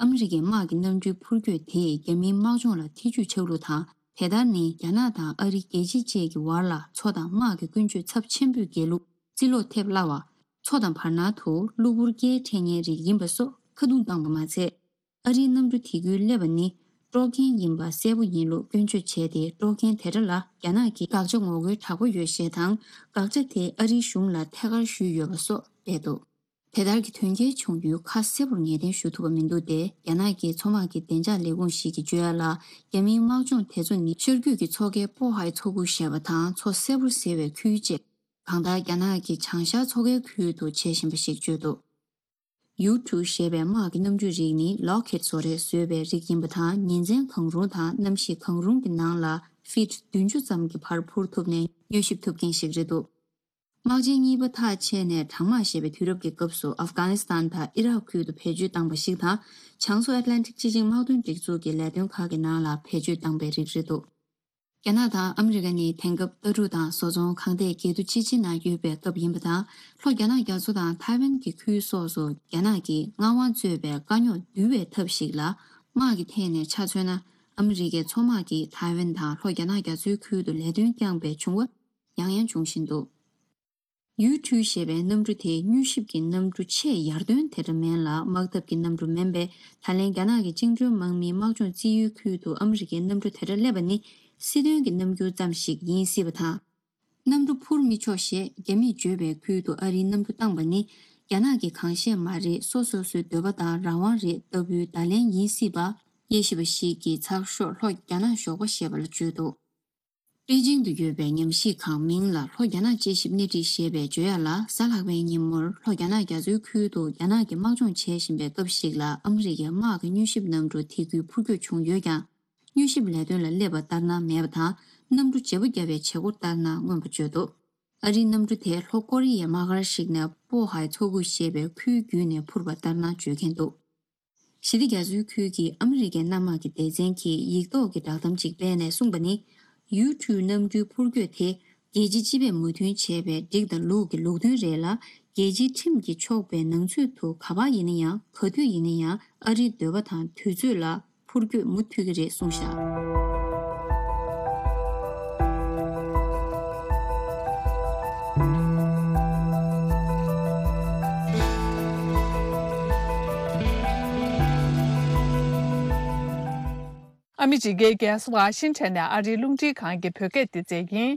ཨ་མི་རི་ཀའི་དམག་གི་གནམ་གྲུའི་འཕུར་སྐྱོད་དེས་རྒྱ་མིའི་དམག་སྦྱོང་ལ་ཐེ་ཇུས་ཆགས་ལུགས་དང་། དེ་ལྟར་ནི་རྒྱ་ནག་དང་ཨ་རི་རྒྱལ་སྤྱི་བཅས་ཀྱི་བར་ལ་མཚོ་དང་དམག་གི་ཀུན་སྤྱོད་ཚབས་ཆེན་པོས་བརྒལ་ལུགས་རྩིས་ལོག་ཐེབས་སླ་བ། མཚོ་དང་བར་སྣང་དུ་གློ་བུར་སྐད་འཕྲད་མཁན་རིགས་ཡིན་པ་སོགས་ཁ་རྡུང་བཏང་པ་མ་ཚད། ཨ་རིའི་གནམ་གྲུ་དེ་ཁུལ་སླེབས་པ་ནི་དཀྲོག་མཁན་ཡིན་པ་གསལ་པོ་ཡིན་ལུགས་སྐྱོན་བརྗོད་བྱས་ཏེ། དཀྲོག་མཁན་དེ་འདྲ་ལ་རྒྱ་ནག་གིས་དགག་བྱ་ངོ་རྒོལ་དྲག་པོ་ཡོད་ཞེས་དང་། དགག་བྱ་དེ་ཨ་རིའི་གཞུང་ལ་ཐད་ཀར་ཞུས་ཡོད་པ་སོགས་སྤེལ་འདུག་དེ་ལྟར་གྱི་དོན་རྐྱེན་བྱུང་ཡུལ་ཁ་གསལ་པོར་ངེས་གཏན་ཞུ་ཐུབ་པ་མི་འདུག་སྟེ། རྒྱ་ནག་གི་མཚོ་དམག་གི་བདེ་འཇགས་ལས་ཁུངས་ཤིག་གིས་བརྗོད་ཡ་ལ། རྒྱ་མིའི་དམག་སྦྱོང་དེ་ཚོ་ནི་ཤར་རྒྱུད་ཀྱི་མཚོ་ཁའི་པོ་ཧའེ་མཚོ་ཁུག་ཞེས་པ་དང་མཚོ་གསལ་པོར་གཟིགས་པའི་ཁུལ་བཅས། གང་ལྟར་རྒྱ་ནག་གིས་བྱང་ཤར་མཚོ་ཁའི་ཁུལ་དུ་བྱེད་བཞིན་པ་ཞིག་བརྗོད་འདུག་ཡུ་ཊུ་ཞེས་པའི་དམག་གི་གནམ་གྲུའི་རིགས་ནི་ལོག་ཁེད་བཟོ་རེས་བཟོས་པའི་རིགས་ཡིན་པ་དང་། ཉིན་མཚན་གང་རུང་དང་གནམ་གཤིས་གང་རུང་གི་ནང་ལ་ཕིཊ་བདུན་ཅུ་ཙམ་གྱི་བར་འཕུར་ཐུབ་ནས་མྱུལ་ཞིབ་ཐུབ་མཁན་ཞིག་རེད་འདུག་དམག་ཆེན་གཉིས་པ་ཐག་ཆད་ནས་གྲང་དམག་ཞེས་པའི་དུས་རབས་ཀྱི་སྐབས་སུ་ཨབ་གྷ་ནི་སི་ཐན་དང་ཨི་རག་ཁུལ་དུ་བེད་སྤྱོད་བཏང་པ་ཞིག་དང་། བྱང་མཚོ་ཨེཊ་ལན་ཊིག་སྤྱི་ཆིངས་དམག་དོན་སྒྲིག་འཛུགས་ཀྱི་ལས་དོན་ཁག་གི་ནང་ལ་བེད་སྤྱོད་བཏང་པའི་རིགས་རེད་འདུག་རྒྱ་ནག་དང་ཨ་མི་རི་ཀ་ནི་དེང་སྐབས་ལྟ་གྲུབ་དང་བཟོ་ཚོང་ཁང་ཐེག་བརྒྱད་དུ་སྤྱི་ཆིངས་ནང་ཡོད་པའི་སྐབས་ཡིན་པ་དང་། ལྷོ་རྒྱ་ནག་རྒྱ་མཚོ་དང་ཐའེ་ཝན་གྱི་ཁུལ་སོགས་སུ་རྒྱ་ནག་གིས་མངའ་དབང་རྩོད་པའི་དཀའ་རྙོག་བསྡུ་བའི་ཐབས་ཤིག་ལ། དམག་གི་ཐད་ནས་ཆ་མཚོན་ན། ཨ་མི་རི་ཀའི་མཚོ་དམག་གིས་ཐའེ་ཝན་དང་ལྷོ་རྒྱ་ནག་རྒྱ་མཚོའི་ཁུལ་དུ་ལས་དོན་བསྐྱངས་པའི་བྱུང་བ་ཡང་ཡང་འབྱུང་བཞིན་འདུག་ཡུ་ཊུ་ཞེས་པའི་གནམ་གྲུ་དེ་མྱུལ་ཞིབ་ཀྱི་གནམ་གྲུ་ཆེས་ཡར་ཐོན་དེ་འདྲ་མིན་ལ། དམག་འཐབ་ཀྱི་གནམ་གྲུ་མིན་པས། ད་ལན་རྒྱ་ནག་གི་བཅིངས་འགྲོལ་དམག་མིའི་དམག་སྦྱོང་རྩིས་ཡུལ་ཁུལ་དུ་ཨ་མི་རི་ཀའི་གནམ་གྲུ་དེ་འདྲ་སླེབས་པ་ནི་སྲིད་དོན་གྱི་རྣམ་འགྱུར་ཙམ་ཞིག་ཡིན་སྲིད་པ་དང་། གནམ་གྲུ་འཕུར་མི་ཆོག་ཞེས་རྒྱ་མིས་བརྗོད་པའི་ཁུལ་དུ་ཨ་རིའི་གནམ་གྲུ་བཏང་པ་ནི་རྒྱ་ནག་གི་གང་ཤེས་མ་རེད། སོ་སོ་སོའི་འདོད་པ་དང་རང་དབང་རེད་ལྟ་བུའི་བརྡ་ལན་ཡིན་སྲིད་པ། དབྱེ་ཞིབ་པ་ཞིག་གིས་ཚགས་ཤོག་ལྷོ་རྒྱ་ནག་ཞོགས་པ་ཞེས་པ་ལ་བརྗོད་འདུག་པེ་ཅིང་དུ་ཡོད་པའི་ཉམས་ཞིབ་ཁང་མིང་ལ་ལྷོ་རྒྱ་ནག་དཔྱད་ཞིབ་སྣེ་ཁྲིད་ཞེས་པས་བརྗོད་ཡ་ལ། གཟའ་ལྷག་པའི་ཉིན་མོར་ལྷོ་རྒྱ་ནག་རྒྱ་མཚོའི་ཁུལ་དུ་རྒྱ་ནག་གིས་དམག་སྦྱོང་བྱེད་བཞིན་པའི་སྐབས་ཤིག་ལ། ཨ་མི་རི་ཀའི་དམག་གི་མྱུལ་ཞིབ་གནམ་གྲུ་དེ་ཁུལ་འཕུར་སྐྱོད་བྱུང་ཡོད་ཀྱང་། མྱུལ་ཞིབ་ལས་དོན་ལ་སླེབས་པ་ལྟར་སྣང་མེད་པ་དང་། གནམ་གྲུ་བརྗེ་པོ་བརྒྱབ་པའི་བྱེད་སྒོ་ལྟར་སྣང་མངོན་པ་བརྗོད་འདུག་ཨ་རིའི་གནམ་གྲུ་དེ་ལྷོ་ཀོ་རི་ཡའི་དམག་སྒར་ཞིག་ནས་པོ་ཧའེ་མཚོ་ཁུག་ཞེས་པའི་ཁུལ་བརྒྱུད་ནས་འཕུར་བ་ལྟར་སྣང་བརྗོད་མཁན་འདུག་ཞི་བདེ་རྒྱ་མཚོའི་ཁུལ་གྱི་ཨ་མི་རི་ཀའི་གནམ་དམག་གི་སྡེ་ཚན་གྱིས་ཡིག་ཐོག་གི་བསྒྲགས་གཏམ་ཅིག་སྤེལ་ནས་གསུངས་པ་ནི། ཡུ་ཊུ་གནམ་གྲུའི་འཕུར་སྐྱོད་དེ་རྒྱལ་སྤྱི་སྤྱི་པས་མོས་མཐུན་བྱས་པའི་སྒྲིག་དང་ལུགས་ཀྱི་ལུགས་མཐུན་རེད་ལ། རྒྱལ་སྤྱིའི་ཁྲིམས་ཀྱིས་ཆོག་པའི་ནང་ཚུད་དུ་ག་པར་ཡིན་ན་ཡང་། ག་དུས་ཡིན་ན་ཡང་ཨ་རིའི་འདོད་པ་དང་དུས་ཚོད་ལ་འཕུར་སྐྱོད་མུ་མཐུད་ཀྱི་རེད་གསུངས་བཞག་ཨ་མི་རི་ཀའི་རྒྱལ་ས་ཝ་ཤིང་ཊོན་ནས་ཨ་རིའི་རླུང་འཕྲིན་ཁང་གི་བོད་སྐད་སྡེ་ཚན་ཡིན།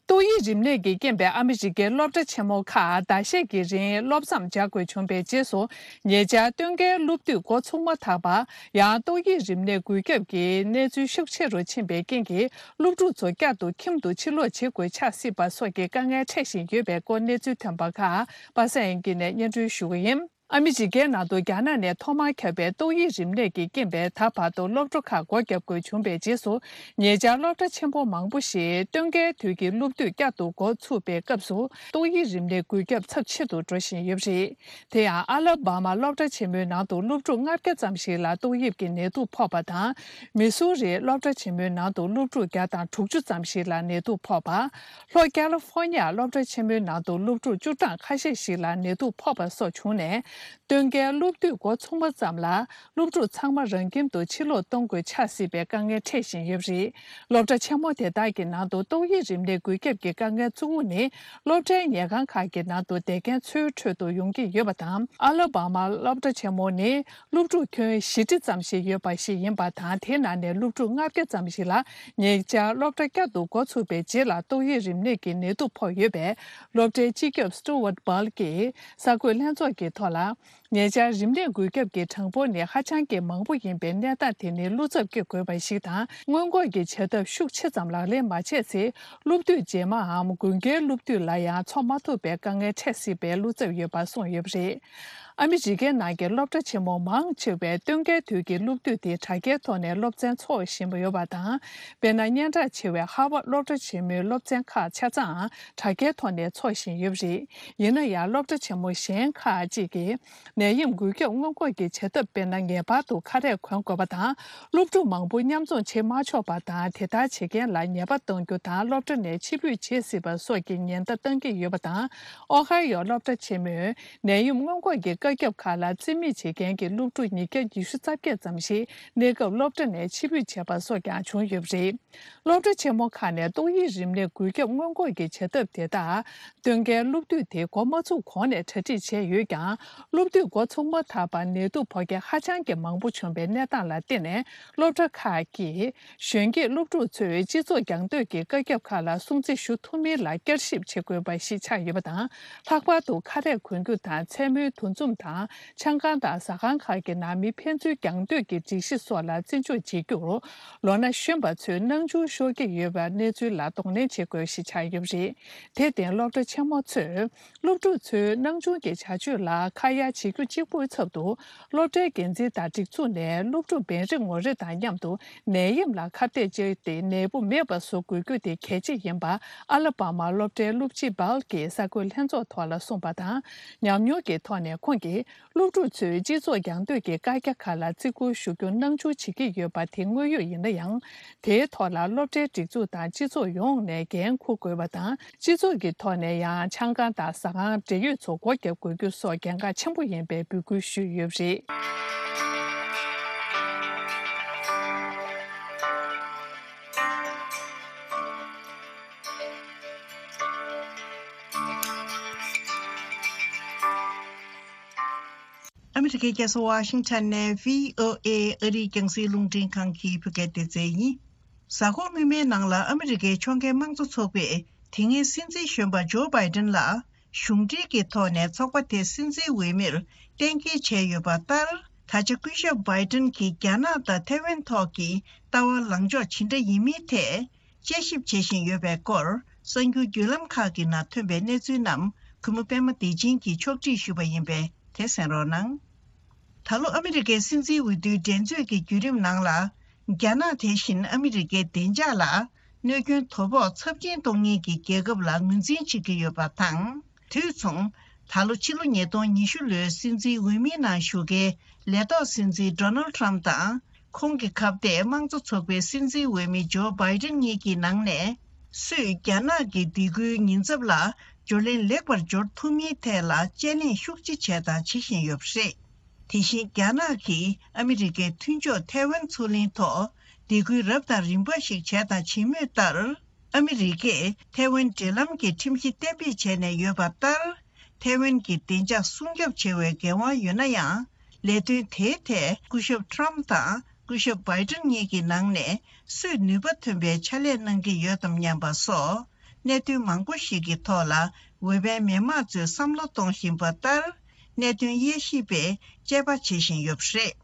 ཏོག་དབྱིབས་རིམས་ནད་ཀྱི་རྐྱེན་པས་ཨ་མི་རི་ཀའི་སློབ་གྲྭ་ཆེན་མོ་ཁག་ཟླ་ཤས་ཀྱི་རིང་སློབ་མཚམས་སྦྱར་དགོས་བྱུང་བའི་རྗེས་སུ། ཉེ་ཆར་སྟོན་ཁའི་སློབ་དུས་འགོ་ཚུགས་མ་ཐག་པར་ཡང་ཏོག་དབྱིབས་རིམས་ནད་འགོས་ཁྱབ་ཀྱི་གནས་ཚུལ་ཤུགས་ཆེ་རུ་ཕྱིན་པའི་རྐྱེན་གྱིས། སློབ་ཕྲུག་ཚོ་བསྐྱར་དུ་ཁྱིམ་དུ་ཕྱིར་ལོག་བྱེད་དགོས་ཆགས་སྲིད་པ་སོགས་ཀྱི་དཀའ་ངལ་འཕྲད་བཞིན་ཡོད་པའི་སྐོར་གནས་ཚུལ་ཐོན་པ་ཁག་པ་སངས་དབྱངས་སྐྱིད་ནས་སྙན་སྒྲོན་ཞུ་གི་ཡིན། ཨ་མི་རི་ཀའི་ནང་དུ་རྒྱ་ནག་ནས་ཐོག་མར་ཁྱབ་པའི་ཏོག་དབྱིབས་རིམས་ནད་ཀྱི་རྐྱེན་པས། ད་བར་དུ་སློབ་གྲྭ་ཁག་སྒོ་བརྒྱབ་དགོས་བྱུང་བའི་རྗེས་སུ། ཉེ་ཆར་སློབ་གྲྭ་ཆེན་པོ་མང་པོ་ཞིག་སྟོན་ཁའི་དུས་ཀྱི་སློབ་དུས་བསྐྱར་དུ་འགོ་ཚུགས་པའི་སྐབས་སུ། ཏོག་དབྱིབས་རིམས་ནད་འགོས་ཁྱབ་ཚབས་ཆེ་རུ་འགྲོ་བཞིན་ཡོད་པ་རེད། དེ་ཡང་ཨ་ལ་བྷ་མ་སློབ་གྲྭ་ཆེན་མོའི་ནང་དུ་སློབ་ཕྲུག་ལྔ་བརྒྱ་ཙམ་ཞིག་ལ་ཏོག་དབྱིབས་ཀྱི་ནད་དུག་ཕོག་པ་དང་། མི་སུ་རིའི་སློབ་གྲྭ་ཆེན་མོའི་ནང་དུ་སློབ་ཕྲུག་བརྒྱ་དང་དྲུག་ཅུ་ཙམ་ཞིག་ལ་ནད་དུག་ཕོག་པ། ལྷོ་ཀ་ལི་ཧྥོ་ནི་ཡ་སློབ་གྲྭ་ཆེན་མོའི་ནང་དུ་སློབ་ཕྲུག་བཅུ་གྲངས་ཁ་ཤས་ཤིག་ལ་ནད་དུག་ཕོག་པ་སོགས་བྱུང་ནས། སྟོན་ཁའི་སློབ་དུས་འགོ་ཚུགས་མ་ཙམ་ལ། སློབ་ཕྲུག་ཚང་མ་རང་ཁྱིམ་དུ་ཕྱིར་ལོག་གཏོང་དགོས་ཆགས་སྲིད་པའི་དཀའ་ངལ་འཕྲད་བཞིན་ཡོད་པ་རེད། སློབ་གྲྭ་ཆེན་མོ་དེ་དག་གི་ནང་དུ་ཏོག་དབྱིབས་རིམས་ནད་འགོས་ཁྱབ་ཀྱི་དཀའ་ངལ་གཙོ་བོ་ནི། སློབ་གྲྭའི་ཉལ་ཁང་ཁག་གི་ནང་དུ་བསྡད་མཁན་ཚོའི་ཁྲོད་དུ་ཡོང་གི་ཡོད་པ་དང་། ཨ་ལ་བྷ་མ་སློབ་གྲྭ་ཆེན་མོ་ནི། སློབ་ཕྲུག་ཁྱོན་བཞི་ཁྲི་ཙམ་ཞིག་ཡོད་པ་ཞིག་ཡིན་པ་དང་། དེའི་ནང་ནས་སློབ་ཕྲུག་ལྔ་བརྒྱ་ཙམ་ཞིག་ལ་ཉེ་ཆར་སློབ་གྲྭ་བསྐྱར་དུ་འགོ་ཚུགས་པའི་རྗེས་ལ་ཏོག་དབྱིབས་རིམས་ནད་ཀྱི་ནད་དུག་ཕོག་ཡོད་པས། སློབ་གྲྭའི་སྤྱི་ཁྱབ་སི་ཏུ་ཝར་ཊི་བཱལ་གྱིས་གསར་འགོད་ལྷན་ཚོགས་ཀྱི་ཐོག་ལ། ཉེ་ཆར་རིམས་ནད་འགོས་ཁྱབ་ཀྱི་གྲངས་འབོར་ནི་ཧ་ཅང་གི་མང་པོ་ཡིན་པའི་གནས་སྟངས་དེ་ནི་བློ་འཚབ་སྐྱེ་དགོས་པ་ཞིག་དང་། སྔོན་འགོག་གི་བྱ་ཐབས་ཤུགས་ཆེ་ཙམ་ལག་ལེན་མ་བྱས་ཚེ། སློབ་དུས་རྗེས་མའམ་དགུན་ཁའི་སློབ་དུས་ལ་ཡང་འཚོགས་མ་ཐུབ་པའི་དཀའ་ངལ་འཕྲད་སྲིད་པའི་བློ་འཚབ་ཡོད་པ་གསུངས་ཡོད་པ་རེད། ཨ་མི་རི་ཀའི་ནང་གི་སློབ་གྲྭ་ཆེན་མོ་མང་ཆེ་བས་སྟོན་ཁའི་དུས་ཀྱི་སློབ་དུས་དེ་དྲ་རྒྱའི་ཐོག་ནས་སློབ་ཚན་འཚོགས་བཞིན་པ་ཡོད་པ་དང་། དཔེར་ན། སྙན་གྲགས་ཆེ་བའི་ཧར་ཝརཌ་སློབ་གྲྭ་ཆེན་མོའི་སློབ་ཚན་ཁག་ཆ་ཚང་དྲ་རྒྱའི་ཐོག་ནས་འཚོགས་བཞིན་ཡོད་པ་རེད། ཡིན་ན་ཡང་། སློབ་གྲྭ་ཆེན་མོ་གཞན་ཁག་ཅིག་གིས་ནད་ཡམས་འགོས་ཁྱབ་སྔོན་འགོག་གི་བྱ་ཐབས། དཔེར་ན། ངེས་པར་དུ་ཁ་རས་གོན་དགོས་པ་དང་། སློབ་ཕྲུག་མང་པོ་མཉམ་འཛོམས་བྱེད་མ་ཆོག་པ་དང་། དེ་ལྟར་བྱེད་མཁན་ལ་ཉེས་པ་གཏོང་རྒྱུ་དང་། སློབ་གྲྭ་ནས་ཕྱིར་འབུད་བྱེད་སྲིད་པ་སོགས་ཀྱི་ཉེན་བརྡ་བཏང་གི་ཡོད་པ་དང་། ཨོ་ཧའི་ཡོ་སློབ་གྲྭ་ཆེན་མོས་ནད་ཡམས་སྔོན་འགོག་གི་བཀའ་ ཁྱབ་ཁག་ལ་རྩིས་མེད་བྱེད་མཁན་གྱི་སློབ་ཕྲུག་ཉིས་བརྒྱ་ཉི་ཤུ་རྩ་བརྒྱད་ཙམ་ཞིག་གནས་སྐབས་སློབ་གྲྭ་ནས་ཕྱིར་འབུད་བྱས་པ་སོགས་ཀྱང་བྱུང་ཡོད་པ་རེད། སློབ་གྲྭ་ཆེན་མོ་ཁག་ནས་ཏོག་དབྱིབས་རིམས་ནད་འགོས་ཁྱབ་སྔོན་འགོག་གི་བྱ་ཐབས་དེ་དག་སྟོན་ཁའི་སློབ་དུས་དེ་འགོ་མ་ཚུགས་གོང་ནས་གྲ་སྒྲིག་བྱས་ཡོད་ཀྱང་། སློབ་དུས་འགོ་ཚུགས་མ་ཐག་པར་ནད་དུག་ཕོག་མཁན་ཧ་ཅང་གི་མང་པོ་བྱུང་བའི་གནས་སྟངས་ལ་བརྟེན་ནས། སློབ་གྲྭ་ཁག་གིས་གཞོན་སྐྱེས་སློབ་ཕྲུག་ཚོས་སྤྱི་ཚོགས་རྒྱང་སྡོད་ཀྱི་བཀའ་ཁྱབ་ཁག་ལ་སྲུང་བརྩི་ཞུ་ཐུབ་མིན་ལ་བསྐྱར་ཞིབ་བྱེད་དགོས་པ་ཞིག་ཆགས་ཡོད་པ་དང་། ལྷག་པར་དུ་ཁ་རས་གོན་རྒྱུ་དང་མཚན་མོའི་འདུ་འཛོམས་དང་། ཆང་ཁང་དང་ཟ་ཁང་ཁག་གི་ནང་མི་ཕན་ཚུན་རྒྱང་སྡོད་ཀྱི་སྒྲིག་གཞི་སོགས་ལ་བརྩི་འཇོག་བྱེད་རྒྱུར། ལོ་ན་གཞོན་པ་ཚོས་སྣང་ཆུང་ཤོར་གྱི་ཡོད་པའི་གནས་ཚུལ་ལ་གདོང་ལེན་བྱེད་དགོས་ཞེས་ཆགས་ཡོད་པ་རེད། དེར་བརྟེན། སློབ་གྲྭ་ཆེན་མོ་ཚོས་སློབ་ཕྲུག་ཚོའི་སྣང་ཆུང་གི་བྱ་སྤྱོད་ལ་ཁ་ཡ་བྱེད་རྒྱུ་གཅིག་པུའི་ཚབ་ཏུ། སློབ་གྲྭའི་འགན་འཛིན་དང་སྒྲིག་འཛུགས་ནས་སློབ་ཕྲུག་བེ་རི་ངོ་རེ་དང་མཉམ་དུ་ནད་ཡམས་ལ་ཁ་གཏད་བཅག་སྟེ། ནད་འབུ་མེད་པ་བཟོ་དགོས་རྒྱུ་དེ་གལ་ཆེ་ཡིན་པ། ཨ་ལ་པ་མ་སློབ་གྲྭའི་སློབ་སྤྱི་སྦལ་གྱིས་གསར་འགོད་ལྷན་ཚོགས་ཐོག་ལ་གསུངས་པ་དང་། ཉམས་མྱོང་གི་ཐོག་ནས་ཁོང་གིས། སློབ་ཕྲུག་ཚོས་སྤྱི་ཚོགས་རྒྱང་སྡོད་ཀྱི་བཀའ་རྒྱ་ཁག་ལ་བརྩི་བཀུར་ཞུ་རྒྱུ་སྣང་ཆུང་བྱེད་ཀྱི་ཡོད་པ་དེ་དངོས་ཡོད་ཡིན་ན་ཡང་། དེའི་ཐོག་ལ་སློབ་གྲྭའི་སྒྲིག་འཛུགས་དང་སྤྱི་ཚོགས་ཡོངས་ནས་འགན་འཁུར་དགོས་པ་དང་། སྤྱི་ཚོགས་ཀྱི་ཐོག་ནས་ཡང་ཆང་ཁང་དང་ཟ་ཁང་འབྲེལ་ཡོད་ཚོ་སྒོ་བརྒྱབ་དགོས་རྒྱུ་སོགས་གལ་འགངས་ཆེན་པོ་ཡིན་པའི་འབོད་སྐུལ་ཞུས་ཡོད་པ་རེད། ཨ་མི་རི་ཀའི་རྒྱལ་ས་ཝ་ཤིང་ཊོན་ནས་བྷི་ཨོ་ཨེ་ཨ་རིའི་རྒྱང་སྲིང་རླུང་འཕྲིན་ཁང་གི་བོད་སྐད་སྡེ་ཚན་ཡིན། གཟའ་འཁོར་སྔོན་མའི་ནང་ལ་ཨ་མི་རི་ཀའི་ཕྱོགས་འགལ་དམངས་གཙོ་ཚོགས་པས་དེ་སྔའི་སྲིད་འཛིན་གཞོན་པ་ཇོ་བྷའི་ཏིན་ལ་གཞུང་འབྲེལ་གྱི་ཐོག་ནས་ཚོགས་པ་དེའི་སྲིད་འཛིན་འོས་མིར་གཏན་འཁེལ་བྱས་ཡོད་པ་ལྟར། ད་ཆ་སྐུ་ཞབས་བྷའི་ཏིན་གྱིས་རྒྱ་ནག་དང་ཐའེ་ཝན་ཐོག་གི་ལྟ་བ་ལངས་ཕྱོགས་ཇི་འདྲ་ཡིན་མིན་ཐད། དཔྱད་ཞིབ་བྱེད་བཞིན་ཡོད་པའི་སྐོར། གསར་འགྱུར་བརྒྱུད་ལམ་ཁག་གི་ནང་ཐོན་པའི་གནས་ཚུལ་རྣམས། གུས་མོ་པད་མ་བདེ་ཆེན་གྱིས་ཕྱོགས་སྒྲིག་ཞུས་པ་ཡིན་པས། དེ་གསན་རོགས་གནང་། ད་ལོ་ཨ་མི་རི་ཀའི་སྲིད་འཛིན་འོས་བསྡུའི་འགྲན་རྩོད་ཀྱི་བརྒྱུད་རིམ་ནང་ལ། རྒྱ་ནག་དེ་བཞིན་ཨ་མི་རི་ཀའི་བདེ་འཇགས་ལ་གནོད་སྐྱོན་དོ་ཕོག་ཚབས་ཆེན་གཏོང་མཁན་གྱི་རྒྱལ་ཁབ་ལ་ངོས་འཛིན་བྱེད་ཀྱི་ཡོད་པ་དང་། དུས་མཚུངས། ད་ལོ་ཕྱི་ལོ་ཉིས་སྟོང་ཉི་ཤུ་ལོའི་སྲིད་འཛིན་འོས་མིའི་ནང་ཞུགས་མཁན་ལས་ཐོག་སྲིད་འཛིན་ཌོ་ནལ་ཊམ་དང་། ཁོང་གི་ཁ་གཏད་དམངས་གཙོ་ཚོགས་པའི་སྲིད་འཛིན་འོས་མི་ཇོ་བྷའི་ཏིན་གཉིས་ཀྱི་ནང་ནས། སུས་རྒྱ་ནག་གི་སྡིགས་སྐུལ་ཉེན་ཚབས་ལ་འབྱོར་ལན་ལེགས་པར་འབྱོར་ཐུབ་མིན་ཐད་ལ་དཔྱད་གླེང་ཤུགས་ཆེ་བྱས་དང་བྱེད་བཞིན་ཡོད་པ་རེད། དེ་བཞིན་རྒྱ་ནག་གིས་ཨ་མི་རི་ཀའི་མཐུན་ཕྱོགས་ཐའེ་ཝན་མཚོ་གླིང་ཐོག་སྡིགས་སྐུལ་རབ་དང་རིམ་པ་ཞིག་བྱས་དང་བྱེད་མུས་ལྟར། ཨ་མི་རི་ཀས་ཐའེ་ཝན་འབྲེལ་ལམ་གྱི་ཁྲིམས་གཞི་གཏན་འབེབས་བྱས་ནས་ཡོད་པ་ལྟར། ཐའེ་ཝན་གྱི་བདེ་འཇགས་སྲུང་སྐྱོབ་བྱེད་པའི་འགན་དབང་ཡོད་ན་ཡང་། ལས་དོན་དེའི་ཐད་སྐུ་ཞབས་ཊམ་དང་སྐུ་ཞབས་བྷའི་ཏིན་གཉིས་ཀྱི་ནང་ནས་སུས་ནུས་པ་ཐོན་པའི་ཕྱག་ལས་གནང་གི་ཡོད་དམ་སྙམ་པ་སོགས། གནད་དོན་མང་པོ་ཞིག་གི་ཐོག་ལ་འོས་པའི་མི་མང་ཚོས་བསམ་བློ་གཏོང་བཞིན་པ་ལྟར། གནད་དོན་དབྱེ་ཞིབ་པས་དཔྱད་པ་བྱེད་བཞིན་ཡོད་པ་རེད།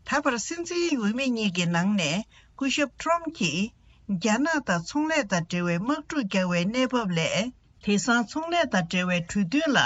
ད་བར་སྲིད་འཛིན་འོས་མི་གཉིས་ཀྱི་ནང་ནས་སྐུ་ཞབས་ཊམ་གྱིས། རྒྱ་ནག་དང་ཚོང་ལས་དང་འབྲེལ་བའི་དམག་འཁྲུག་རྒྱག་པའི་གནས་བབ་ལས། དེང་སང་ཚོང་ལས་དང་འབྲེལ་བའི་གྲོས་མཐུན་ལ་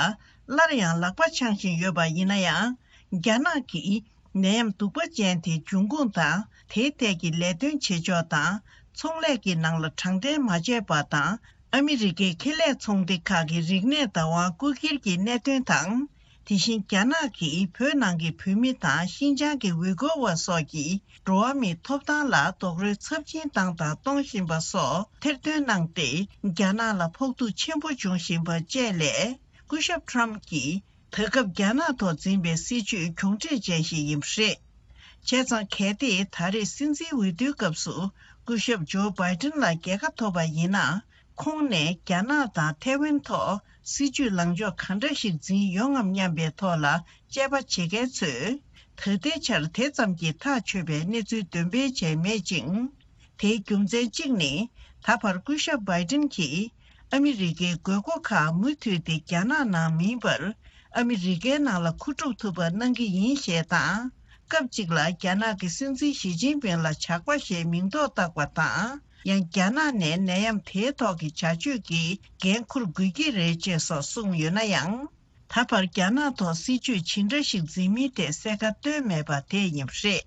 སླར་ཡང་ལག་པ་འཆང་བཞིན་ཡོད་པ་ཡིན་ན་ཡང་། རྒྱ་ནག་གིས་ནད་ཡམས་གདུག་པ་ཅན་དེ་འབྱུང་ཁུངས་དང་། དེའི་ཐད་ཀྱི་ལས་དོན་བྱེད་ཕྱོགས་དང་། ཚོང་ལས་ཀྱི་ནང་ལ་དྲང་བདེན་མ་བྱས་པ་དང་། ཨ་མི་རི་ཀའི་ཁེ་ལས་ཚོང་སྡེ་ཁག་གི་རིག་གནས་བདག་དབང་རྐུ་འཁྱེར་གྱི་གནད་དོན་དང་། དེ་བཞིན་རྒྱ་ནག་གིས་བོད་ནང་གི་བོད་མི་དང་ཤིན་ཅང་གི་ཝི་གོ་བ་སོགས་ཀྱི་འགྲོ་བ་མིའི་ཐོབ་ཐང་ལ་རྡོག་རོལ་ཚབས་ཆེན་བཏང་དང་གཏོང་བཞིན་པ་སོགས་ཐེར་འདོན་གནང་སྟེ། རྒྱ་ནག་ལ་ཕོག་ཐུག་ཆེན་པོ་འབྱུང་བཞིན་པ་བཅས་ལས། སྐུ་ཞབས་ཊམ་གྱིས་ད་སྐབས་རྒྱ་ནག་ཐོག་འཛིན་པའི་སྲིད་བྱུས་གྱོང་འཕྲད་ཅན་ཞིག་ཡིན་པ་རེད། བྱས་ཙང་། གལ་ཏེ་ད་རེས་སྲིད་འཛིན་འོས་བསྡུའི་སྐབས་སུ་སྐུ་ཞབས་ཇོ་བྷའི་ཏིན་ལ་རྒྱལ་ཁ་ཐོབ་པ་ཡིན་ན། ཁོང་ནས་རྒྱ་ནག་དང་ཐའེ་ཝན་ཐོག་སྲིད་བྱུས་ལངས་ཕྱོགས་གང་འདྲ་ཞིག་འཛིན་ཡོང་ངམ་སྙམ་པའི་ཐོག་ལ་དཔྱད་པ་བྱེད་མཁན་ཚོས། ད་ལྟའི་ཆར་དེ་ཙམ་གྱིས་ཐག་ཆོད་པའི་གནས་ཚུལ་འདོན་སྤེལ་བྱས་མེད་ཅིང་། དེའི་རྒྱུ་མཚན་གཅིག་ནི། ད་བར་སྐུ་ཞབས་བྷའི་ཏིན་གྱིས། ཨ་མི་རི་ཀའི་དགོས་མཁོ་ཁག་མུ་མཐུད་དེ་རྒྱ་ནག་ནང་མིན་པར། ཨ་མི་རི་ཀའི་ནང་ལ་མཁོ་སྒྲུབ་ཐུབ་པ་གནང་གི་ཡིན་ཞེས་དང་། སྐབས་གཅིག་ལ་རྒྱ་ནག་གི་སྲིད་འཛིན་ཞི་ཅིན་ཕིང་ལ་ཇག་པ་ཞེས་མིང་འདོགས་བཏགས་པ་དང་། ཡང་རྒྱ་ནག་ནས་ནད་ཡམས་དེའི་ཐོག་གི་བྱ་སྤྱོད་ཀྱི་འགན་འཁུར་དགོས་ཀྱི་རེད་ཅེས་སོགས་གསུངས་ཡོད་ན་ཡང་། ད་བར་རྒྱ་ནག་ཐོག་སྲིད་བྱུས་ཇི་འདྲ་ཞིག་འཛིན་མིན་ཐད་གསལ་ཁ་བཏོན་མེད་པ་དེ་ཡིན་པ་རེད།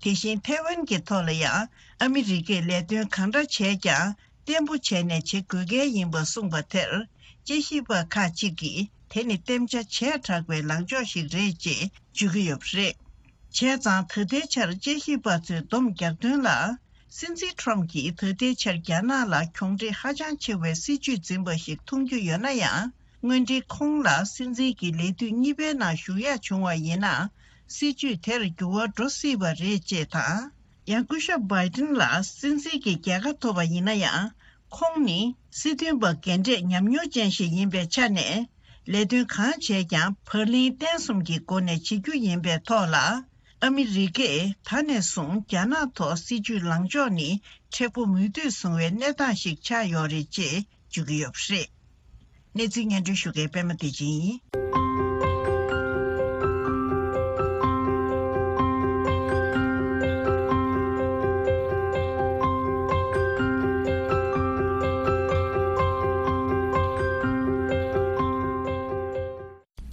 དེ་བཞིན་ཐའེ་ཝན་གྱི་ཐོག་ལ་ཡང་ཨ་མི་རི་ཀས་ལས་དོན་གང་འདྲ་བྱས་ཀྱང་བརྟན་པོ་བྱས་ནས་བྱེད་དགོས་གལ་ཡིན་པ་གསུངས་པ་དེར། དཔྱད་ཞིབ་པ་ཁག་ཅིག་གིས་དེ་ནི་བརྟན་ཆ་བྱས་དྲགས་པའི་ལངས་ཕྱོགས་ཤིག་རེད་ཅེས་བརྗོད་ཀྱི་ཡོད་པ་རེད། བྱས་ཙང་ད་ལྟའི་ཆར་དཔྱད་ཞིབ་པ་ཚོས་སྡོམ་རྒྱག་དོན་ལ། སྲིད་འཛིན་ཊམ་གྱིས་ད་ལྟའི་ཆར་རྒྱ་ནག་ལ་གྱོང་འབྲས་ཧ་ཅང་ཆེ་བའི་སྲིད་བྱུས་འཛིན་པ་ཞིག་མཐོང་རྒྱུ་ཡོད་ན་ཡང་། དངོས་འབྲེལ་ཁོང་ལ་སྲིད་འཛིན་གྱི་ལས་དུས་གཉིས་པའི་ནང་ཞུགས་ཡག་བྱུང་བ་ཡིན་ན། སྲིད་བྱུས་དེར་འགྱུར་བ་འགྲོ་སྲིད་པ་རེད་ཅེས་དང་། ཡང་སྐུ་ཞབས་བྷའི་ཏིན་ལ་སྲིད་འཛིན་གྱི་རྒྱལ་ཁ་ཐོབ་པ་ཡིན་ན་ཡང་། ཁོང་ནི་སྲིད་དོན་པ་རྒན་གྲས་ཉམས་མྱོང་ཅན་ཞིག་ཡིན་པའི་ཆ་ནས། ལས་དོན་གང་བྱས་ཀྱང་བར་ལིང་བརྟན་གསུམ་གྱི་སྒོ་ནས་བྱེད་རྒྱུ་ཡིན་པའི་ཐོག་ལ། ཨ་མི་རི་ཀས་ད་ནས་བཟུང་རྒྱ་ནག་ཐོག་སྲིད་ཇུས་ལངས་ཕྱོགས་ནི་མཁྲེགས་པོ་མུ་མཐུད་བཟུང་བའི་གནས་སྟངས་ཤིག་ཆགས་ཡོད་རེད་ཅེས་བརྗོད་ཀྱི་ཡོད་པ་རེད། གནས་ཚུལ་སྙན་སྒྲོན་ཞུ་མཁན་པད་མ་བདེ་ཆེན་ཡིན།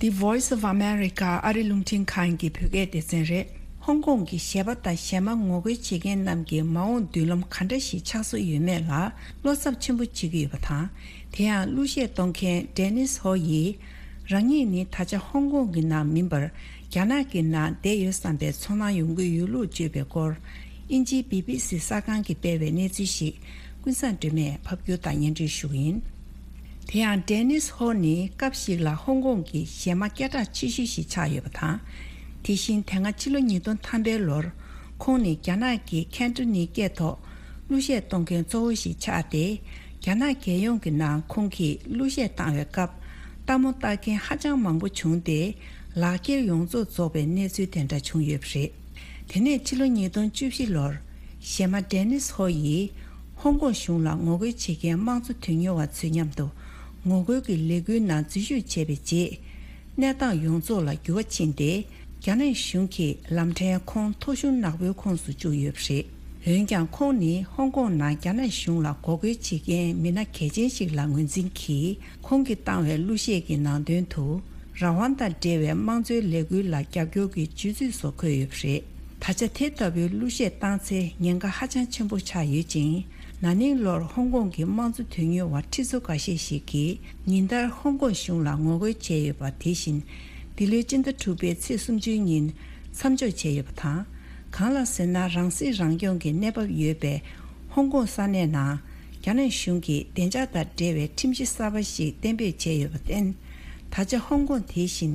The Voice of America ཨ་རི་རླུང་འཕྲིན་ཁང་གི་བོད་སྐད་སྡེ་ཚན་རེད། ཧོང་ཀོང་གི་གཞས་པ་དང་གཞས་མ་ངོ་རྒོལ་བྱེད་མཁན་རྣམས་ཀྱི་མ་འོངས་མདུན་ལམ་ག་འདྲ་ཞིག་ཆགས་སྲོལ་ཡོད་མེད་ལ་བློ་འཚབ་ཆེན་པོ་བྱེད་ཀྱི་ཡོད་པ་དང་། དེ་ཡང་གླུ་གཞས་གཏོང་མཁན་ཌེ་ནིས་ཧོ་ཡིས། རང་ཉིད་ནི་ད་ཆ་ཧོང་ཀོང་གི་ནང་མིན་པར་རྒྱ་ནག་གི་ནང་བསྡད་ཡོད་བསམ་པའི་ཚོར་སྣང་ཡོང་གི་ཡོད་ལུགས་བརྗོད་པའི་སྐོར། དབྱིན་ཇིའི་བི་བི་སི་གསར་ཁང་གིས་སྤེལ་བའི་གནས་ཚུལ་ཞིག་ཀུན་བཟང་སྒྲོལ་མས་ཕབ་སྒྱུར་དང་སྙན་སྒྲོན་ཞུ་གི་ཡིན། དེ་ཡང་ཌེ་ནིས་ཧོ་ནི་སྐབས་ཤིག་ལ་ཧོང་ཀོང་གི་གཞས་མ་སྐད་གྲགས་ཆེ་ཤོས་ཤིག་ཆགས་ཡོད་པ་དང་། དེ་བཞིན་དེ་སྔ་ཕྱི་ལོ་ཉིས་སྟོང་ཐམ་པའི་ལོར་ཁོང་ནི་རྒྱ་ནག་གི་ཁན་ཏོ་ནི་སྐད་ཐོག་གླུ་གཞས་གཏོང་མཁན་གཙོ་བོ་ཞིག་ཆགས་ཏེ། རྒྱ་ནག་རྒྱལ་ཡོངས་ཀྱི་ནང་ཁོང་གིས་གླུ་གཞས་བཏང་བའི་སྐབས་ལྟད་མོ་ལྟ་མཁན་ཧ་ཅང་མང་པོ་བྱུང་སྟེ། ལག་འཁྱེར་ཡོངས་རྫོགས་རྫོགས་པའི་གནས་ཚུལ་དེ་འདྲ་བྱུང་ཡོད་པ་རེད། དེ་ནས་ཕྱི་ལོ་ཉིས་སྟོང་བཅུ་བཞི་ལོར་གཞས་མ་ཌེ་ནིས་ཧོ་ཡིས་ཧོང་ཀོང་གཞུང་ལ་ངོ་རྒོལ་བྱེད་མཁན་དམངས་གཙོ་དོན་གཉེར་བ་ཚོའི་མཉམ་དུ་ངོ་རྒོལ་གྱི་ལས་འགུལ་ནང་འཛུལ་ཞུགས་བྱས་པའི་རྗེས། གནས་སྟངས་ཡོངས་རྫོགས་ལ་འགྱུར་བ་ཕྱིན་ཏེ། རྒྱ་ནག་གཞུང་གིས་ལམ་ཕྲན་ཁོང་ཐོ་གཞུང་ནག་པོའི་ཁོངས་སུ་བཅུག་ཡོད་པ་རེད། འོན་ཀྱང་ཁོང་ནི་ཧོང་ཀོང་ནང་རྒྱ་ནག་གཞུང་ལ་ངོ་རྒོལ་བྱེད་མཁན་མི་སྣ་གལ་ཆེན་ཞིག་ལ་ངོས་འཛིན་གྱིས། ཁོང་གིས་བཏང་བའི་གླུ་གཞས་ཀྱི་ནང་དོན་དུ། རང་དབང་དང་འབྲེལ་བའི་དམངས་གཙོའི་ལས་འགུལ་ལ་རྒྱབ་སྐྱོར་གྱི་བརྗོད་ཚིག་སོགས་འཁོད་ཡོད་པ་རེད། ད་ཆ་དེ་ལྟ་བུའི་གླུ་གཞས་བཏང་ཚེ་ཉེན་ཁ་ཧ་ཅང་ཆེན་པོ་ཆགས་ཡོད་ཅིང་། ན་ནིང་ལོར་ཧོང་ཀོང་གི་དམངས་གཙོ་དོན་གཉེར་བ་ཁྲི་ཚོ་འགའ་ཤས་ཤིག་གིས་ཉིན་ལྟར་ཧོང་ཀོང་གཞུང་ལ་ངོ་རྒོལ་བྱས་ཡོད་པ་དེ་བཞིན། འདི་ལོའི་སྤྱི་ཟླ་དྲུག་པའི་ཚེས་སུམ་ཅུའི་ཉིན་མཚམས་འཇོག་བྱས་ཡོད་པ་དང་། གང་ལགས་ཟེར་ན། རང་སྲིད་རང་སྐྱོང་གི་གནས་བབ་ཡོད་པའི་ཧོང་ཀོང་ས་གནས་ནང་། རྒྱ་ནག་གཞུང་གིས་བདེ་འཇགས་དང་འབྲེལ་བའི་ཁྲིམས་གཞི་གསར་པ་ཞིག་གཏན་འབེབས་བྱས་ཡོད་པར་བརྟེན། ད་ཆ་ཧོང་ཀོང་དེ་བཞིན་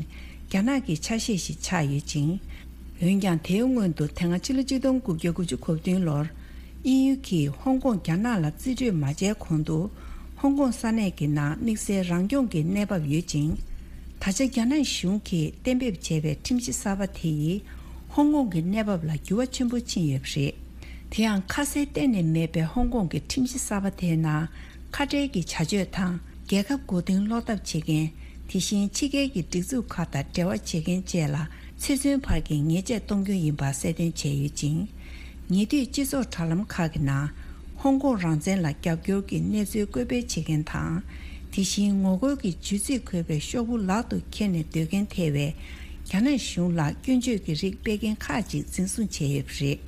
རྒྱ་ནག་གི་ཆ་ཤས་ཤིག་ཆགས་ཡོད་ཅིང་། འོན་ཀྱང་། དེའི་སྔོན་དུ་དེ་སྔ་ཕྱི་ལོ་ཆིག་སྟོང་དགུ་བརྒྱ་དགུ་བཅུ་གོ་བདུན་ལོར། དབྱིན་ཡུལ་གྱིས་ཧོང་ཀོང་རྒྱ་ནག་ལ་རྩིས་སྤྲོད་མ་བྱས་གོང་དུ། ཧོང་ཀོང་ས་གནས་ཀྱི་ནང་དམིགས་བསལ་རང་སྐྱོང་གི་གནས་བབ་ཡོད་ཅིང་། ད་ཆ་རྒྱ་ནག་གཞུང་གིས་གཏན་འབེབས་བྱས་པའི་ཁྲིམས་གཞི་གསར་པ་དེ་ཡིས། ཧོང་ཀོང་གི་གནས་བབ་ལ་འགྱུར་བ་ཆེན་པོ་ཕྱིན་ཡོད་པ་རེད། དེ་ཡང་། ཁ་གསལ་གཏན་ནས་མེད་པའི་ཧོང་ཀོང་གི་ཁྲིམས་གཞི་གསར་པ་དེའི་ནང་། ཁ་བྲལ་གྱི་བྱ་སྤྱོད་དང་། རྒྱལ་ཁབ་མགོ་རྟིང་སློག་ཐབས་བྱེད་མཁན། དེ་བཞིན་ཕྱི་རྒྱལ་གྱི་སྒྲིག་འཛུགས་ཁག་དང་འབྲེལ་བ་བྱེད་མཁན་བཅས་ལ་ཚེ་བཙོན་བར་གྱི་ཉེས་ཆད་གཏོང་རྒྱུ་ཡིན་པ་གསལ་སྟོན་བྱས་ཡོད་ཅིང་། ཉེ་དུས་སྤྱི་ཚོགས་དྲ་ལམ་ཁག་གི་ནང་། ཧོང་ཀོང་རང་བཙན་ལ་རྒྱབ་སྐྱོར་གྱི་གནས་ཚུལ་བཀོད་སྤེལ་བྱེད་མཁན་དང་། དེ་བཞིན་ངོ་རྒོལ་གྱི་བརྗོད་ཚིག་འཁོད་པའི་ཤོག་བུ་ལག་ཏུ་འཁྱེར་ནས་སྡོད་མཁན་ཐེ་བའི་རྒྱ་ནག་གཞུང་ལ་སྐྱོན་བརྗོད་ཀྱི་རིགས་སྤེལ་མཁན་ཁག་ཅིག་འཛིན་བཟུང་བྱས་ཡོད་པ་རེད།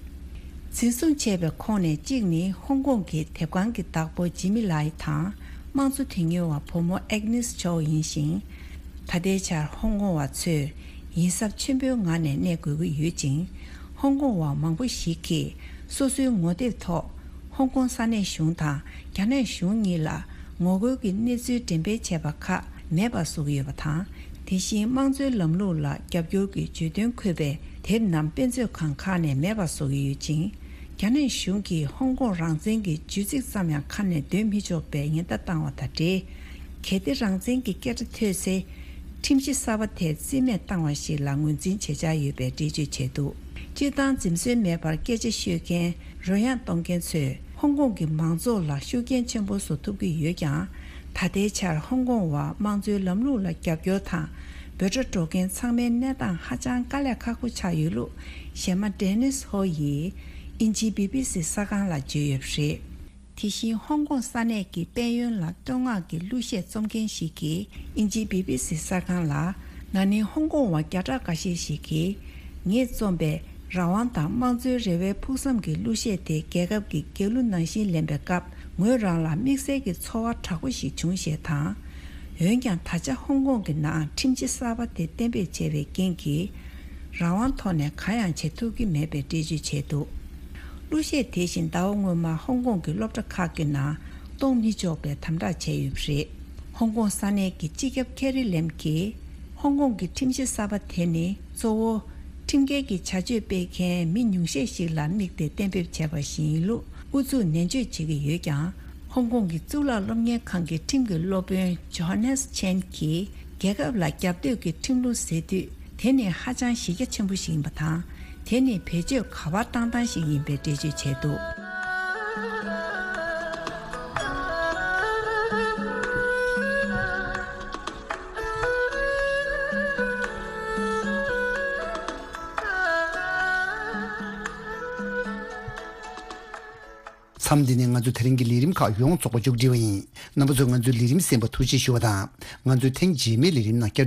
འཛིན་བཟུང་བྱས་པའི་ཁོངས་ནས་གཅིག་ནི་ཧོང་ཀོང་གི་དེབ་ཁང་གི་བདག་པོ་ཇི་མི་ལའི་དང་། དམངས་གཙོ་དོན་གཉེར་བ་བུ་མོ་ཨེག་ནིས་ཆའོ་ཡིན་ཞིང་། ད་ལྟའི་ཆར་ཧོང་ཀོང་བ་ཚོས་ཡིད་གཟབ་ཆེན་པོའི་ངང་ནས་གནས་དགོས་ཀྱི་ཡོད་ཅིང་། ཧོང་ཀོང་བ་མང་པོ་ཞིག་གིས་སོ་སོའི་ངོ་དེབ་ཐོག་ཧོང་ཀོང་ས་གནས་གཞུང་དང་རྒྱ་ནག་གཞུང་གཉིས་ལ་ངོ་རྒོལ་གྱི་གནས་ཚུལ་འགྲེམས་སྤེལ་བྱས་པ་ཁག་མེད་པ་བཟོ་གི་ཡོད་པ་དང་། དེ་བཞིན་དམངས་གཙོའི་ལམ་ལུགས་ལ་རྒྱབ་སྐྱོར་གྱི་བརྗོད་དོན་འཁོད་པའི་དེབ་རྣམས་དཔེ་མཛོད་ཁང་ཁག་ནས་མེད་པ་བཟོ་གི་ཡོད་ཅིང་། རྒྱ་ནག་གཞུང་གིས་ཧོང་ཀོང་རང་བཙན་གྱི་བརྗོད་ཚིག་ཙམ་ཡང་ཁ་ནས་འདོན་མི་ཆོག་པའི་ཉེན་བརྡ་བཏང་བ་དང་འབྲེལ། གལ་ཏེ་རང་བཙན་གྱི་སྐད་སྒྲ་ཐོས་ཚེ། ཁྲིམས་གཞི་གསར་པ་དེ་རྩིས་མེད་བཏང་བ་ཞིག་ལ་ངོས་འཛིན་བྱེད་འཆར་ཡོད་པའི་འགྲེལ་བརྗོད་བྱས་འདུག་སྤྱིར་བཏང་འཛེམ་ཟོན་མེད་པར་སྐད་ཆ་ཤོད་མཁན་རོལ་དབྱངས་གཏོང་མཁན་ཚོས་ཧོང་ཀོང་གི་མང་ཚོགས་ལ་ཤུགས་རྐྱེན་ཆེན་པོ་བཟོ་ཐུབ་ཀྱི་ཡོད་ཀྱང་། ད་ལྟའི་ཆར་ཧོང་ཀོང་བ་དམངས་གཙོའི་ལམ་ལུགས་ལ་རྒྱབ་སྐྱོར་དང་འབོད་སྒྲ་སྒྲོག་མཁན་ཚང་མའི་གནས་སྟངས་ཧ་ཅང་དཀའ་ལས་ཁག་པོ་ཆགས་ཡོད་ལུགས་གཞས་མ་ཌེ་ནིས་ཧོ་ཡིས་དབྱིན་ཇིའི་བི་བི་སི་གསར་ཁང་ལ་བརྗོད་ཡོད་པ་རེད། དེ་བཞིན་ཧོང་ཀོང་ས་གནས་ཀྱི་དཔལ་ཡོན་ལ་བསྟོད་བསྔགས་ཀྱི་གླུ་གཞས་རྩོམ་མཁན་ཞིག་གིས་དབྱིན་ཇིའི་བི་བི་སི་གསར་ཁང་ལ། ན་ནིང་ཧོང་ཀོང་བ་བརྒྱ་ཕྲག་འགའ་ཤས་ཤིག་གིས་ངས་རྩོམ་པའི་རང་དབང་དང་དམངས་གཙོའི་རེ་བའི་ཕུགས་བསམ་གྱི་གླུ་གཞས་དེ་རྒྱལ་ཁབ་ཀྱི་རྒྱལ་གླུ་ནང་བཞིན་ལེན་པའི་སྐབས་ངོས་རང་ལ་དམིགས་བསལ་གྱི་ཚོར་བ་དྲག་པོ་ཞིག་བྱུང་ཞེས་དང་། འོན་ཀྱང་། ད་ཆ་ཧོང་ཀོང་གི་ནང་ཁྲིམས་གཞི་གསར་པ་དེ་གཏན་འབེབས་བྱས་པའི་རྐྱེན་གྱིས། རང་དབང་ཐོག་ནས་གང་ཡང་བྱེད་ཐུབ་ཀྱི་མེད་པའི་འགྲེལ་བརྗོད་བྱས་འདུག་གླུ་གཞས་དེ་བཞིན་ཟླ་བ་སྔོན་མ་ཧོང་ཀོང་གི་སློབ་གྲྭ་ཁག་གི་ནང་གཏོང་མི་ཆོག་པའི་དམ་དྲག་བྱས་ཡོད་པ་རེད། ཧོང་ཀོང་ས་གནས་ཀྱི་སྤྱི་ཁྱབ་ཁེ་རི་ལེམ་གྱིས། ཧོང་ཀོང་གི་ཁྲིམས་གཞི་གསར་པ་དེ་ནི་གཙོ་བོ། ཁྲིམས་འགལ་གྱི་བྱ་སྤྱོད་སྤེལ་མཁན་མི་ཉུང་ཤས་ཤིག་ལ་དམིགས་ཏེ་གཏན་འབེབས་བྱས་པ་ཞིག་ཡིན་ལུགས་ཨུ་ཚུགས་ནན་བརྗོད་བྱེད་ཀྱི་ཡོད་ཀྱང་། ཧོང་ཀོང་གི་གཙུག་ལག་སློབ་གཉེར་ཁང་གི་ཁྲིམས་ཀྱི་སློབ་དཔོན་ཇོ་ཧ་ནེས་ཆན་གྱིས། རྒྱལ་ཁབ་ལ་རྒྱབ་གཏོད་ཀྱི་ཁྲིམས་ལུགས་ཟེར་དུས། དེ་ནི་ཧ་ཅང་གཞི་རྒྱ་ཆེན་པོ་ཞིག་ཡིན་པ་དང་། དེ་ནི་བེད་སྤྱོད་ག་པར་བཏང་སྟངས་ཤིག་ཡིན་པའི་འགྲེལ་བརྗོད་བྱས་འདུག། མཚམས་འདི་ནས་ང་ཚོ་དེ་རིང་གི་ལས་རིམ་ཁག་ཡོངས་རྫོགས་པ་མཇུག་སྒྲིལ་བ་ཡིན། རྣམ་པ་ཚོས་ང་ཚོའི་ལས་རིམ་གསན་པར་ཐུགས་རྗེ་ཞུ་བ་དང་། ང་ཚོའི་ཐེངས་རྗེས་མའི་ལས་རིམ་ནང་བསྐྱར་